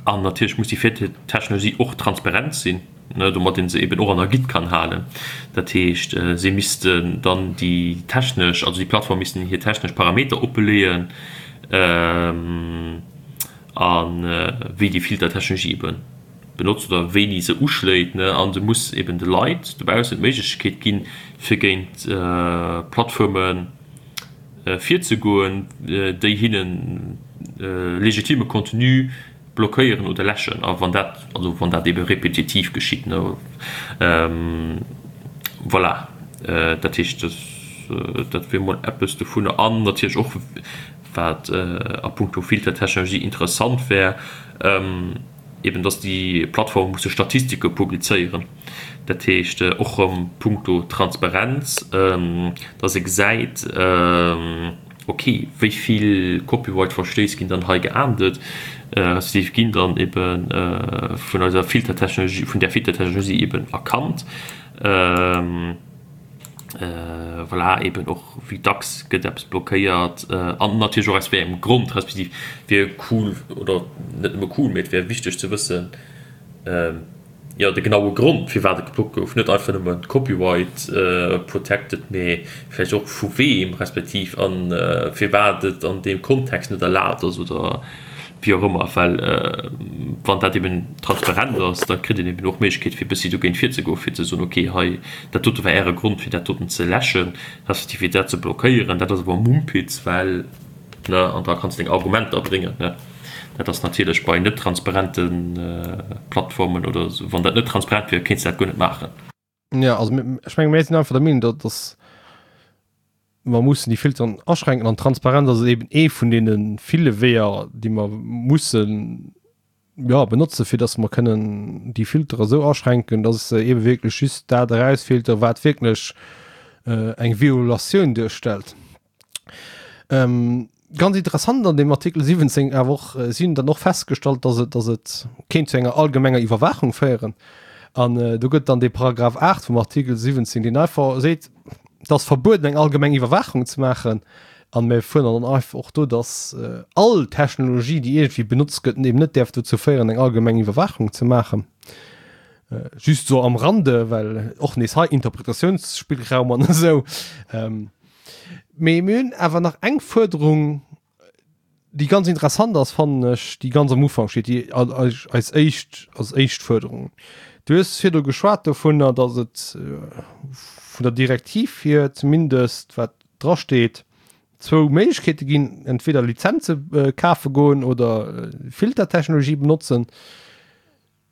natierlech muss déi Filtertechnologie och transparent sinn, domat ee se eben och an der Gitt kann halen. Dat heescht, si missten dann déi technesch, also déi Plattform missten hir technesch Parameter oppeleeën a wéi déi Filtertechnologie ebe benotzt oder wéini se uschléit. A se muss eben de Leit dobaussen d'Méiglechkeet ginn, fir géint Plattformen, virzegoen, déi hinnen legitime Contenu blockéieren oder läschen, a wann dat, also wann dat ebe repetitiv geschitt, ne. Voilà, dat heescht, dat wier mol eppes dovunner. An natierlech och, wat a puncto Filtertechnologie interessant wär, eben dass déi Plattforme musse Statistike publizéieren, dat heescht och erëm punkto Transparenz, dass ee gesäit, ok, wéi vill Copyright-Verstéiss ginn dann hei geahndet, respektiv ginn dann ebe vun eiser Filtertechnologie, vun där Filtertechnologie eben erkannt. Voilà, eben och wéi dacks gëtt eppes blockéiert an natierlech och aus wéi engem Grond, respektiv wier cool, oder net nëmme cool, mee et wär wichteg ze wëssen, jo de genaue Grond firwat et geblockt gouf, net einfach nëmme Copyright protected, mee vläicht och vu weem, respektiv a firwat et an deem Kontext net erlaabt ass oder wéi och ëmmer, well wann dat eben transparent ass, da kritt een eben och d'Méiglechkeet fir e bëssi dogéint virzegoen, fir ze soen, okay, hei dat dote war Äre Grond fir dat doten ze läschen, respektiv fir dat ze blockéieren, dat ass awer Mumpitz, well, ne, an da kanns de deng Argumenter bréngen, ne. Dat ass natierlech bei net transparente Plattformen oder esou, wann dat net transparent wier, kéints de dat guer net maachen. Jo, also ech menge mir sinn einfach der Meenung, datt datt mer mussen déi Filteren aschränken an Transparenz ass eben ee vun deene ville Weeër, déi mer mussen, jo, benotzen, fir datt mer kënnen déi Filtere esou aschränken, datt se ebe wierklech just dat erausfilteren, wat wierklech eng Violatioun duerstellt. Ganz interessant an dem Artikel 17 awer och, si hunn dann och festgestallt, dass et, dass et kéint zu enger allgemenger Iwwerwaachung féieren. An do gëtt dann dee Paragraph 8 vum Artikel 17, deen einfach seet, et ass verbueden, eng allgemeng Iwwerwaachung ze maachen. An mir fuerdern dann einfach och do, dass all Technologie, déi iergendwéi benotzt gëtt, eben net däerf dozou féieren, eng allgemeng Iwwerwaachung ze maachen. Just esou am Rande, well och nees hei Interpretatiounsspillraum an esou. Mee mir hunn awer nach eng Fuerderung, déi ganz interessant ass, fannen ech, déi ganz am Ufank steet, déi eis éischt, als éischt Fuerderung. Du hues virdru geschwat dovunner, datt et vun der Direktiv hier zumindest, wat drasteet, zwou Méiglechkeete ginn, entweder Lizenze kafe goen oder Filtertechnologie benotzen.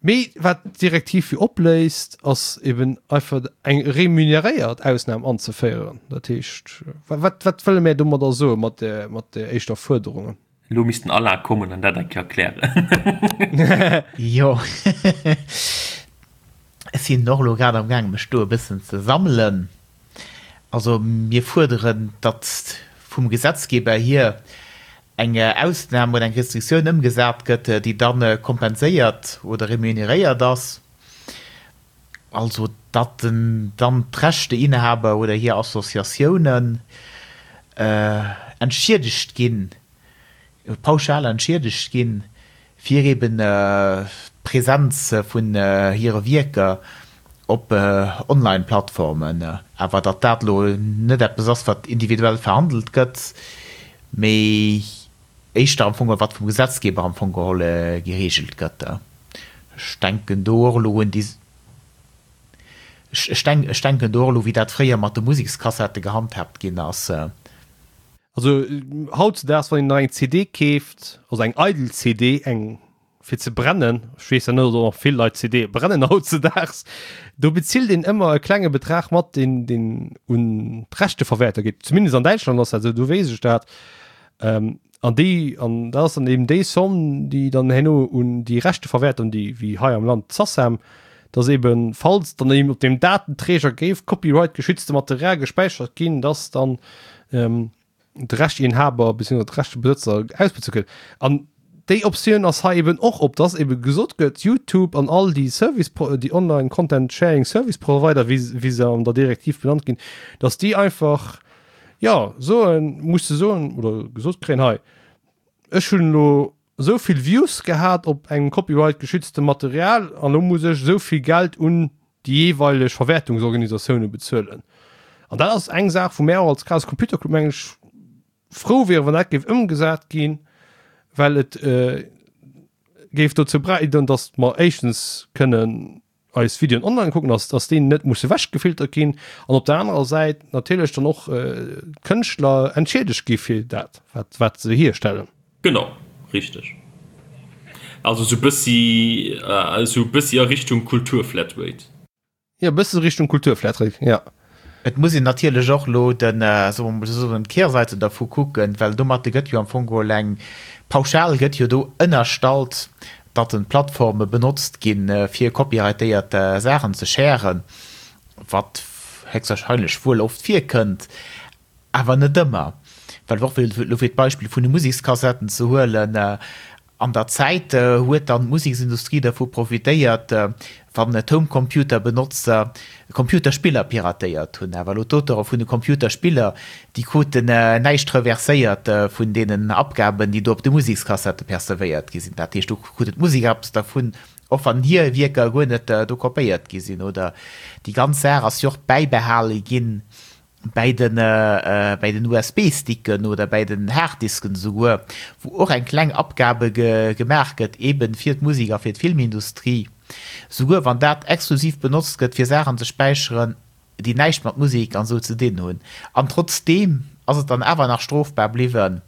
Mee wat d'Direktiv jo opléist, ass eben einfach eng remuneréiert Ausnam anzeféieren. Dat heescht, wat, wat wëlle mär domadder soe mat där, mat där éischter Fuerderung? Elo misst den Alain kommen an dat eng Kéier erklären. Jo. Ech sinn och elo grad am gaange mech do e bëssen ze sammelen. Also mir fuerderen, datt vum Gesetzgeber hier eng Ausnam oder eng Restriktioun ëmgesat gëtt, déi da kompenséiert oder remuneréiert ass, also datt dann d'Rechteinhaber oder hir Associatiounen entschiedegt ginn, pauschal entschiedegt ginn, fir eben d'Presenz vun hire Wierker op Online-Plattformen. Awer datt dat elo net eppes ass, wat individuell verhandelt gëtt, mee éischter am Fong, wat vum Gesetzgeber am Fong geholl gereegelt gëtt. Ech denken do och elo un déi, ech denken do och elo, wéi dat fréier mat de Musekskassette gehandhaabt ginn ass. Also hautzedaags, wann een nach eng CD keeft, also eng eidel CD, eng fir ze brennen, ech weess ja net, ob nach vill Leit CDe brennen hautzedaags, do bezilt een ëmmer e klenge Betrag mat, deen, deen un d'Rechteverwäerter geet. Zumindest an Däitschland ass dat esou, do weess ech dat. Ähm, an déi, an dat ass dann eben déi Somm, déi dann herno un déi Rechteverwäerter, un déi, wéi hei am Land d'SACEM, dass eben, falls dann eben op dem Datenträger géif copyright-geschützte Material gespäichert ginn, dass dann ähm, de Rechteinhaber bzw. de Rechtebesëtzer ausbezuelt gëtt. An déi Optioun ass hei eben och op, dass eben gesot gëtt, YouTube an all déi Service, déi Online Content Sharing Service Provider, wéi, wéi se an der Direktiv benannt ginn, dass déi einfach, jo, soen, musse soen oder gesot kréien, hei, ech hunn elo esou vill Views gehat op engem Copyright geschütztem Material an elo muss ech esou vill Geld un déi jeeweileg Verwäertungsorganisatioune bezuelen. An dat ass eng Saach, wou mär och als Chaos Computer Club, mengen ech, frou wieren, wann dat géif ëmgesat ginn, well et géif dozou bäidroen, datt mer éischtens kënnen eis Videoen online kucken, dass, dass déi net musse wechgefiltert ginn an op der anerer Säit natierlech dann och d'Kënschtler entschiedegt gi fir dat, wat, wat se hierstellen. Genau, richteg. Also sou bëssi, sou bëssi a Richtung Kulturflatrate. Jo, bësse Richtung Kulturflatrate, jo. Et muss een natierlech och elo den, soe mer mol esou, d'Kehrseite dervu kucken, well domatte gëtt jo am Fong geholl eng, pauschal gëtt jo do ënnerstallt, datt en Plattforme benotzt ginn, fir copyrightéiert Saachen ze sharen, wat héchstwahrscheinlech wuel oft virkënnt, awer net ëmmer. Well och elo fir d'Beispill vun de Musekskassetten ze huelen, An der Zäit huet dann d'Museksindustrie dervu profitéiert, wann d'Homecomputer-Benotzer Computerspiller piratéiert hunn. Awer elo d'Auteure vun de Computerspiller, déi kruten näischt reverséiert vun deenen Abgaben, déi do op de Musekskassette percevéiert gi sinn. Dat heescht, do kruten d'Museker eppes dervun, och wann hir Wierker guer net do kopéiert gi sinn. Oder déi ganz Saach ass jo och bäibehale ginn bäi den bäi den USB-Sticken oder bäi den Harddisken esouguer, wou och eng kleng Abgabe gemaach gëtt, eben fir d'Musek a fir d'Filmindustrie, souguer wann dat exklusiv benotzt gëtt fir Saachen ze späicheren, déi näischt mat Musek an esou ze dinn hunn. An trotzdeem ass et dann awer nach strofbar bliwwen,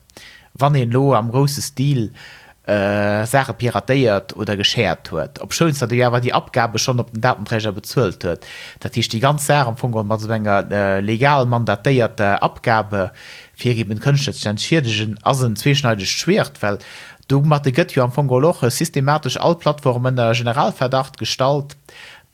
wann een elo am grousse Stil Saache piratéiert oder geshared huet, obschouns datt ee jo awer déi Abgabe schonn op den Datenträger bezuelt huet. Dat heescht, déi ganz Saach am Fong geholl mat esou enger legal mandatéierter Abgabe fir eben d'Kënschtler ze entschiedegen, ass en zweeschneidegt Schwiert, well domatte gëtt jo am Fong geholl och systematesch all Plattform ënner Generalverdacht gestallt,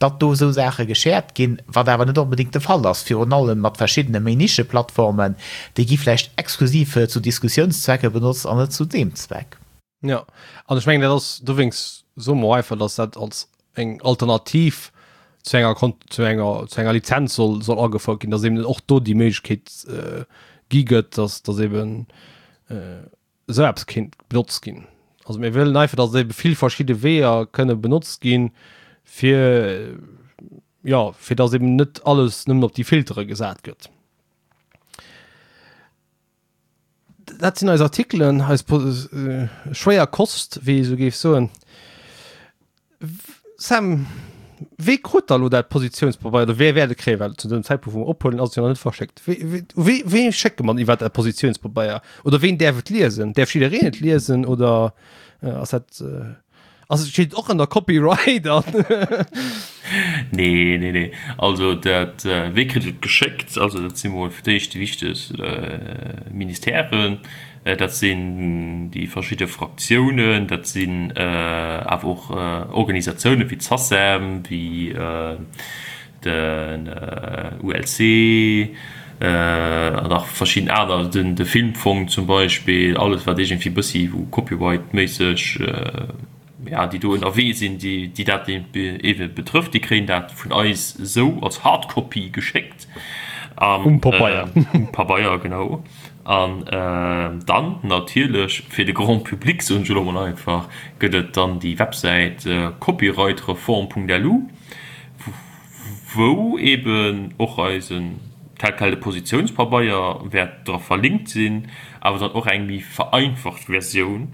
datt do esou Saache geshared ginn, wat awer net onbedéngt de Fall ass, virun allem mat verschiddene méi Nischeplattformen, déi gi vläicht exklusiv zu Diskussiounszwecke benotzt an net zu deem Zweck. Jo, an ech mengen, dat ass, dowéinst soe mer och einfach, datt dat als eng Alternativ zu enger Kon zu enger zu enger Lizenz soll soll agefouert ginn, datt eben och do déi Méiglechkeet gi gëtt, datt datt eben esou eppes kéint benotzt ginn. Also mir wëllen einfach, dass ebe vill verschidde Weeër kënne benotzt ginn, fir, jo, fir dass eben net alles nëmmen op déi Filtere gesat gëtt. Dat sinn eis Artikelen, eis schwéier Kost, wéi ee sou géif soen. Sam, wee krut da lo dat Positiounspabeier oder wee wäert et kréien, well zu dem Zäitpunkt wou mer ophuelen ass et jo nach net verschéckt. Wee, wee, u wee, wee schécke mer iwwer dat Positiounspabeier oder ween däerf et liesen? Däerf jiddereen et liesen oder ass dat, ass et, steet et och ënner Copyright an? Nee, nee, nee. Also dat, wee kritt et geschéckt? Also dat si mol fir d'éischt déi wichteg Ministèren. Dat sinn déi verschidde Fraktiounen, dat sinn awer och Organisatiounen wéi d'SACEM, wéi den ULC an nach verschidden aner, de Filmfong zum Beispill, alles wat iergendwéi e bëssi wou copyrightméisseg, ja, déi do ënnerwee sinn, déi dat eebe betrëfft, déi kréien dat vun eis esou als Hardcopy geschéckt. Um Pabeier. Um Pabeier, genau. An dann natierlech fir de Grand public, soen ech elo mol einfach, gëtt et dann déi Websäit copyrightreform.lu, wou eeben och eisen tel quel de Positiounspabeier wäert dra verlinkt sinn, awer dann och eng méi vereinfacht Versioun.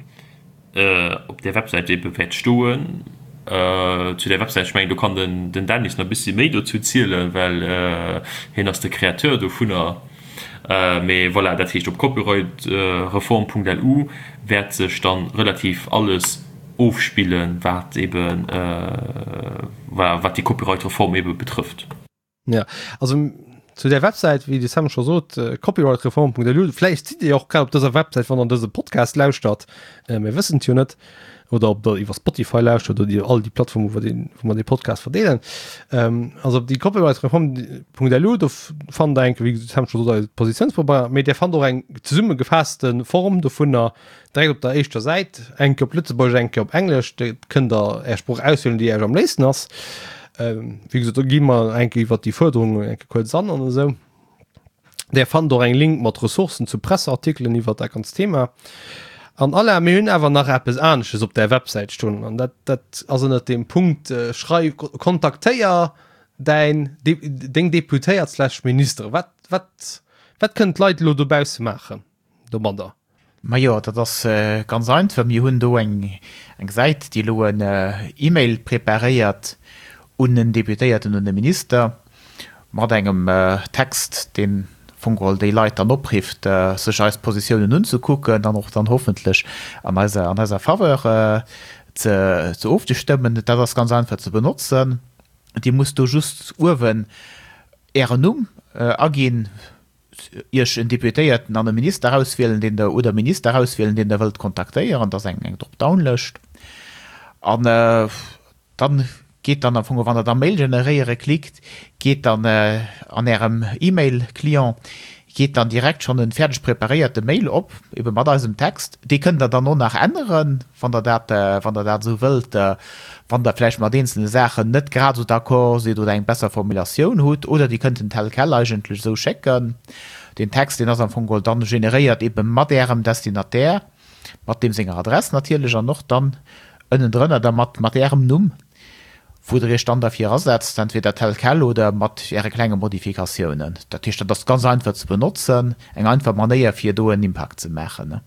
op där Websäit ebe wäert stoen. Zu där Websäit, ech mengen do kann den den Dennis nach e bëssi méi dozou zielen, well hien ass de Créateur dovunner. Mee voilà, dat heescht op copyrightreform.lu wäert sech dann relativ alles ofspillen, wat eben voilà, wat déi Copyright-Reform ebe betrëfft. Ja, also zu der Websäit, wéi de Sam scho sot, copyrightreform.lu, vläicht sidd Dir jo och grad op dëser Websäit, wann Der dëse Podcast lauschtert, mir wëssen et jo net, oder ob Der iwwer Spotify lauschtert oder déi all déi Plattformen, wou mer wou mer dee Podcast verdeelen. Also op déi copyrightreform.lu, do fannt Der enke, wéi de Sam scho sot, eise Positiounspabeier, mee Dir fannt och eng zesummegefaasste Form dovunner, Direkt op der éischter Säit, eng Kéier op Lëtzebuergesch, eng Kéier op Englesch. Do kënnt der Är Sprooch auswielen, déi Iech am léifsten ass. Wéi gesot, do gi mer eng Kéier iwwert déi Fuerderungen eng Kéier kuerz an an esou. Där fannt och eng Link mat Ressourcen zu Presseartikelen iwwert dat ganzt Thema. An Alain, mir hunn awer nach eppes anesches op där Websäit stoen, an dat, dat ass ënnert dem Punkt Schreif, kontaktéier däin, deng Deputéiert slash Ministere. Wat, wat, wat kënnen d'Leit elo dobausse maachen domadder? Majo, dat ass ganz einfach. Mir hunn do eng Säit, déi elo en E-Mail preparéiert un en Deputéierten, un e Minister, mat engem Text, deen am Fong geholl déi Leit dann oprifft, sech eis Positiounen unzekucken an och dann hoffentlech an eiser, an eiser Faveur ze, ze ofzestëmmen. Dat ass ganz einfach ze benotzen. Dir musst do just uewen Ären Numm aginn, Iech en Deputéierten an e Minister auswielen, deen Der, oder Minister auswielen, deen Der wëllt kontaktéieren. Dat ass eng Dropdown-Lëscht. An dann geet dann am Fong, wann Der da Mail generéiere klickt, geet dann an Ärem E-Mail-Client geet dann direkt schonn e fäerdeg preparéierte Mail op, ebe mat eisem Text. Dee kënnt Der dann och nach änneren, wann Der dat, wann Der dat esou wëllt. Wann Der vläicht mat eenzelne Saachen net grad esou d'accord sidd oder eng besser Formulatioun hutt, oder Dir kënnt en tel quel eigentlech esou schécken. Deen Text, deen ass am Fong geholl dann generéiert ebe mat Ärem Destinataire, mat deem senger Adress natierlech an och dann ënnendrënner da mat mat Ärem Numm, wou Der Iech dann derfir asetzt, entweder tel quel oder mat Äre klenge Modifikatiounen. Dat heescht, dat ass ganz einfach ze benotzen, eng einfach Manéier fir do en Impact ze maachen.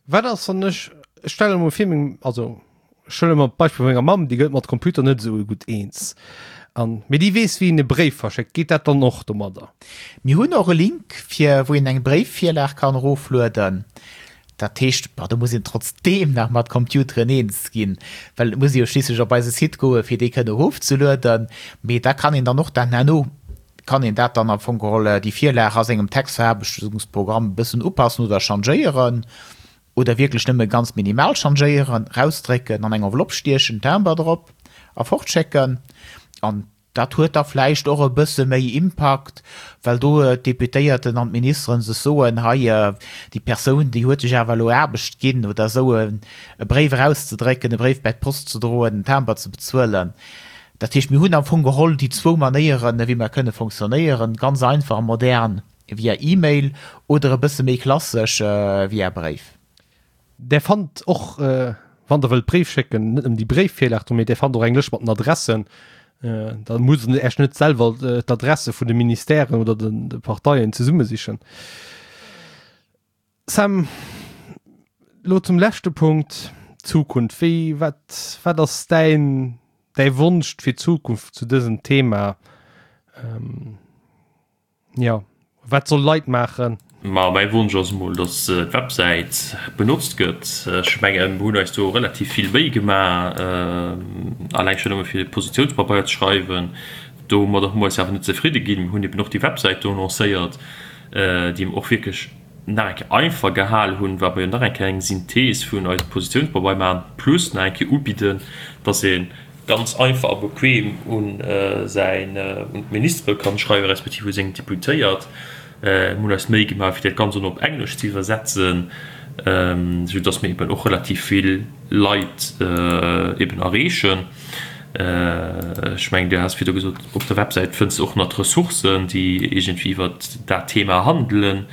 Wat ass, wann ech, ech stelle mer vir, meng, also Ech huele mer d'Beispill vu menger Mamm, déi gëtt mat Computer net esou gutt eens an, mee déi weess wéi een e Bréif verschéckt. Geet dat dann och domadder? Mir hunn och e Link fir wou een eng Bréifvirlag kann eroflueden. Dat heescht, bon, do muss een trotzdeem nach mat Computeren eens ginn, well et muss ee jo schliisslech op eise Site goe fir déi kënne erofzelueden. Mee da kann een dann och dat herno kann een dat dann am Fong geholl déi Virlag a sengem Textveraarbechtungsprogramm e bëssen upassen oder changéieren. Oder wierklech nëmme ganz minimal changéieren, rausdrécken, an eng Enveloppe stiechen, Timber drop a fortschécken. An dat huet da vläicht och e bësse méi Impakt, well do d'Deputéierten an d'Ministeren sech soen, hei, déi Persoun, déi huet sech awer elo Aarbecht ginn oder esou, e Bréif erauszedrécken, e Bréif bäi d'Post ze droen, en Timber ze bezuelen. Dat heescht, mir hunn am Fong geholl déi zwou Manéieren, wéi mer kënne fonctionnéieren, ganz einfach a modern. Via E-Mail oder e bësse méi klassesch via Bréif. Där fannt och, wann der wëllt Bréif schécken, net nëmmen déi Bréifvirlag do, mee där fannt och eng Lëscht mat den Adressen. Da musst der Iech net selwer d'Adresse vun de Ministèren oder de Parteien zesummesichen. Sam, lo zum leschte Punkt, d'Zukunft. Wéi, wat, wat ass däin, däi Wonsch fir d'Zukunft zu dësem Thema? Jo, wat soll Leit maachen? Ma mäi Wonsch ass emol, datt d'Websäit benotzt gëtt. Ech mengen, mir hunn eis do relativ vill Méi gemaach, alleng schonn nëmme fir Positiounspabeier ze schreiwen. Domadder hu mer eis awer net zefridde ginn. Mir hunn eben och déi Websäit do lancéiert, déi mer och wierklech. nach eng Kéier einfach gehal hunn, well mer jo nach eng Kéier eng Synthees vun eisem Positiounspabeier maachen, plus nach eng Kéier ubidden, dass ee ganz einfach a bequem un säin, un d'Ministere kann schreiwen, respektiv u seng Deputéiert. Mir hunn eis d'Méi gemaach, fir dat Ganzt och nach op Englesch ze iwwersetzen, esou dass mir eben och relativ vill Leit eben erreechen. Ech mengen, Dir has virdu gesot, op der Websäit fënns de och nach d'Ressourcen, déi iergendwéi iwwert dat Thema handelen.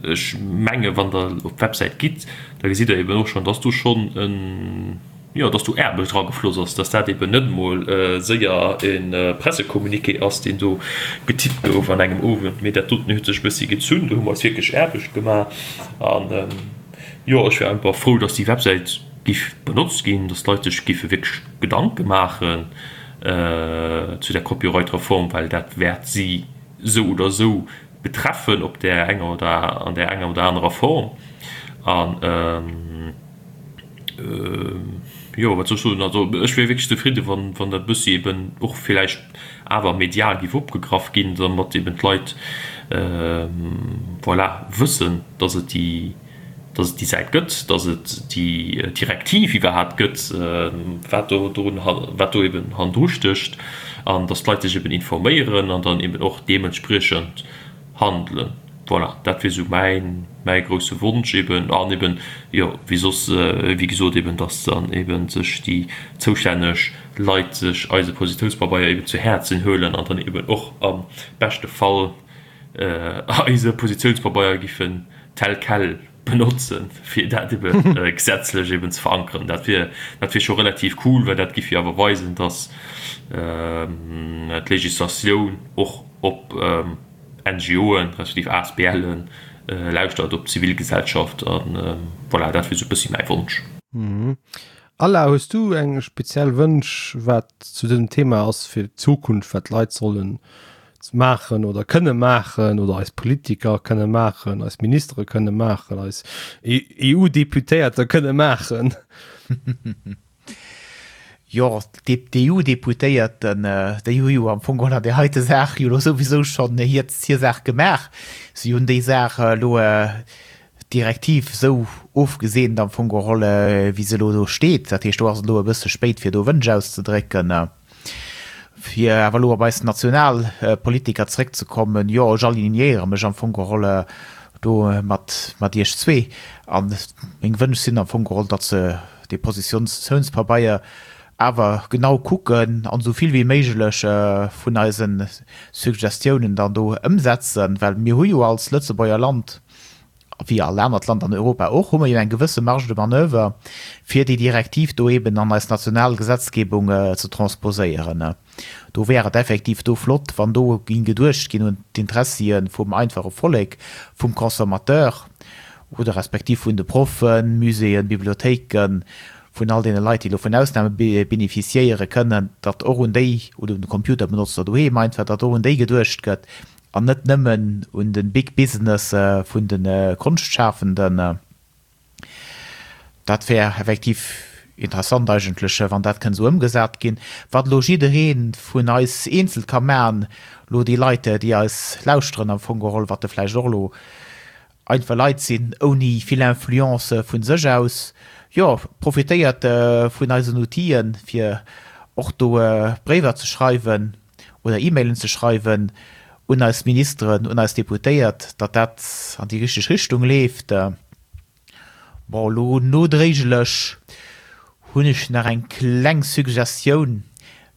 Ech menge wann Der op d'Websäit gitt, da gesitt Der eben och schonn, dass do schonn en, jo, dass do Aarbecht eragefloss ass, dass dat eben net emol séier e Pressecommuniqué ass, deen do getippt gouf an engem Owend, mee dat doten huet sech e bëssi gezunn. Do hu mer eis wierklech Aarbecht gemaach. An, jo, ech wär einfach frou, dass déi Websäit giff benotzt ginn, dass d'Leit sech giffe wierklech Gedanke maachen zu der Copyright-Reform, well dat wäert si esou oder esou betreffen op där enger oder an där enger oder anerer Form. An jo, wat soll ech soen, also ech wier wierklech zefridde wann wann dat e bëssi eben och villäicht awer medial giff opgegraff ginn, domat eben d'Leit voilà wëssen, dass et déi dass et déi Säit gëtt, dass et déi Direktiv iwwerhaapt gëtt, wat do drun, wat do eben hannendru stécht, an dass d'Leit sech eben informéieren an dann eben och deementspriechend handelen. Voilà, dat wier esou mäin, mäi grousse Wonsch eben. An eben, jo, wéi soss, wéi gesot eben, dass dann eben sech déi zoustänneg Leit sech eise Positiounspabeier eben zu Häerzen huelen an dann eben och am beschte Fall eise Positiounspabeier giffen tel quel benotzen, fir dat ebe gesetzlech eben ze verankeren. Dat wier, dat wier scho relativ cool, well dat giff jo awer weisen, dass d'Législatioun och op NGOen, respektiv ASBLen lauschtert, op d'Zivilgesellschaft. A voilà, dat wier esou e bëssi mäi Wonsch. Alain, hues du eng speziell Wënsch, wat zu dësem Thema ass fir d'Zukunft, wat d'Leit sollen maachen oder kënne maachen oder eis Politiker kënne maachen, eis Ministere kënne maachen, eis EU-Deputéierter kënne maachen? Jo, d'EU-Deputéierten, déi hu jo am Fong geholl an där heite Saach jo elo souwisou schonn hir Saach gemaach. Si hunn déi Saach elo d'Direktiv esou ofgeseent am Fong geholl, wéi se elo do steet. Dat heescht, do ass et elo e bësse spéit, fir do Wënsch auszedrécken. Fir awer elo op eis national Politiker zréckzekommen, jo, ech alignéiere mech am Fong geholl do mat, mat Iech zwee. A meng Wënsch sinn am Fong geholl, datt se dee Positiounspabeier awer genau kucken an esou vill wéi méiglech vun eise Suggestiounen dann do ëmsetzen, well mir hu jo als Lëtzebuerger Land, wéi all anert Land an Europa och, hu mer jo eng gewësse Marge de manoeuvre, fir déi Direktiv do eben an eis national Gesetzgebung ze transposéieren. Do wär et effektiv do flott, wann do ging geduecht ginn un d'Interessie vum einfache Vollek, vum Consommateur oder respektiv vun de Proffen, Muséeën, Bibliothéiken, vun all deene Leit, déi elo vun Ausname bénéficiéiere kënnen, datt och un déi, oder un de Computerbenotzer doheem einfach, datt och un déi geduecht gëtt, An net nëmmen un de Big Business vun de Konschtschafenden. Dat wär effektiv interessant eigentlech, wann dat kënnt esou ëmgesat ginn. Wat elo jidderee vun eis eenzel ka maachen, elo déi Leit, déi eis lauschteren am Fong geholl, wat de vläicht och elo einfach Leit sinn ouni vill Influence vu sech aus, jo, profitéiert vun eisen Outile fir och do Bréiwer ze schreiwen. oder E-Mailen ze schreiwen un eis Ministeren, un eis Deputéiert, datt dat an déi richteg Richtung leeft. Bon, elo nodréiglech hunn ech nach eng kleng Suggestioun,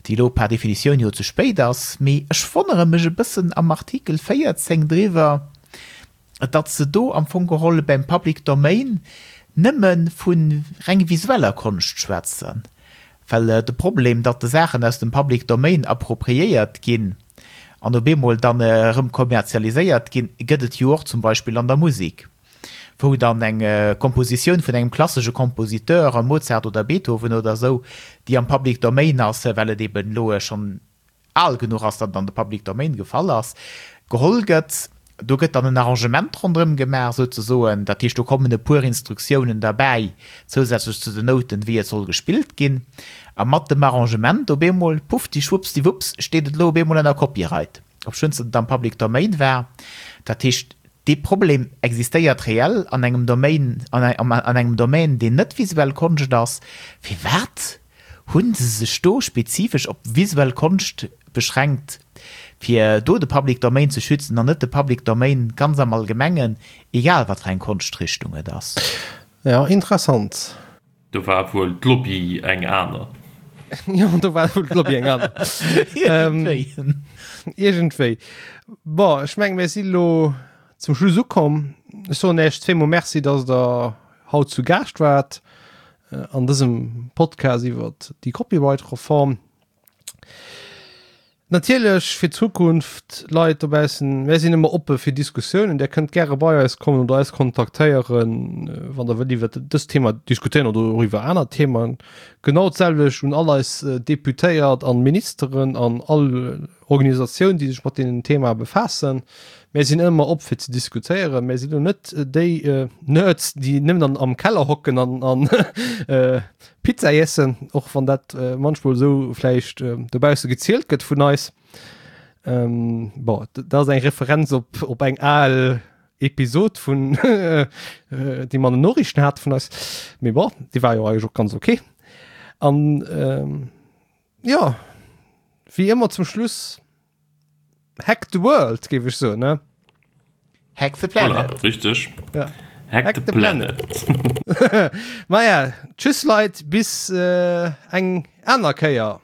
déi elo par Definitioun jo ze spéit ass, mee ech wonnere mech e bëssen am Artikel 14 driwwer, datt se do am Fong geholl beim Public Domain nëmme vu reng visueller Konscht schwätzen, well de Problem, datt de Saachen aus dem Public Domain appropriéiert ginn an op eemol dann erëm kommerzialiséiert ginn, gëtt et jo och zum Beispill an der Musek, wou dann eng Kompositioun vun engem klassesche Kompositeur, Mozart oder Beethoven oder esou, déi am Public Domain ass, well et eben elo schonn al genuch ass, datt et an de Public Domain gefall ass, geholl gëtt. Do gëtt dann en Arrangement ronderëm gemaach souzesoen. Dat heescht, do kommen e puer Instruktiounen derbäi, zousätzlech zu den Nouten, wéi et soll gespillt ginn. A mat dem Arrangement op eemol, puffti-schwuppsdiwupps, steet et elo op eemol ënner Copyright. obschonns et am Public Domain war. Dat heescht, dee Problem existéiert reell an engem Domain, an engem Domaine, deen net visuell Konscht ass. Firwat hu se sech do spezifesch op visuell Konscht beschränkt, fir do de Public Domain ze schützen an net de Public Domain ganz am Allgemengen, egal wat fir eng Konschtrichtung et ass? Jo, interessant. Do war wuel d'Lobby eng aner. Jo, do war wuel d'Lobby eng aner. Iergendwéi. Iergendwéi. Bon, ech mengen, mir si lo zum Schluss ukomm. Ech soen Iech zweemol Merci, dass Der haut zu Gaascht waart an dësem Podcast iwwert déi Copyright-Reform. Natierlech fir d'Zukunft, Leit dobaussen, mär sinn ëmmer oppe fir Diskussiounen. Där kënnt gäre bei eis kommen oder eis kontaktéieren, wann der wëllt iwwert dëst Thema diskutéieren oder och iwwer aner Themen. Genau d'selwecht un all eis Deputéiert an Ministeren an all Organisatioun, déi sech mat deenen Themae befaassen. Mär sinn ëmmer op fir ze diskutéieren. Mär sinn elo net déi Nerds, déi nëmmen am Keller hocken an Pizza iessen, och wann dat manchmol esou vläicht dobausse gezielt gëtt vun eis. Bon, dat ass eng Referenz op, op eng al Episod vun déi mer an den Noriichten hate vun eis. Mee bon, déi war jo eigentlech och ganz ok. An jo, wéi ëmmer zum Schluss, Hack the world, géif ech soen, ne? Hack the planet. Voilà, richteg. Ja. Hack, Hack the, the planet. planet. Maja, tschüss Leit, bis äh, eng aner Kéier.